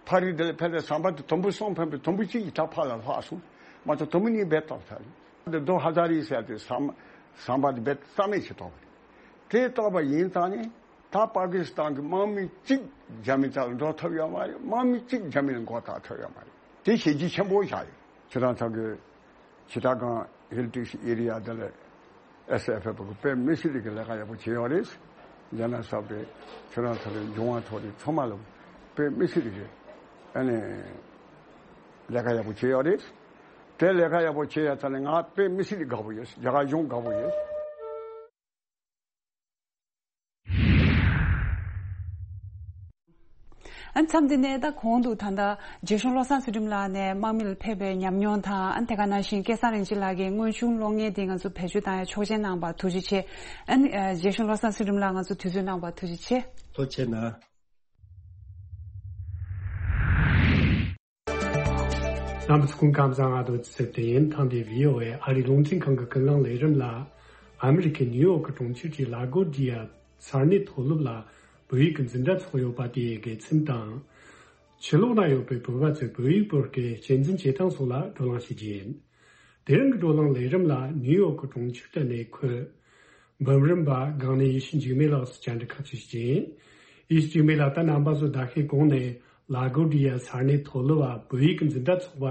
ཕ་རི་དེ་ལ་ཕེབས་ཏེ་ཟམ་པ་དེ་དུམ་བུ་གསུམ་ཕེབས་པའི་དུམ་བུ་གཅིག་གི་ད་ཕར་ལ་ལྷག་སོང་། མ་གཏོགས་དུམ་བུ་གཉིས་རྦད་གཏོར་ཚར་ཡིན། འདི་རྡོ་ཧ་ཛ་རི་ཟེར་ཏེ་ཟམ་ཟམ་པ་དེ་རྦད་རྩ་མེད་བྱེད་གཏོར་བ་རེད། དེ་གཏོར་བ་ཡིན་ཙང་ནས་ད་པ་ཀི་སི་ཐན་གྱི་དམག་མི་གཅིག་རྒྱ་མི་རྩ་ལ་འགྲོ་ཐུབ་ཡོད་མ་རེད། དམག་མི་གཅིག་རྒྱ་མི་ལ་མགོ་བཏགས་ཐུབ་ཡོད་མ་རེད། དེ་བྱས་རྗེས་ཆེན་པོ་བཞག་ཡོད། ཁྱེད་རང་ཚོ་གི་ཆི་ཊ་གང་ཧིལ་ཊི་ཨེ་རི་ཡ་དེ་ལ་ཨེས་ཨེཕ་ཨེཕ་གི་དཔེ་མི་སྲིད་ལ་གི་ལས་ཀ་ཡག་པོ་བྱས་ཡོད་རེད། རྒྱ་ནག་ས་པའི་ཁྱེད་རང་ཚོ་ལ་འབྱུང་བ་ཐོག་ལ་ཚང་མ་ལ་དཔེ་མི་སྲིད་ལ་གི་ཨ་ནི་ལས་ཀ་ཡག་པོ་བྱས་ཡོད་རེད། དེ་ལས་ཀ་ཡག་པོ་བྱས་ཡ་ཚ་ནས་ང་དཔེ་མི་སྲིད་ལ་དགའ་པོ་ཡོད། རྒྱ་གར་གཞུང་དགའ་པོ་ཡོད། ཨ་མཚམས་འདི་ནས་ད་གོང་དུ་ད་ལྟ་རྗེ་གཞུང་བློ་བཟང་ཚུལ་ཁྲིམས་ལགས་ནས་དམག་མི་ལ་ཕེབས་པའི་ཉམས་མྱོང་དང་། ཨ་དེ་ག་ནང་བཞིན་སྐལ་བཟང་རིན་ཆེན་ལགས་ཀྱིས་དངོས་བྱུང་གློག་བརྙན་འདི་ང་ཚོ་བེད་སྤྱོད་བཏང་ཡ་ཆོག་མཆན་གནང་བར་ཐུགས་རྗེ་ཆེ། ཨ་ནི་ཨ་རྗེ་གཞུང་བློ་བཟང་ཚུལ་ཁྲིམས་ལགས་ང་ཚོ་དུས་ཚོད་གནང་བར་ཐུགས་རྗེ་ཆེ། ཐུགས་རྗེ་ཆེ་གནང་། རྣམ་པ་ཚོ་སྐུ་ཁམས་བཟང་། ང་དོ་ཚེ་བརྟན་ཡིན། ཐེངས་འདིའི་བྷི་ཨོ་ཨེ་ཨ་རིའི་རླུང་འཕྲིན་ཁང་གི་ཀུན་གླེང་ལས་རིམ་ལ་ཨ་མི་རི་ཀའི་ནིའུ་ཡོག་གི་གྲོང་ཁྱེར་གྱི་ལ་གོ་ཌི་ཡ་ས་གནས་མཐོ་སློབ་ལ་བོད་ཡིག་གི་འཛིན་གྲྭ་ཚོགས་ཡོད་པ་དེའི་དགེ་མཚན་དང་། ཕྱི་ལོགས་ན་ཡོད་པའི་བོད་པ་ཚོས་བོད་ཡིག་སྐོར་གྱི་གཅེས་འཛིན་བྱེད་སྟངས་སོགས་ལ་བགྲོ་གླེང་བྱེད་རྒྱུ་ཡིན། དེ་རིང་གི་བགྲོ་གླེང་ལས་རིམ་ལ་ནིའུ་ཡོག་གི་གྲོང་ཁྱེར་དུ་གནས་འཁོད་འབུམ་རམས་པ་སྒང་ནས་ཡེ་ཤེས་འཇིགས་མེད་ལགས་སུ་བཅར་འདྲི་ཁག་ཅིག་བྱེད་ཀྱི་ཡིན། ཡེ་ཤེས་འཇིགས་མེད་ལགས། ད་རྣམ་པ་ཚོ་ཟླ་ཤས་གོང་ནས་ལ་གོ་ཌི་ཡ་ས་གནས་མཐོ་སློབ་བ་བོད་ཡིག་གི་འཛིན་གྲྭ་ཚོགས་པ་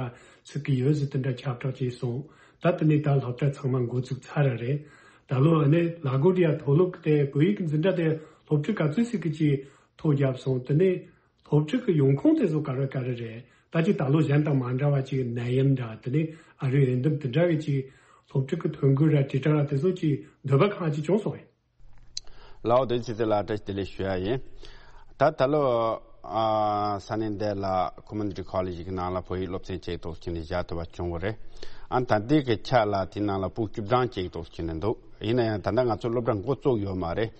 ཚུགས་ཀྱི་ཡོད་ཟེར་དེ་འདྲ་ཁྱབ་བསྒྲགས་བྱས་སོང་། ད་དེ་ནས་ད་སློབ་གྲྭ་ཚང་མ་འགོ་ཚུགས་ཚར་ར་རེད། ད་ལོ་ཨ་ནི་ལ་གོ་ཌི་ཡ་མཐོ་སློབ་ཀྱི་དེ་བོད་ཡིག་གི་འཛིན་གྲྭ་དེ་སློབ་ཕྲུག་ག་ཚོད་ཟིག་གི་ཅིག་ཐོ་བརྒྱབ་སོང་། དེ་ནས་སློབ་ཕྲུག་གི་ཡོང་ཁུངས་དེ་ཚོ་ག་རེ་ག་རེ་རེད། ད་ཅིག་ད་ལོ་གཞན་དང་མ་འདྲ་བ་ཅིག་ནད་ཡམས་འདྲ། དེ་ནས་ཨ་རིའི་འོས་འདེམས་དེ་འདྲ་བའི་ཅིག་སློབ་ཕྲུག་གི་ཐོ་འགོད་ར་དྲིལ་བསྒྲགས་ར་དེ་ཚོ་ཅིག་འདོད་པ་གང་ཅིག་བྱུང་སོང་ངས། ལའོ་དེ་ཚེ་ཚེ་ལ་བཀྲ་ཤིས་བདེ་ལེགས་ཞུ་ཡ་ཡིན། ད་ད་ལོ་ཨ་ས་གནས་འདི་ལ་ཀོ་མུ་ནི་ཊི་ཀོ་ལེ་ཇི་གི་ནང་ལ་བོད་ཡིག་སློབ་ཚན་གཅིག་ཐོག་ཁྱེར་ནས་བཞག་ཐུབ་པ་བྱུང་བ་རེད། ཨ་ད་ལྟའི་གི་ཆ་ལ་དེའི་ནང་ལ་ཕྲུ་གུ་བཅུ་གྲངས་གཅིག་ཐོག་ཁྱེར་ནས་འདུག་ཡིན་ན་ཡང་ད་ལྟ་ང་ཚོ་སློབ་གྲྭ་འགོ་བཙུགས་ཡོད་མ་རེད།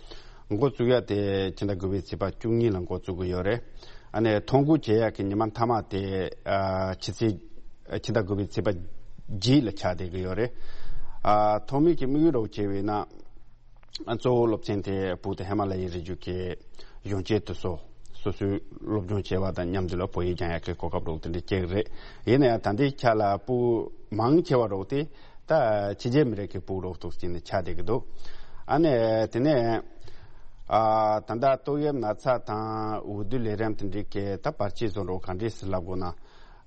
འགོ་བཙུགས་ཡ་དེ་ཕྱི་ཟླ་དགུ་པའི་ཚེས་པ་བཅུ་གཉིས་ལ་འགོ་བཙུགས་ཀྱི་ཡོད་རེད། ཨ་ནི་ཐོ་འགོད་བྱེད་ཡ་གི་ཉི་མ་མཐའ་མ་དེ་ཨ་ཕྱི་ཚེས་ཕྱི་ཟླ་དགུ་པའི་ཚེས་པ་བརྒྱད་ལ་ཆགས་བསྡད་ཀྱི་ཡོད་རེད། ཨ་ཐོག་མའི་གི་དམིགས་ཡུལ་རོགས་བྱས་པས་ན། ཨ་གཙོ་བོ་སློབ་ཚན་དེ་བོད་དང་ཧི་མ་ལ་ཡའི་རི་རྒྱུད་ཀྱི་གཞོན་སྐྱེས་དེ་ཚོ་སོ་སོའི་སློབ་སྦྱོང་བྱས་པ་དང་མཉམ་དུ་ལ་བོད་ཡིག་སྦྱང་ཡག་གི་གོ་སྐབས་རོགས་དེ་འདྲ་སྤྲད་ཀྱི་རེད། ཡིན་ན་ཡང་ད་ལྟའི་ཆ་ལ་ཕྲུ་གུ་མང་ཆེ་བ་རོགས་དེ་ད་ཕྱི་རྒྱལ་མི་རིགས་ཀྱི་ཕྲུ་གུ་རོགས་ཐོག་ཅིག་ནས་ཆགས་བསྡད་ཀྱི་འདུག་ཨ་ནི་དེ་ནས་ཨ་ད་ལྟ་ཏོག་དབྱིབས་ན་ཚ་དང་འོས་བསྡུ་ལས་རིམ་དེ་འདྲའི་གི་ད་བར་ཆད་བཟོ་འདྲ་བོ་ག་འདྲས་སེ་ལབ་དགོས་ན།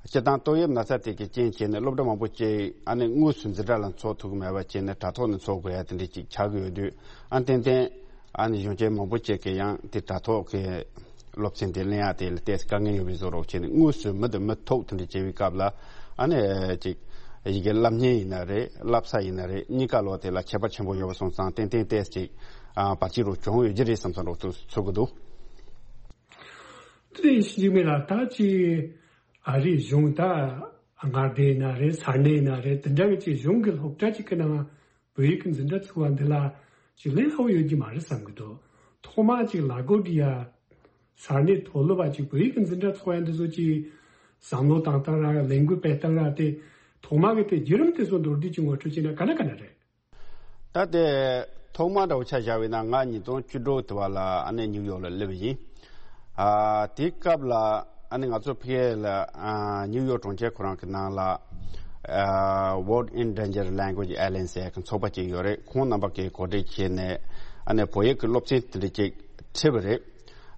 སྤྱིར་བཏང་ཏོག་དབྱིབས་ན་ཚ་དེ་གི་རྐྱེན་བྱས་ནས་སློབ་གྲྭ་མང་པོ་ཅིག་ཨ་ནི་དངོས་སུ་འཛིན་གྲྭ་ལ་འཚོགས་ཐུབ་ཀྱི་མེད་པ་བྱས་ནས་དྲ་ཐོག་ནས་འཚོགས་དགོས་ཡ་དེ་འདྲ་ཅིག་ཆགས་ཀྱི་ཡོད་དུས། ཨ་ནི་ཏན་ཏན་ཨ་ནི་གཞོན་སྐྱེས་མང་པོ་ཅིག་གིས་ཡང་དེ་དྲ་ཐོག་གི་སློབ་ཚན་དེ་ལེན་ཡ་དེ་ལ་ཏོག་ཙམ་དཀའ་ངལ་ཡོད་པའི་བཟོ་འདྲ་བོ་བྱས་ནས་དངོས་སུ་མི་དང་མི་ཐུག་དེ་འདྲ་བྱེད་པའི་སྐབས་ལ་ཨ་ནི་ཅིག་ཡི་གེ་བསླབ་གཉེར་ཡིན་ན་རེད། བསླབ་ས་ཡིན་ན་རེད། གཉིས་ཀ་ལོག་དེ་ལ་ཁྱད་པར་ཆེན་པོ་ཡོད་པ་སོང་ཙང་ཏན་ཏན་ཏོག་ཙམ་ཅིག་ཨ་བར་ཆད་རོགས་བྱུང་ཡོད་ཀྱི་རེད་བསམ་བསམ་འདྲ་བོ་ཚོར་གྱི་འདུག་དེ་ཡིན་ཞིག་མེད་ལ་ད་ཅི་ཨ་རིའི་གཞུང་ད་མངའ་སྡེ་ཡིན་ན་རེད། ས་གནས་ཡིན་ན་རེད། དེ་འདྲ་བའི་ཅིག་གཞུང་གི་སློབ་གྲྭ་ཅིག་གི་ནང་བོད་ཡིག་གི་འཛིན་གྲྭ་ཚུགས་པ་འདི་ལ་ཅིག་ལས་སླ་བོ་ཡོད་ཀྱི་མ་རེད་བསམ་གྱི་འདུག་ཐོག་མ་ཅིག་ལ་གོ་ཌི་ཡ་ས་གནས་མཐོ་སློབ་པ་ཅིག་བོད་ཡིག་གི་འཛིན་གྲྭ་ཚུགས་ཡ་འདི་ཚོ་ཅིག་བསམ་བློ་བཏང་སྟངས་ར་ལས་འགུལ་སྤེལ་སྟངས་ར་དེ་ཐོག་མ་གི་དེ་བརྒྱུད་རིམ་དེ་ཚོ་མདོར་བསྡུས་ཀྱི་ངོ་སྤྲོད་བྱས་ན་ག་འདྲ་ག་འདྲ་རེད། ད་ལྟའི་ཐོག་མ་འདྲ་བོ་ཆ་བཞག་པ་ཡིན་ན་ང་ཉིས་སྟོང་བཅུ་དྲུག་དེ་བ་ལ་ཨ་ནི་ནིའུ་ཡོག་ལ་སླེབས་པ་ཡིན། ཨ་དེའི་སྐབས་ལ་ཨ་ནི་ང་ཚོ་ཕ་གི་ལ་ཨ་ནིའུ་ཡོག་གྲོང་ཁྱེར་ཁོ་རང་གི་ནང་ལ་ཨ་World Endangered Language Alliance ཟེར་གྱི་ཚོགས་པ་ཅིག་ཡོད་རེད། ཁོང་རྣམ་པ་གིས་གོ་སྒྲིག་བྱས་ནས་ཨ་ནི་བོད་ཡིག་གི་སློབ་ཚན་དེ་འདྲ་ཅིག་ཁྲིད་པ་རེད།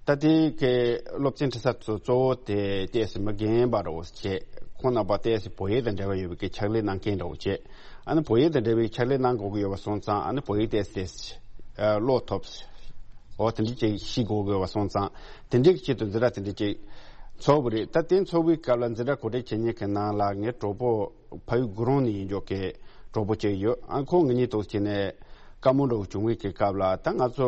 ད་དེ་གའི་སློབ་ཚན་ཁྲིད་ས་ཚོ་གཙོ་བོ་དེ་ཏོག་ཙམ་མི་རྒན་པ་འདྲ་བོ་བྱས། ཁོང་རྣམ་པ་ཏོག་ཙམ་བོད་ཡིག་དང་འབྲེལ་བ་ཡོད་པའི་གི་ཕྱག་ལས་གནང་མཁན་འདྲ་བོ་བྱས། ཨ་ནི་བོད་ཡིག་དང་འབྲེལ་བའི་ཕྱག་ལས་གནང་དགོས་ཀྱི་ཡོད་པ་སོང་ཙང་ཨ་ནི་བོད་ཡིག་ཏོག་ཙམ་ཀློག་ཐུབ། འོ་དེ་འདྲ་ཅིག་ཤེས་དགོས་ཀྱི་ཡོད་པ་སོང་ཙང་དེ་འདྲའི་གི་ཆེད་དུ་འཛིན་གྲྭ་དེ་འདྲ་ཅིག་ཚོགས་པ་རེད། ད་དེ་ཚོགས་པའི་སྐབས་ལ་འཛིན་གྲྭ་གོ་སྒྲིག་བྱེད་མཁན་གྱི་ནང་ལ་ངའི་གྲོགས་པོ་ཕ་ཡུལ་དགུ་རོང་ནས་ཡིན་འཇོག་གི་གྲོགས་པོ་གཅིག་ཡོད། ཨ་ཁོང་ངེད་གཉིས་ཐོག་བྱས་ནས་བཀའ་མོལ་འདྲ་བོ་བྱུང་བའི་གི་སྐབས་ལ་ད་ང་ཚོ་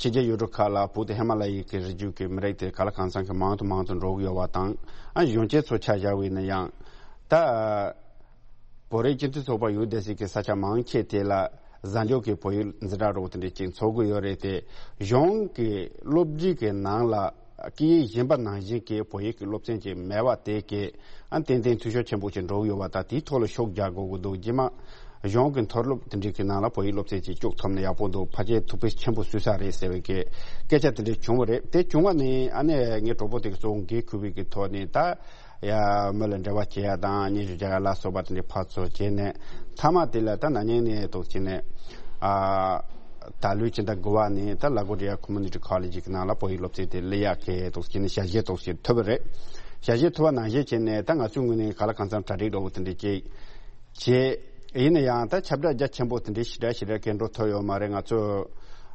ཕྱི་རྒྱལ་ཡུལ་གྲུ་ཁག་ལ་བོད་དང་ཧི་མ་ལ་ཡའི་གི་རི་རྒྱུད་ཀྱི་མི་རིགས་དེ་ག་ལ་གང་འཚམ་གྱི་མང་དུ་མང་དུ་འགྲོ་གི་ཡོད་པ་དང་། ཨ་གཞོན་སྐྱེས་ཚོ་ཆ་བཞག་པ་ཡིན་ན་ཡང་ད་བོད་རིགས་སྤྱི་མཐུན་ཚོགས་པ་ཡོད་བསྡད་སའི་གི་ས་ཆ་མང་ཆེ་དེ་ལ་ གཟའ་མཇུག་གི་བོད་ཡིག་འཛིན་གྲྭ་རོགས་དེ་འདྲ་ཅིག་འཚོགས་ཀྱི་ཡོད་རེད་དེ། གཞུང་གི་སློབ་སྡེ་གི་ནང་ལ་སྐད་ཡིག་གཞན་པ་ནང་བཞིན་གྱི་བོད་ཡིག་གི་སློབ་ཚན་ཅིག་མེད་པ་དེ་གི་ཨ་ཏན་ཏན་འཐུས་ཤོར་ཆེན་པོ་ཅིག་འགྲོ་གི་ཡོད་པ་དང་། དེའི་ཐོག་ལ་ཤུགས་རྒྱག་དགོས་ཀྱི་འདུག་རྗེས་མ་གཞུང་གི་མཐོ་སློབ་དེ་འདྲའི་གི་ནང་ལ་བོད་ཡིག་སློབ་ཚན་ཅིག་བཅུག་ཐུབ་ན་ཡག་པོ་འདུག་ཕལ་ཆེར་ཐུགས་ཕན་ཆེན་པོ་གསོས་ས་རེད་ཟེར་བའི་གི་སྐད་ཆ་དེ་འདྲ་བྱུང་བ་རེད། དེ་བྱུང་བ་ནི་ཨ་ནི་ངའི་གྲོགས་པོ་དེ་གི་གཙོ་བོ་འགན་འཁུར་བའི་གི་ཐོག་ནས་ད། ཡ། མི་ལ་འབྲེལ་བ་བྱེད་ཡ་དང་སྙན་ཞུ་རྒྱག་ཡ་ལ་སོགས་པ་དེ་འདྲའི་ཕར་ཚུར་བྱས་ནས། མཐའ་མ་དེ་ལ་ད་ན་ནིང་ནས་འདུག་བྱས་ནས། ཨ། ད་ལོའི་ཕྱི་ཟླ་དགུ་པ་ནས་ད་ལ་གོ་ཌི་ཡ་ཁོ་མུ་ནི་ཊི་ཁོ་ལེ་ཇི་གི་ནང་ལ་བོད་ཡིག་སློབ་ཚན་དེ་སླེབས་ཡག་གི་འདུག་བྱས་ནས་ཞལ་བཞེས་འདུག་བྱས་ཐོབ་པ་རེད། ཞལ་བཞེས་ཐོབ་པ་ནང་བཞིན་བྱས་ནས་ད་ང་ཚོའི་ངོས་ནས་གང་ལ་གང་འཚམ་གྲ་སྒྲིག་འདྲ་བོ་དེ་འདྲ་བྱས། བྱས། ཡིན་ན་ཡང་ད་ཁྱབ་བསྒྲགས་རྒྱ་ཆེན་པོ་དེ་འདྲའི་ཞེ་དྲག་ཞེ་དྲག་གི་འགྲོ་ཐུབ་ཡོད་མ་རེད། ང་ཚོ།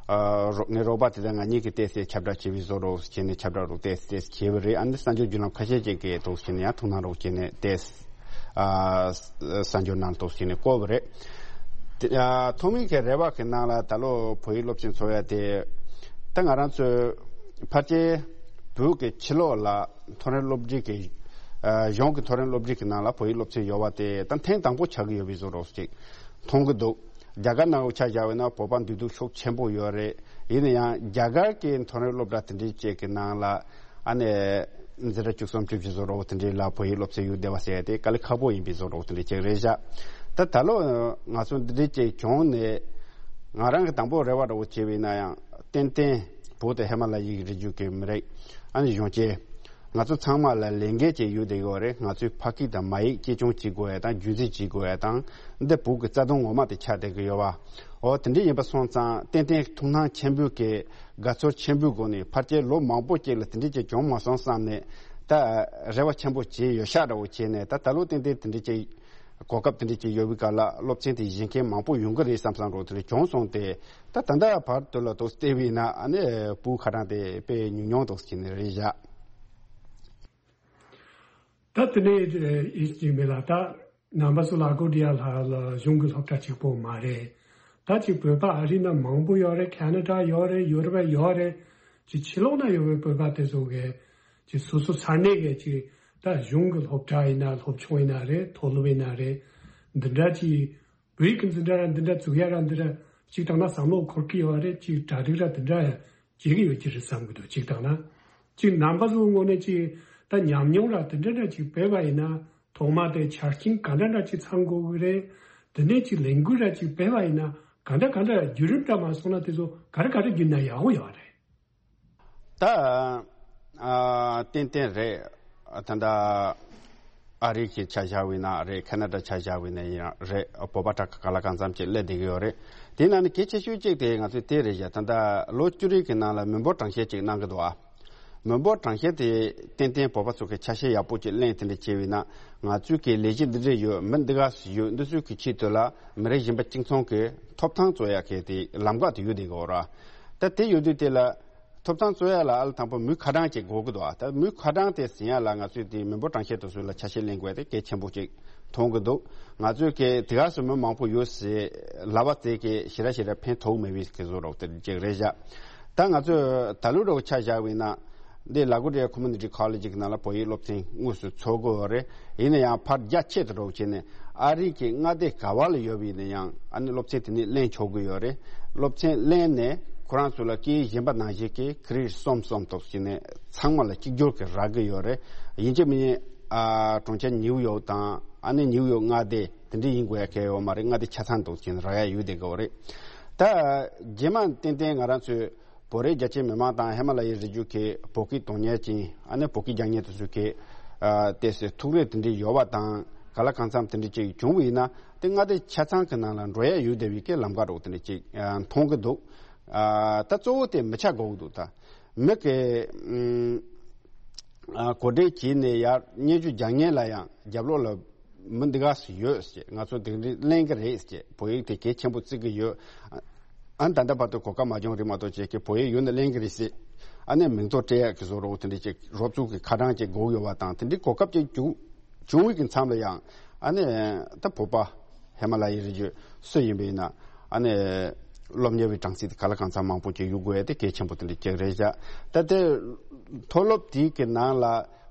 ཨ། རོགས་ངའི་རོགས་པ་དེ་དང་ང་གཉིས་ཀྱིས་ཏོག་ཙམ་ཁྱབ་བསྒྲགས་བྱེད་པའི་བཟོ་འདྲ་བྱས་ནས་ཁྱབ་བསྒྲགས་རོགས་ཏོག་ཙམ་ཏོག་ཙམ་བྱས་པ་རེད། ཨ་ནི་གསར་འགྱུར་བརྒྱུད་ལམ་ཁ་ཤས་ཅིག་གིས་འདུག་བྱས་ནས་ཡང་ཐུགས་སྣང་རོགས་བྱས་ནས་ཏོག་ཙམ། ཨ། གསར་འགྱུར་ནང་འདུག་བྱས་ནས་བཀོད་པ་རེད། དེ། ཨ། ཐོག་མའི་གི་རེ་བ་གི་ནང་ལ་ད་ལོ་བོད་ཡིག་སློབ་ཚན་འཚོགས་ཡ་དེ། ད་ང་རང་ཚོའི་ཕལ་ཆེར་བོད་ཀྱི་ཕྱི་ལོགས་ལ་མཐོ་རིམ་སློབ་འབྲིང་གི། ཨ། གཞུང་གི་མཐོ་རིམ་སློབ་འབྲིང་གི་ནང་ལ་བོད་ཡིག་སློབ་ཚན་ཡོད་པ་དེ་ད་ཐེངས་དང་པོ་ཆགས་ཀྱི་ཡོད་པའི་བཟོ་འདྲ་ཅིག་མཐོང་གི་འདུག་རྒྱ་གར་ནང་ཆ་བཞག་པ་ཡིན་ན་བོད་པ་འདུས་སྡོད་ཤུགས་ཆེན་པོ་ཡོད་རེད། ཡིན་ན་ཡང་རྒྱ་གར་གྱི་མཐོ་རིམ་སློབ་གྲྭ་དེ་འདྲའི་ཅིག་གི་ནང་ལ་ཨ་ནི་འཛིན་གྲྭ་བཅུ་གསུམ་བཅུ་བཞི་བཟོ་འདྲ་དེ་འདྲའི་ལ་བོད་ཡིག་སློབ་ཚན་ཡོད་བསྡད་པ་ཟེར་ཡ་དེ་དཀའ་ལས་ཁག་པོ་ཡིན་པའི་བཟོ་འདྲ་དེ་འདྲའི་ཅིག་རེད་བཞག་ད་ད་ལོ་ང་ཚོ་འདི་འདྲའི་ཅིག་བྱུང་ནས། ང་རང་གི་དང་པོ་རེ་བ་འདྲ་བོ་བྱས་པ་ཡིན་ན་ཡང་ཏན་ཏན་བོད་དང་ཧི་མ་ལ་ཡའི་རི་རྒྱུད་ཀྱི་མི་རིགས་ཨ་ནི་གཞོན་སྐྱེས། ང་ཚོ་ཚང་མ་ལ་ལས་འགན་ཅིག་ཡོད་བསྡད་ཡོད་རེད། ང་ཚོའི་ཕ་སྐད་དང་མ་ཡིག་གཅེས་སྐྱོང་བྱེད་དགོས་ཡ་དང་རྒྱུན་འཛིན་བྱེད་དགོས་ཡ་དང་། འདི་བོད་ཀྱི་རྩ་དོན་ངོ་མ་དེ་ཆགས་བསྡད་ཀྱི་ཡོད་པ། འོ་དེ་འདྲ་ཡིན་པ་སོང་ཙང་ཏན་ཏན་ཐུགས་སྣང་ཆེན་པོས་ཀྱི་དགའ་ཚོར་ཆེན་པོའི་སྒོ་ནས་ཕལ་ཆེར་ལོ་མང་པོ་ཅིག་ལ་དེ་འདྲ་ཅིག་བྱུང་མ་སོང་བསམ་ནས་ད་རེ་བ་ཆེན་པོ་བྱས་ཡོད་ཤག་འདྲ་བོ་བྱས་ནས། ད་ད་ལོ་ཏན་ཏན་དེ་འདྲ་ཅིག་གོ་སྐབས་དེ་འདྲ་ཅིག་ཡོད་པའི་སྐབས་ལ་སློབ་ཚན་དེ་གཞན་མཁན་མང་པོ་ཡོང་གི་རེད་བསམ་བསམ་འདྲ་བོ་དེ་འདྲ་བྱུང་སོང་སྟེ། ད་ད་ལྟ་བར་དུ་ལ་དུ་བལྟས་པ་ཡིན་ན་ཨ་ནི་བོད་ཁ་གྲངས་དེ་དཔེ་ཉུང་ཉུང་འདུག་ཟེར་ནས་རེད་བཞག་ད་དེ་ནས་ཨེ་ཅིག་མེད་ལ། ད་རྣམ་པ་ཚོ་ལ་གོ་ཌི་ཡ་ལྷ་ལ་གཞུང་གི་སློབ་གྲྭ་གཅིག་པོ་མ་རེད། ད་ཅིག་བོད་པ་ཨ་རི་ན་མང་པོ་ཡོད་རེད། ཁ་ན་ཌ་ཡོད་རེད། ཡུ་རོབ་ཡོད་རེད། ཅིག་ཕྱི་ལོགས་ན་ཡོད་པའི་བོད་པ་དེ་ཚོ་གི་ཅིག་སོ་སོ་ས་གནས་གི་ཅིག་ད་གཞུང་གི་སློབ་གྲྭ་ཡིན་ན་སློབ་ཆུང་ཡིན་ན་རེད། མཐོ་སློབ་ཡིན་ན་རེད། འདི་འདྲ་ཅིག་བོད་ཡིག་གི་འཛིན་གྲྭ་ར་འདི་འདྲ་བཙུགས་ཡ་ར་འདི་འདྲ་ཅིག་དང་ན་བསམ་བློ་འཁོར་གི་ཡོད་རེད། ཅིག་གྲ་སྒྲིག་ར་འདི་འདྲ་ཡ་བྱེད་ཀྱི་ཡོད་ཀྱི་རེད་བསམ་གི་འདུག་ཅིག་དང་ན་ཅིག་རྣམ་པ་ཚོའི་ངོས་ནས་ཅིག་ད་ཉམས་མྱོང་ར་འདི་འདྲ་འདྲ་ཅིག་བོད་པ་ཡིན་ན་ཐོག་མ་དེ་ཆ་རྐྱེན་ག་འདྲ་འདྲ་ཅིག་ཚང་དགོས་གི་རེད། དེ་ནས་ཅིག་ལས་འགུལ་ར་ཅིག་བོད་པ་ཡིན་ན་ག་འདྲ་ག་འདྲ་བརྒྱུད་རིམ་འདྲ་མ་སོང་ན་དེ་ཚོ་ག་རེ་ག་རེ་བརྒྱུད་ན་ཡག་པོ་ཡོད་རེད། ད། ཨ། ཏན་ཏན་རེད། ད་ལྟ་ཨ་རི་གི་ཆ་བཞག་པ་ཡིན་ན་རེད། ཁ་ན་ཌ་ཆ་བཞག་པ་ཡིན་ན་ཡང་རེད། བོད་པ་དྲག་ག་ལ་གང་འཚམ་ཅིག་སླེབས་བསྡད་ཀྱི་ཡོད་རེད། དེ་ནང་ནས་གལ་ཆེ་ཤོས་གཅིག་དེ་ང་ཚོས་དེ་རེད་བཞག་ད་ལྟ་ལོ་བཅུ་རེ་གི་ནང་ལ་མི་འབོར་གྲངས་བཤེར་ཅིག་གནང་གི་འདུག་ཨ། མི་འབོར་གྲངས་བཤེར་དེ་ཏན་ཏན་བོད་པ་ཚོ་གི་ཆ་ཤས་ཡག་པོ་ཅིག་ལེན་དེ་འདྲ་བྱས་པ་ཡིན་ན། ང་ཚོའི་གི་ལས་གཞི་འདི་འདྲ་ཡོད། མི་འདི་ག་ཡོད། འདི་ཚོའི་གི་ཆེད་དུ་ལ་མི་རིགས་གཞན་པ་གཅིག་མཚུངས་ཀྱི་ཐོབ་ཐང་རྩོད་ཡག་གི་དེ་ལམ་ཁ་དེ་ཡོད་བསྡད་ཀྱི་ཡོད་རེད། ད་དེ་ཡོད་དུས་དེ་ལ། ཐོབ་ཐང་རྩོད་ཡ་ལ་ཨ་ལ་དང་པོ་མི་ཁ་གྲངས་ཅིག་དགོས་ཀྱི་འདུག་ཨ། ད་མི་ཁ་གྲངས་དེ་ཟིན་ཡ་ལ་ང་ཚོས་དེ་མི་འབོར་གྲངས་བཤེར་དེ་ཚོ་ལ་ཆ་ཤས་ལེན་དགོས་ཡ་དེ་གལ་ཆེན་པོ་ཅིག་མཐོང་གི་འདུག་ང་ཚོས་གལ་དེ་ག་སོ་མི་མང་པོ་ཡོད་ཟེར་ལབ་པ་དེ་གི་ཞེ་དྲག་ཞེ་དྲག་ཕན་ཐོགས་མེད་པའི་གི་བཟོ་འདྲ་དེ་ཅིག་རེད་བཞག་ད་ང་ཚོས་ད་ལོ་འདྲ་བོ་ཆ་བཞག་པ་ཡིན་ན། འདི་ལ་གོ་ཌི་ཡ་ཁོ་མུ་ནི་ཊི་ཁོ་ལེ་ཇི་གི་ནང་ལ་བོད་ཡིག་སློབ་ཚན་དངོས་སུ་འཚོགས་དགོས་པ་རེད། ཡིན་ན་ཡང་ཕར་རྒྱ་ཆེ་དུ་འགྲོ་བྱས་ནས་ཨ་རི་གི་མངའ་སྡེ་ག་བ་ལ་ཡོད་པ་ཡིན་ན་ཡང་ཨ་ནི་སློབ་ཚན་དེ་ནས་ལེན་ཆོག་གི་ཡོད་རེད། སློབ་ཚན་ལེན་ནས་ཁོ་རང་ཚོ་ལ་སྐད་ཡིག་གཞན་པ་ནང་བཞིན་གྱི་ཁི་རི་ཌིཊ་གསུམ་གསུམ་ཐོག་བྱས་ནས་ཚང་མ་ལ་གཅིག་གྱུར་གྱི་རག་གི་ཡོད་རེད། ཡིན་གཅིག་མིན་གཅིག་ཨ་གྲོང་ཁྱེར་ནིའུ་ཡོག་དང་ཨ་ནི་ནིའུ་ཡོག་མངའ་སྡེ་དེ་འདྲ་ཡིན་དགོས་ཡ་གལ་ཡོད་མ་རེད། མངའ་སྡེ་ཆ་ཚང་ཐོག་བྱས་ནས་རག་ཡ་ཡོད་བསྡད་ཀྱི་ཡོད་རེད། ད་རྗེས་མ་ཏན་ཏན་ང་རང་ཚོས་བོད་རིགས་རྒྱ་ཆེའི་མི་མང་དང་ཧི་མ་ལ་ཡའི་རི་རྒྱུད་ཀྱི་བོད་སྐད་དོན་གཉེར་ཅན་ཨ་ནི་བོད་སྐད་རྒྱག་མཁན་དེ་ཚོ་གི་ཨ་ཏོག་ཙམ་ཐུགས་རེ་དེ་འདྲ་ཡོད་པ་དང་ག་ལ་གང་འཚམ་དེ་འདྲ་ཅིག་བྱུང་བ་ཡིན་ན་དེ་མངའ་སྡེ་ཆ་ཚང་གི་ནང་ལ་འགྲོ་ཡ་ཡོད་བསྡད་པའི་གི་ལམ་ཁ་རོགས་དེ་འདྲ་ཅིག་ཨ་མཐོང་གི་འདུག་ཨ་ད་གཙོ་བོ་དེ་མི་ཆ་དགོས་ཀྱི་འདུག་ད་མི་གི་ཨ་གོ་སྒྲིག་བྱས་ནས་ཡར་སྙན་ཞུ་རྒྱག་མཁན་ལ་ཡང་རྒྱབ་ལོགས་ལ། མི་འདི་ག་སུ་ཡོད་ཟེར། ང་ཚོ་དེ་འདྲ་ལེན་གི་རེད་ཟེར། བོད་ཡིག་དེ་གལ་ཆེན་པོ་བརྩི་གི་ཡོད། ཨ་ནི་ད་ལྟ་བར་དུ་གོ་སྐབས་མ་བྱུང་རེད་མ་གཏོགས་ཅིག་གི་བོད་ཡིག་ཡོད་ན་ལེན་གི་རེད་ཟེར། ཨ་ནི་མིང་ཐོ་སྤྲད་ཡག་གི་བཟོ་འདྲ་བོ་དེ་འདྲ་ཅིག་རོབ་ཙུག་གི་ཁ་གྲངས་ཅིག་དགོས་ཡོད་པ་དང་དེ་འདྲའི་གོ་སྐབས་ཅིག་བྱུང་བྱུང་བའི་གི་མཚམས་ལ་ཡང་ཨ་ནི་ད་བོད་པ་ཧི་མ་ལ་ཡའི་རི་རྒྱུད་སུ་ཡིན་པ་ཡིན་ན་ཨ་ནི་སློབ་གཉེར་བའི་གྲངས་ཚད་དེ་ག་ལ་གང་འཚམ་མང་པོ་ཅིག་ཡོད་དགོས་ཡ་དེ་གལ་ཆེན་པོ་དེ་འདྲ་ཅིག་རེད་བཞག་ད་དེ་མཐོ་སློབ་དེའི་གི་ནང་ལ་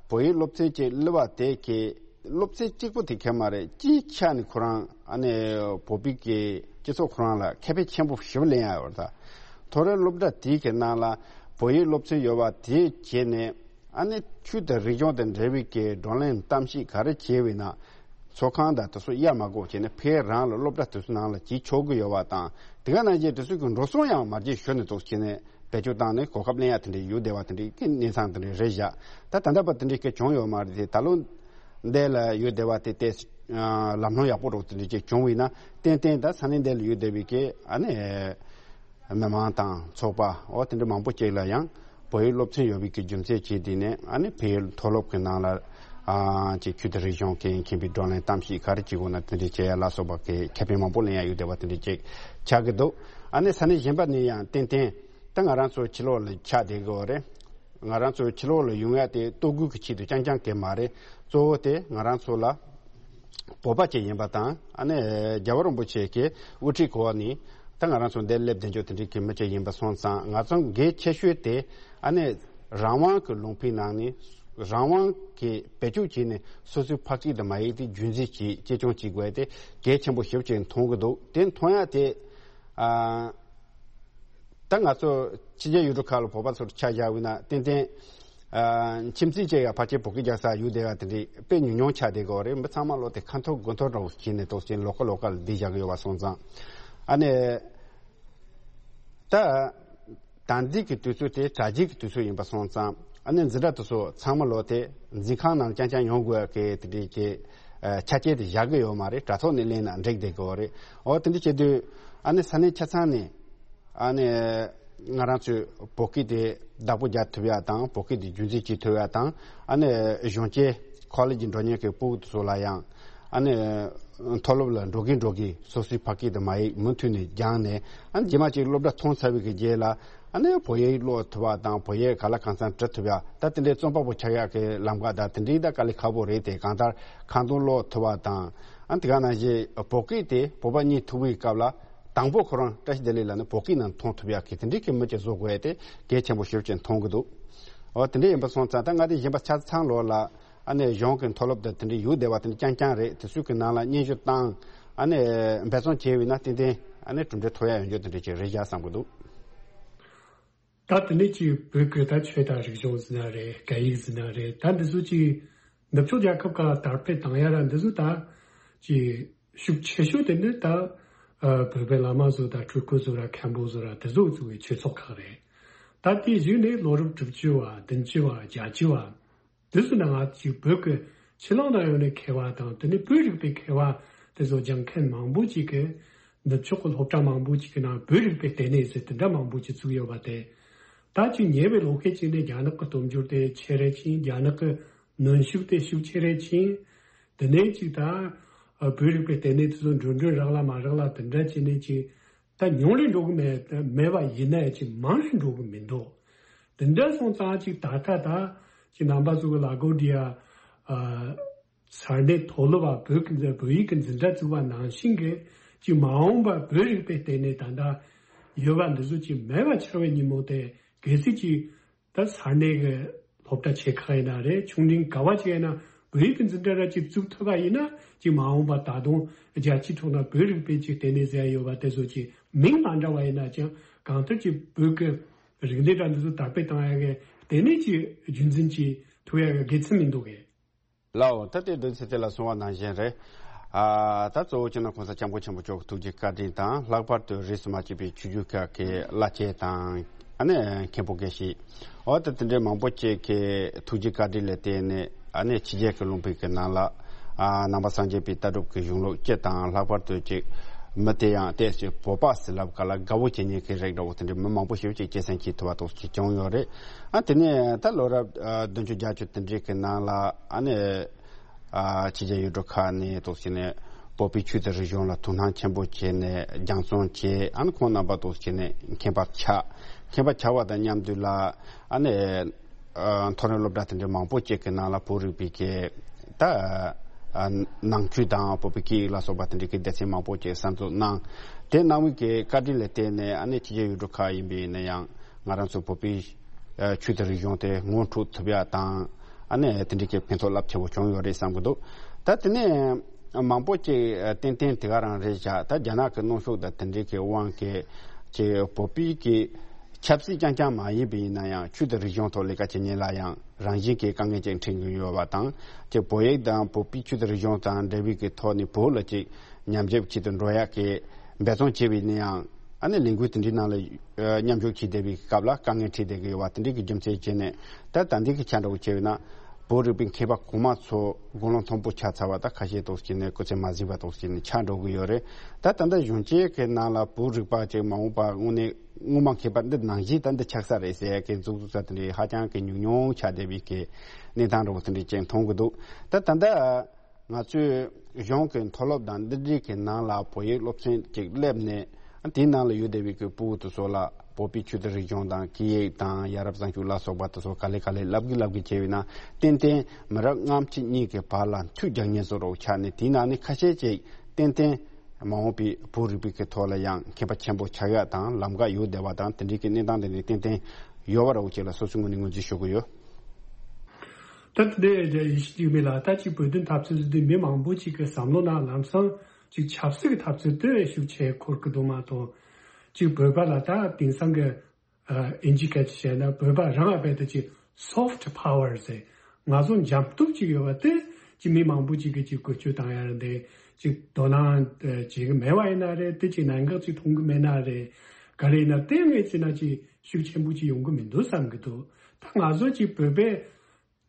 བོད་ཡིག་སློབ་ཚན་ཅིག་སླེབས་པ་དེ་གི་སློབ་ཚན་གཅིག་པོ་དེ་གས་མ་རེད། སྤྱིའི་ཆ་ནས་ཁོ་རང་ཨ་ནི་བོད་པའི་གི་སྤྱི་ཚོགས་ཁོ་རང་ལ་ཁེ་ཕན་ཆེན་པོ་ཞེ་པོ་ལེན་ཡ་ཡོད་རེད་ད། མཐོ་རིམ་སློབ་གྲྭ་དེའི་གི་ནང་ལ་བོད་ཡིག་སློབ་ཚན་ཡོད་པ་དེ་བྱས་ནས། ཨ་ནི་ཆོས་དང་རིག་གཞུང་དང་འབྲེལ་བའི་གི་བགྲོ་གླེང་གཏམ་བཤད་ག་རེ་བྱས་པ་ཡིན་ན། ཚོགས་ཁང་དང་དེ་ཚོ་གཡར་མ་དགོས་བྱས་ནས་ཕར་རང་ལ་སློབ་གྲྭ་དེ་ཚོ་ནང་ལ་བྱེད་ཆོག་གི་ཡོད་པ་དང་། དེ་ག་ནང་བཞིན་དེ་ཚོ་གི་འགྲོ་སོང་ཡང་མ་བརྗེད་ཞུ་ནས་འདུག་བྱས་ནས་བེད་སྤྱོད་བཏང་ནས་གོ་སྐབས་ལེན་ཡ་དེ་འདྲ་ཡོད་བསྡད་པ་དེ་འདྲའི་གི་གནས་སྟངས་དེ་འདྲ་རེད་བཞག་ད་ད་ལྟ་བར་དེ་འདྲའི་གི་བྱུང་ཡོད་མ་རེད་དེ། ད་ལོ་འདི་ལ་ཡོད་བསྡད་པ་དེ་ཏོག་ཙམ་ལམ་ལྷོང་ཡག་པོ་འདྲ་བོ་དེ་འདྲ་ཅིག་བྱུང་བ་ཡིན་ན། ཏན་ཏན་ད་ས་གནས་འདི་ལ་ཡོད་བསྡད་པའི་གི་ཨ་ནི་མི་མང་དང་ཚོགས་པ་འོ་དེ་འདྲ་མང་པོ་ཅིག་ལ་ཡང་བོད་ཡིག་སློབ་ཚན་ཡོད་པའི་གི་རྒྱུ་མཚན་བྱས་དེ་ནས། ཨ་ནི་བོད་ཡིག་མཐོ་སློབ་ཀྱི་ནང་ལ་ཨ་ཅིག་ཆོས་དང་རིག་གཞུང་གི་མཁྱེན་པའི་བགྲོ་གླེང་གཏམ་བཤད་ག་རེ་བྱེད་དགོས་ན་དེ་འདྲ་བྱེད་ཡ་ལ་སོགས་པ་གི་ཁེ་ཕན་མང་པོ་ལེན་ཡ་ཡོད་བསྡད་པ་དེ་འདྲ་ཅིག་ཆགས་ཀྱི་འདུག་ཨ་ནི་ས་གནས་གཞན་པ་ནས་ཡང་ཏན་ཏན་ད་ང་རང་ཚོ་ཕྱི་ལོགས་ལ་ཆགས་བསྡད་ཀྱི་ཡོད་རེད། ང་རང་ཚོ་ཕྱི་ལོགས་ལ་ཡོང་ཡ་དེ་ལྟོ་གོས་ཀྱི་ཆེད་དུ་རྐྱང་རྐྱང་གི་མ་རེད། གཙོ་བོ་དེ་ང་རང་ཚོ་ལ་བོད་པ་ཅིག་ཡིན་པ་དང་། ཨ་ནི་རྒྱལ་བ་རིན་པོ་ཆེ་གི་དབུ་ཁྲིད་འོག་ནས་ད་ང་རང་ཚོ་འདིར་སླེབས་བསྡད་རྒྱུ་དེ་འདྲའི་གི་མི་ཅིག་ཡིན་པ་སོང་ཙང་། ང་ཚོ་གལ་ཆེ་ཤོས་དེ་ཨ་ནི་རང་དབང་གི་ལུང་པའི་ནང་ནས་རང་དབང་གི་བེད་སྤྱོད་བྱས་ནས་སོ་སོའི་ཕ་སྐད་དང་མ་ཡིག་དེ་རྒྱུན་འཛིན་བྱེད་གཅེས་སྐྱོང་བྱེད་དགོས་དེ་གལ་ཆེན་པོ་ཞེ་པོ་ཅིག་མཐོང་གི་འདུག་དེ་མཐོང་ཡ་དེ་ཨ། ད་ང་ཚོ་ཕྱི་རྒྱལ་ཡུལ་གྲུ་ཁག་ལ་བོད་པ་ཚོར་ཆ་བཞག་པ་ཡིན་ན་ཏན་ཏན་ཨ་ཁྱིམ་མཚེས་བཅས་ཡ་ཕལ་ཆེར་བོད་སྐད་རྒྱག་ས་ཡོད་བསྡད་པ་དེ་འདྲའི་དཔེ་ཉུང་ཉུང་ཆགས་བསྡད་ཀྱི་ཡོད་རེད། མི་ཚང་མ་ལོག་དེ་ཁ་འཐོར་དགུ་འཐོར་འདྲ་བོ་བྱས་ནས་ཏོག་ཙམ་ལོགས་ཀ་ལོགས་ཀ་ལ་བསྡད་བཞག་གི་ཡོད་པ་སོང་ཙང་། ཨ་ནི་ད་ད་འདི་གི་དུས་ཚོད་དེ་དྲ་རྒྱའི་གི་དུས་ཚོད་ཡིན་པ་སོང་ཙང་། ཨ་ནི་འཛིན་གྲྭ་དེ་ཚོ་ཚང་མ་ལོག་དེ་འཛིན་ཁང་ནང་རྐྱང་རྐྱང་ཡོང་དགོས་ཀྱི་དེ་འདྲའི་གི་ཨ་ཆ་རྐྱེན་དེ་བཞག་གི་ཡོད་མ་རེད། དྲ་ཐོག་ནས་ལེན་ན་འགྲིག་བསྡད་ཀྱི་ཡོད་རེད། འོ་དེ་འདྲ་བྱེད་དུས་ཨ་ནི་ས་གནས་ཆ་ཚང་ནས། ཨ་ནི་ང་རང་ཚོས་བོད་སྐད་དེ་བདག་པོ་རྒྱག་ཐུབ་ཡ་དང་། བོད་སྐད་དེ་རྒྱུན་འཛིན་བྱེད་ཐུབ་ཡ་དང་། ཨ་ནི་གཞོན་སྐྱེས་ཁོ་ལེ་ཇི་འགྲོ་མཁན་གྱི་ཕྲུ་གུ་ཚོ་ལ་ཡང་། ཨ་ནི་མཐོ་སློབ་ལ་འགྲོ་གིན་འགྲོ་གིན་སོ་སོའི་ཕ་སྐད་དེ་མ་ཡིག་མུ་མཐུད་ནས་སྦྱངས་ནས། ཨ་ནི་རྗེས་མ་ཅིག་སློབ་གྲྭ་ཐོན་ཚར་བའི་གི་རྗེས་ལ་ཨ་ནི་བོད་ཡིག་ཀློག་ཐུབ་པ་དང་། བོད་ཡིག་ག་ལ་གང་འཚམ་འབྲི་ཐུབ་ཡ། ད་དེ་འདྲའི་རྩོམ་པ་པོ་ཆགས་ཡག་གི་ལམ་ཁ་ད་དེ་འདྲའི་ད་དཀའ་ལས་ཁག་པོ་རེད་དེ། གང་ལྟར་ཁ་འདོན་ཀློག་ཐུབ་པ་དང་། ཨ་ནི་དེ་ག་ནང་བཞིན་བོད་སྐད་དེ་བོད་པ་གཉིས་ཐུག་པའི་སྐབས་ལ། དང་པོ་ཁོ་རང་བཀྲ་ཤིས་བདེ་ལེགས་ལ་ནི་བོད་སྐད་ནང་མཐོང་ཐུབ་ཡག་གི་དེ་འདྲའི་གི་མི་ཅིག་བཟོ་དགོས་ཡ་དེ་གལ་ཆེན་པོ་ཞེ་པོ་ཅིག་མཐོང་གི་འདུག་འོ་དེ་འདྲ་ཡིན་པ་སོང་ཙང་། ད་ང་དེ་གཞན་པ་ཆ་ཚང་ལོག་ལ་ཨ་ནི་གཞུང་གི་མཐོ་སློབ་དང་དེ་འདྲ་ཡོད་བསྡད་པ་དེ་འདྲ་རྐྱང་རྐྱང་རེད། དེ་ཚོའི་གི་ནང་ལ་སྙན་ཞུ་བཏང་། ཨ་ནི་འབད་བརྩོན་བྱས་པ་ཡིན་ན་ཏན་ཏན་ཨ་ནི་གྲུབ་འབྲས་ཐོབ་ཡ་ཡོང་རྒྱུ་དེ་འདྲ་ཅིག་རེད་བཞག་བསམ་གི་འདུག་ད་དེ་ནས་ཅིག་བོད་ཀྱི་ད་ཆོས་དང་རིག་གཞུང་ཟེར་ན་རེད། སྐད་ཡིག་ཟེར་ན་རེད། ད་འདི་ཚོ་ཅིག་ནུབ་ཕྱོགས་རྒྱལ་ཁབ་ཁག་ལ་དར་སྤེལ་བཏང་ཡ་ར་འདི་ཚོ་ད་ཅིག་ཤུགས་ཆེ་ཤོས་དེ་ནི་ད་ཨ་བོད་པའི་བླ་མ་ཚོ་དང་སྤྲུལ་སྐུ་ཚོ་ར་མཁན་པོ་ཚོ་ར་དེ་ཚོ་ཚོ་གི་ཆོས་ཚོགས་ཁག་རེད། ད་དེའི་གཞུག་ནས་ལོ་རབས་དྲུག་ཅུ་བ། བདུན་ཅུ་བ། བརྒྱད་ཅུ་བ། དེ་ཚོ་ནང་ང་ཅིག་བོད་ཀྱི་ཕྱི་ལོགས་ན་ཡོད་ནས་མཁས་པ་དང་། དེ་ནས་བོད་རིག་པའི་མཁས་པ་དེ་ཚོ་སྦྱང་མཁན་མང་པོ་ཅིག་གིས་ནུབ་ཕྱོགས་ཀྱི་སློབ་གྲྭ་མང་པོ་ཅིག་གི་ནང་བོད་རིག་པའི་ལྟེ་གནས་ཟེར་དེ་འདྲ་མང་པོ་ཅིག་བཙུགས་ཡོད་པ་དེ། ད་ཅིག་ཉེ་བའི་ལོ་ཤས་ཅིག་ནས་རྒྱ་ནག་གི་སྟོབས་འབྱོར་དེ་ཆེ་རུ་ཕྱིན། རྒྱ་ནག་གི་གནོན་ཤུགས་དེ་ཤུགས་ཆེ་རུ་ཕྱིན། དེ་ནས་ཅིག་ད་བོད་རིག་པའི་ལྟེ་གནས་དེ་ཚོ་འགྲོ་གྲོན་རག་ལ་མ་རག་ལ་དེ་འདྲ་བྱས་ནས་ཅིག་ད་ཉུང་རུ་འགྲོ་གི་མེད་མེད་པ་ཡིན་ན་ཡང་ཅིག་མང་རུ་འགྲོ་གི་མི་འདུག་དེ་འདྲ་སོང་ཙང་ཅིག་ད་ལྟ་ད་ཅིག་རྣམ་པ་ཚོ་གི་ལ་གོ་འདི་ཡ་ཨ་ས་གནས་མཐོ་སློབ་པ་བོད་ཀྱི་འཛིན་བོད་ཡིག་གི་འཛིན་གྲྭ་བཙུགས་པ་ནང་བཞིན་གྱི་ཅིག་མ་འོངས་པ་བོད་རིག་པའི་ལྟེ་གནས་ད་ལྟ་ཡོད་པ་འདི་ཚོ་ཅིག་མེད་པ་ཆགས་པའི་ཉིན་མོ་དེ་གལ་སྲིད་ཅིག་ད་ས་གནས་ཀྱི་སློབ་གྲྭ་ཆེ་ཁག་ཡིན་ན་རེད། ཆུང་འབྲིང་ག་བ་ཅིག་ཡིན་ན་བོད་ཡིག་གི་འཛིན་གྲྭ་ར་ཅིག་བཙུགས་ཐུབ་པ་ཡིན་ན་ཅིག་མ་འོངས་པ་ད་དུང་རྒྱལ་སྤྱིའི་ཐོག་ན་བོད་རིག་པའི་ཅིག་ལྟེ་གནས་ཟེར་ཡ་ཡོད་པ་དེ་ཚོ་ཅིག་མིང་མ་འདྲ་བ་ཡིན་ན་ཅང་གང་ལྟར་ཅིག་བོད་ཀྱི་རིག་གནས་དང་འདི་ཚོ་དར་སྤེལ་བཏང་ཡ་གི་ལྟེ་གནས་ཅིག་རྒྱུན་འཛིན་ཅིག་ཐུབ་ཡ་གི་དགེ་མཚན་མི་འདུག་གས། ལའོ། ད་ལྟའི་དོན་ཚན་དེ་ལ་གསུངས་པ་ནང་བཞིན་རེད། ཨ་ད་གཙོ་བོ་སྤྱི་ནོར་གོང་ས་སྐྱབས་མགོན་ཆེན་པོ་མཆོག་གི་ཐུགས་རྗེ་བཀའ་དྲིན་དང་། ལྷག་པར་དུ་རིས་སུ་མ་ཆད་པའི་ཆོས་བརྒྱུད་ཁག་གི་བླ་ཆེན་དང་། ཨ་ནི་མཁན་པོ་དགེ་བཤེས། འོ་ད་དེ་འདྲའི་མང་པོ་ཅིག་གི་ཐུགས་རྗེ་བཀའ་དྲིན་ལ་བརྟེན་ནས། ཨ་ནི་ཕྱི་རྒྱལ་གྱི་ལུང་པའི་གི་ནང་ལ་ཨ་ནང་པ་སངས་རྒྱས་པའི་ལྟ་གྲུབ་ཀྱི་གཞུང་ལུགས་སྤྱི་དང་། ལྷག་པར་དུ་ཅིག་མི་དེ་ཡང་ཏོག་ཙམ་བོད་པ་ཟེར་ལབ་ག་ལ་དགའ་བོ་བྱེད་མཁན་གྱི་རིགས་འདྲ་བོ་དེ་འདྲའི་མི་མང་པོ་ཞིག་ཅིག་སྐྱེད་སྲིང་བྱེད་ཐུབ་པ་ཏོག་ཙམ་བྱུང་ཡོད་རེད། ཨ་དེ་ནས་ད་ལོ་རབས་ཨ་བདུན་ཅུ་བརྒྱད་ཅུ་དེ་འདྲའི་གི་ནང་ལ་ཨ་ནི་ཨ་ཕྱི་རྒྱལ་ཡུལ་གྲུ་ཁག་ནས་ཏོག་ཙམ་ནས་བོད་པའི་ཆོས་དང་རིག་གཞུང་ལ་དོ་སྣང་ཆེན་པོ་བྱས་ནས་སྦྱང་བརྩོན་བྱས། ཨ་ནི་ཁོང་རྣམ་པ་ཏོག་ཙམ་ནས་མཁྱེན་པ་ཆགས། མཁྱེན་པ་ཆགས་པ་དང་མཉམ་དུ་ལ་ཨ་ནི་ཨ་མཐོ་རིམ་སློབ་གྲྭ་དེ་འདྲའི་མང་པོ་ཅིག་གི་ནང་ལ་བོད་རིག་པའི་གི་ད་ཨ་ནང་ཆོས་དང་བོད་པའི་སྐད་ཡིག་ལ་སོགས་པ་དེ་འདྲའི་གི་སྡེ་ཚན་མང་པོ་ཅིག་གསར་འཛུགས་གནང་། དེ་གནང་བའི་གི་བཀའ་དྲིན་ལ་བརྟེན་ནས། ཨ་ནི་ཕྱི་རྒྱལ་ཡུལ་གྲུ་ཁག་ཡིན་པ་ཡིན་ན་ཡང་ང་རང་ཚོ་བོད་པའི་ཨ་ཆོས་དང་རིག་གཞུང་དེ་ངོ་འཕྲོད་ཐུབ་ཡ་དང་། ཨ་ནི་དེ་འདྲའི་གི་ཕན་ཐོགས་རླབས་ཆེན་པོ་བྱུང་ཡོད་རེད་བསམ་གི་འདུག་ད་དེ་ནས་མང་པོ་ཅིག་ཏན་ཏན་དེ་ག་རང་རེད་བཞག་ད་རྒྱ་ནག་གི་གནོན་ཤུགས་དང་དེ་འདྲའི་གི་དབང་གིས་ཅིག་བོད་པའི་གི་ཆབ་སྲིད་རྐྱང་རྐྱང་མ་ཡིན་པ་ཡིན་ན་ཡང་ཆོས་དང་རིག་གཞུང་ཐོག་ལས་ཀ་བྱེད་མཁན་ལ་ཡང་རང་བཞིན་གྱི་དཀའ་ངལ་ཅིག་འཕྲད་ཀྱི་ཡོད་པ་དང་། ཅིག་བོད་ཡིག་དང་བོད་པའི་ཆོས་དང་རིག་གཞུང་དང་འབྲེལ་བའི་གི་ཐོག་ནས་བོད་ལ་ཅིག་ཉམས་ཞིབ་བྱེད་དུ་འགྲོ་ཡག་གི་འབད་བརྩོན་བྱས་པ་ཡིན་ན་ཡང་། ཨ་ནི་ལས་འགུལ་དེ་འདྲའི་ནང་ལ་ཨ་མཉམ་ཞུགས་བྱེད་བསྡད་པའི་སྐབས་ལ་དཀའ་ངལ་འཕྲད་བསྡད་ཀྱི་ཡོད་པ་དེ་འདྲའི་གི་རྒྱུ་མཚན་བྱས་ནས། ད་ད་འདི་གི་ཆ་འདྲ་བོ་བྱས་པ་ཡིན་ན་བོད་རིག་པའི་མཁས་པ་གོང་མ་ཚོ་དགུང་ལོ་མཐོན་པོ་ཆགས་ཚར་བ་ད་ཁ་ཤས་ཏོག་ཙམ་ནས་སྐུ་ཚེ་མ་གཟིགས་པ་ཏོག་ཙམ་ནས་ཆགས་འགྲོ་གི་ཡོད་རེད། ད་ད་ལྟ་གཞོན་སྐྱེས་ཀྱི་ནང་ལ་བོད་རིག་པ་ཅིག་མ་འོངས་པ་དངོས་གནས་སྔོན་མ་མཁས་པ་འདི་ནང་བཞིན་ད་འདི་ཆགས་ས་རེད་ཟེར་ཡ་གི་མཛུབ་གུ་ས་དེ་འདྲའི་ཧ་ཅང་གི་ཉུང་ཉུང་ཆགས་བསྡད་པའི་གི་གནས་སྟངས་འདྲ་བོ་དེ་འདྲའི་ཅིག་མཐོང་གི་འདུག་ད་ད་ལྟ། ང་ཚོས་གཞུང་གི་མཐོ་སློབ་དང་འདི་འདྲའི་གི་ནང་ལ་བོད་ཡིག་སློབ་ཚན་ཅིག་སླེབས་ནས་དེའི་ནང་ལ་ཡོད་བསྡད་པའི་གི་ཕྲུ་གུ་དེ་ཚོ་ལ་བོད་པའི་ཆོས་དང་རིག་གཞུང་དང་སྐད་ཡིག་དང་ཡ་རབས་བཟང་སྤྱོད་ལ་སོགས་པ་དེ་ཚོ་ག་ལེ་ག་ལེ་བསླབ་གི་བསླབ་གི་བྱས་པ་ཡིན་ན་ཏན་ཏན་མི་རབས་སྔ་ཕྱི་གཉིས་ཀྱི་བར་ལ་མཐུད་རྒྱག་མཁན་བཟོ་འདྲ་བོ་ཆགས་ནས་དེའི་ནང་ནས་ཁ་ཤས་ཅིག་ཏན་ཏན་མ་འོངས་པའི་བོད་རིག་པའི་གི་ཐོག་ལ་ཡང་མཁས་པ་ཆེན་པོ་ཆགས་ཡག་དང་ལམ་ཁ་ཡོད་བསྡད་པ་དང་དེ་འདྲའི་གི་གནས་སྟངས་དེ་འདྲའི་ཏན་ཏན་ཡོད་པ་འདྲ་བོ་ཅིག་ལ་སོ་སོའི་ངོས་ནས་ངོས་འཛིན་ཞུ་གི་ཡོད། ད་དེ་འདྲའི་ཡིད་ཆེས་ཡོད་མེད་ལ་ད་ཅིག་བོད་དོན་འཐབ་རྩོད་ཟེར་དུས་མི་མང་པོ་ཅིག་གི་བསམ་བློ་ནང་ལམ་སང་ཅིག་ཆབ་སྲིད་ཀྱི་འཐབ་རྩོད་དེ་ཤུགས་ཆེ་འཁོར་གི་འདུག་མ་གཏོགས། ཅིག་བོད་པ་ལ་ད་དེང་སང་གི་ཨ་ཨིན་ཇི་སྐད་ཀྱིས་བཤད་ན་བོད་པ་རང་ལ་རྦད་དེ་ཅིག་soft power ཟེར་ང་ཚོ་འཇམ་སྟོབས་ཅིག་ཡོད་པ་དེ་ཅིག་མི་མང་པོ་ཅིག་གིས་ཅིག་བཀོལ་སྤྱོད་བཏང་ཡ་རེད་འདི་ཅིག་དོ་སྣང་བྱེད་གི་མེད་པ་ཡིན་ན་རེད་དེ་ཅིག་གནད་འགག་ཅིག་མཐོང་གི་མེད་ན་རེད་ག་རེ་ཡིན་ན་དེ་ངས་བྱས་ན་ཅིག་ཤུགས་ཆེན་པོ་ཅིག་ཡོང་གི་མི་འདུག་བསམ་གི་འདུག་ད་ང་ཚོ་ཅིག་བོད་པའི་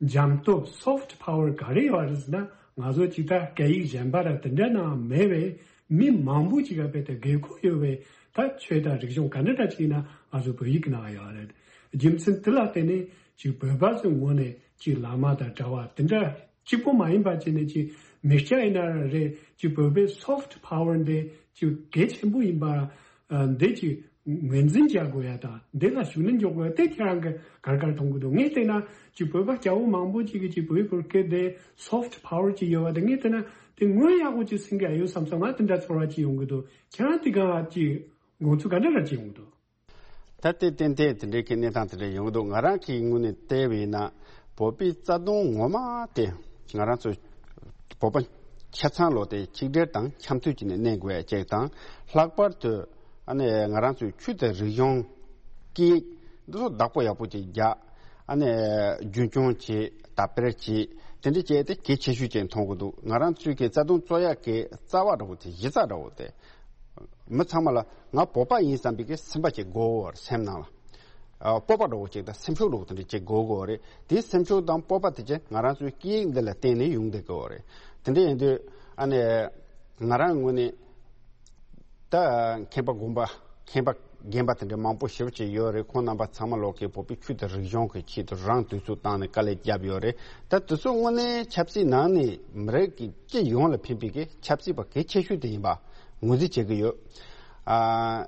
འཇམ་སྟོབས་soft power ག་རེ་ཡོད་རེད་ཟེར་ན་ང་ཚོ་ཅིག་ད་སྐད་ཡིག་གཞན་པ་ར་དེ་འདྲ་ནང་མེད་པའི་མི་མང་པོ་ཅིག་ག་རྦད་དེ་དགོས་མཁོ་ཡོད་པའི་ད་ཆོས་དང་རིག་གཞུང་ག་འདྲ་འདྲ་ཅིག་ཡིན་ན་ང་ཚོ་བོད་ཡིག་གི་ནང་ཡོད་རེད། རྒྱུ་མཚན་དེ་ལ་བརྟེན་ནས་ཅིག་བོད་པ་ཚོའི་ངོས་ནས་ཅིག་བླ་མ་དང་གྲྭ་པ་དེ་འདྲ་གཅིག་པོ་མ་ཡིན་པ་བྱས་ནས་ཅིག་མི་སྐྱ་ཡིན་ན་རེད་ཅིག་བོད་པའི་soft power འདི་ཅིག་གལ་ཆེན་པོ་ཡིན་པ་འདི་ཅིག་ངོས་འཛིན་བྱ་དགོས་ཡ་དང་འདི་ལ་ཤུགས་སྣོན་འཇོག་དགོས་ཡ་དེ་ཁྱེད་རང་གི་གར་གར་མཐོང་གི་འདུག་ངས་བལྟས་ན་ཅིག་བོད་པ་སྐྱ་བོ་མང་པོ་ཅིག་གིས་ཅིག་བོད་ཡིག་སྐོར་སྐད་དེ་soft power ཅིག་ཡོད་པ་དེ་ངས་བལྟས་ན་དེ་དངོས་ཡག་པོ་ཅིག་ཟིན་གི་ཨ་ཡོད་བསམ་སོང་ང་དེ་འདྲ་ཚོར་བ་ཅིག་ཡོང་གི་འདུག་ཁྱེད་རང་དེ་ག་ཅིག་དགོངས་ཚུལ་ག་འདྲ་འདྲ་ཅིག་ཡོང་གི་འདུག་ད་ལྟའི་ཏན་ཏན་དེ་འདྲའི་གི་གནས་སྟངས་དེ་འདྲ་ཡོང་གི་འདུག་ང་རང་གི་ངོས་ནས་བལྟས་པ་ཡིན་ན་བོད་པའི་རྩ་དོན་ངོ་མ་དེ་ང་རང་ཚོ་བོད་པ་ཆ་ཚང་ལོ་དེ་གཅིག་སྒྲིལ་དང་འཆམ་མཐུན་བྱས་ནས་གནས་དགོས་ཡ་གཅིག་དང་ལྷག་པར་དུ་ཨ་ནི་ང་རང་ཚོའི་ཆོས་དང་རིག་གཞུང་སྐད་ཡིག་འདི་ཚོ་བདག་པོ་ཡག་པོ་ཅིག་རྒྱག་ཨ་ནི་རྒྱུན་སྐྱོང་བྱེད་དར་སྤེལ་བྱེད་དེ་འདྲ་བྱས་ཏེ་གལ་ཆེ་ཤོས་ཅིག་མཐོང་གི་འདུག་ང་རང་ཚོའི་གི་རྩ་དོན་རྩོད་ཡ་གི་རྩ་བ་འདྲ་བོ་དེ་གཞི་རྩ་འདྲ་བོ་དེ། མི་ཚང་མ་ལ་ང་བོད་པ་ཡིན་བསམ་པའི་གི་སེམས་པ་ཅིག་དགོས་ཡོད་རེད་སེམས་ནང་ལ། ཨ་སྤོབས་པ་འདྲ་བོ་ཅིག་དང་སེམས་ཤུགས་འདྲ་བོ་དེ་འདྲ་ཅིག་དགོས་དགོས་རེད། དེའི་སེམས་ཤུགས་དང་སྤོབས་པ་དེ་ཅིག་ང་རང་ཚོའི་སྐད་ཡིག་འདི་ལ་བརྟེན་ནས་ཡོང་བསྡད་དགོས་རེད། དེ་འདྲ་ཡིན་དུས་ཨ་ནི་ང་རང་ངོས་ནས་ད་མཁས་པ་དགོན་པ་མཁས་པ་རྒན་པ་དེ་འདྲ་མང་པོ་ཞེ་པོ་ཅིག་ཡོད་རེད། ཁོང་རྣམ་པ་ཚང་མ་ལོག་གི་བོད་པའི་ཆོས་དང་རིག་གཞུང་གི་ཆེད་དུ་རང་དུས་ཚོད་བཏང་ནས་དཀའ་ལས་བརྒྱབ་ཡོད་རེད། ད་དེ་ཚོ་དངོས་གནས་ཆབ་སྲིད་ནང་ནས་མི་རིགས་ཀྱི་སྤྱི་ཡོངས་ལ་ཕན་པའི་གི་ཆབ་སྲིད་པ་གལ་ཆེ་ཤོས་དེ་ཡིན་པ། ངོས་འཛིན་བྱེད་ཀྱི་ཡོད། ཨ།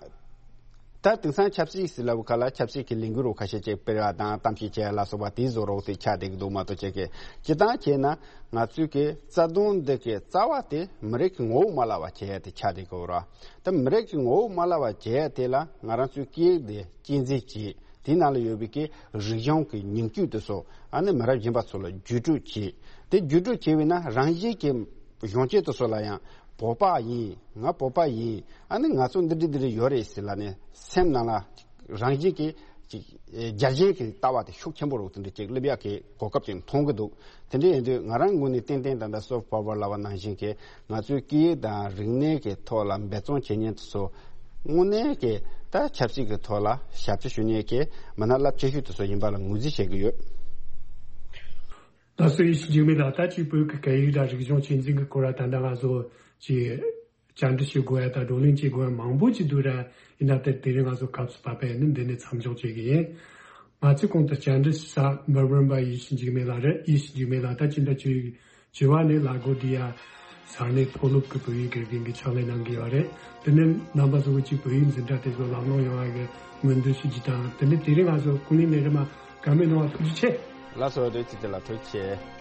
ད་དེང་སང་ཆབ་སྲིད་ཟེར་ལབ་ཁ་ལ་ཆབ་སྲིད་ཀྱི་ལས་འགུལ་རོ་ཁ་ཤས་ཅིག་སྤེལ་བ་དང་གཏམ་བཤད་བྱས་ལ་སོགས་པ་དེའི་བཟོ་རོགས་དེ་ཆགས་བསྡད་ཀྱི་འདུག་མ་གཏོགས་བྱེད་ཀྱི་སྤྱི་བཏང་བྱས་ན་ང་ཚོའི་གི་རྩ་དོན་འདི་གི་རྩ་བ་དེ་མི་རིགས་ཀྱི་ངོ་བོ་མ་བརླག་པ་བྱེད་ཡ་དེ་ཆགས་བསྡད་ཀྱི་ཡོད་ར། ད་མི་རིགས་ཀྱི་ངོ་བོ་མ་བརླག་པ་བྱེད་ཡ་དེ་ལ་ང་རང་ཚོའི་སྐད་ཡིག་དེ་གཅེས་འཛིན་བྱེད། དེའི་ནང་ལ་ཡོད་པའི་གི་རིག་གཞུང་གི་ཉིང་བཅུད་དེ་ཚོ་ཨ་ནི་མི་རབས་གཞོན་པ་ཚོ་ལ་བརྒྱུད་སྤྲོད་བྱེད། དེ་བརྒྱུད་སྤྲོད་བྱས་པས་ན་རང་བཞིན་གྱི་གཞོན་སྐྱེས་དེ་ཚོ་ལ་ཡང་བོད་པ་ཡིན། ང་བོད་པ་ཡིན། ཨ་ནི་ང་ཚོ་འདི་འདྲ་འདི་འདྲ་ཡོད་རེད་ཟེར་ལ་ནི་སེམས་ནང་ལ་རང་བཞིན་གྱི་ཅིག་རྒྱལ་ཞེན་གྱི་ལྟ་བ་དེ་ཤུགས་ཆེན་པོ་རུ་དེ་འདྲ་ཅིག་སླེབས་ཡག་གི་གོ་སྐབས་ཅིག་མཐོང་གི་འདུག་དེ་འདྲ་ཡིན་དུས་ང་རང་ངོས་ནས་ཏན་ཏན་ད་ལྟ་soft power ལབ་པ་ནང་བཞིན་གྱི་ང་ཚོའི་སྐད་ཡིག་དང་རིག་གནས་ཀྱི་ཐོག་ལ་འབད་བརྩོན་བྱེད་མཁན་དེ་ཚོ་དངོས་གནས་ཀྱི་ད་ཆབ་སྲིད་ཀྱི་ཐོག་ལ་ཞབས་ཕྱི་ཞུ་མཁན་གྱི་མི་སྣ་རླབས་ཆེ་ཤོས་དེ་ཚོ་ཡིན་པ་ལ་ངོས་འཛིན་བྱེད་ཀྱི་ཡོད། ད་སུ་ཡིན་ཞིག་འཇིགས་མེད་ལ་ད་ཅིག་བོད་ཀྱི་སྐད་ཡིག་དང་རིག་གཞུང་གཅེས་འཛིན་གྱི་སྐོར་ལ་ད་ལྟ་ང་ཚོ་ཅིག་བཅར་འདྲི་བྱེད་དགོས་ཡ་དང་བགྲོ་གླེང་བྱེད་དགོས་ཡ་མང་པོ་ཅིག་འདུག་ར། ཡིན་ན་དེ་དེ་རིང་ང་ཚོ་སྐབས་སུ་བབས་པས་ནི་འདི་ནས་མཚམས་འཇོག་བྱེད་ཀྱི་ཡིན། ང་ཚོས་གོང་དུ་བཅར་འདྲི་ཞུ་ས་མེལ་བྷོན་པ་ཡེ་ཤེས་འཇིགས་མེད་ལགས་རེད། ཡེ་ཤེས་འཇིགས་མེད་ལགས་ད་ཅི་འདྲ་བྱུང་། བྱ་བ་ནི་ལ་གོ་ཌི་ཡ་ས་གནས་མཐོ་སློབ་ཀྱི་བོད་ཡིག་དགེ་རྒན་གྱི་ཕྱག་ལས་གནང་གི་ཡོད་རེད། དེ་ནས་རྣམ་པ་ཚོ་གིས་ཅིག་བོད་ཡིག་འཛིན་གྲྭ་དེ་ཚོ་ལམ་ལྷོང་ཡོང་བ་གི་སྨོན་འདུན་ཞུ་རྒྱུ་དང་དེ་ནས་དེ་རིང་ང་ཚོ་ཀུན་གླེང་ལས་རིམ་དགའ་མོས་གནང་བ་ཐུགས་རྗེ་ཆེ། ལགས་སོ། བདེ་སྐྱིད་དེ་ལ་ཐུགས་རྗེ་ཆེ།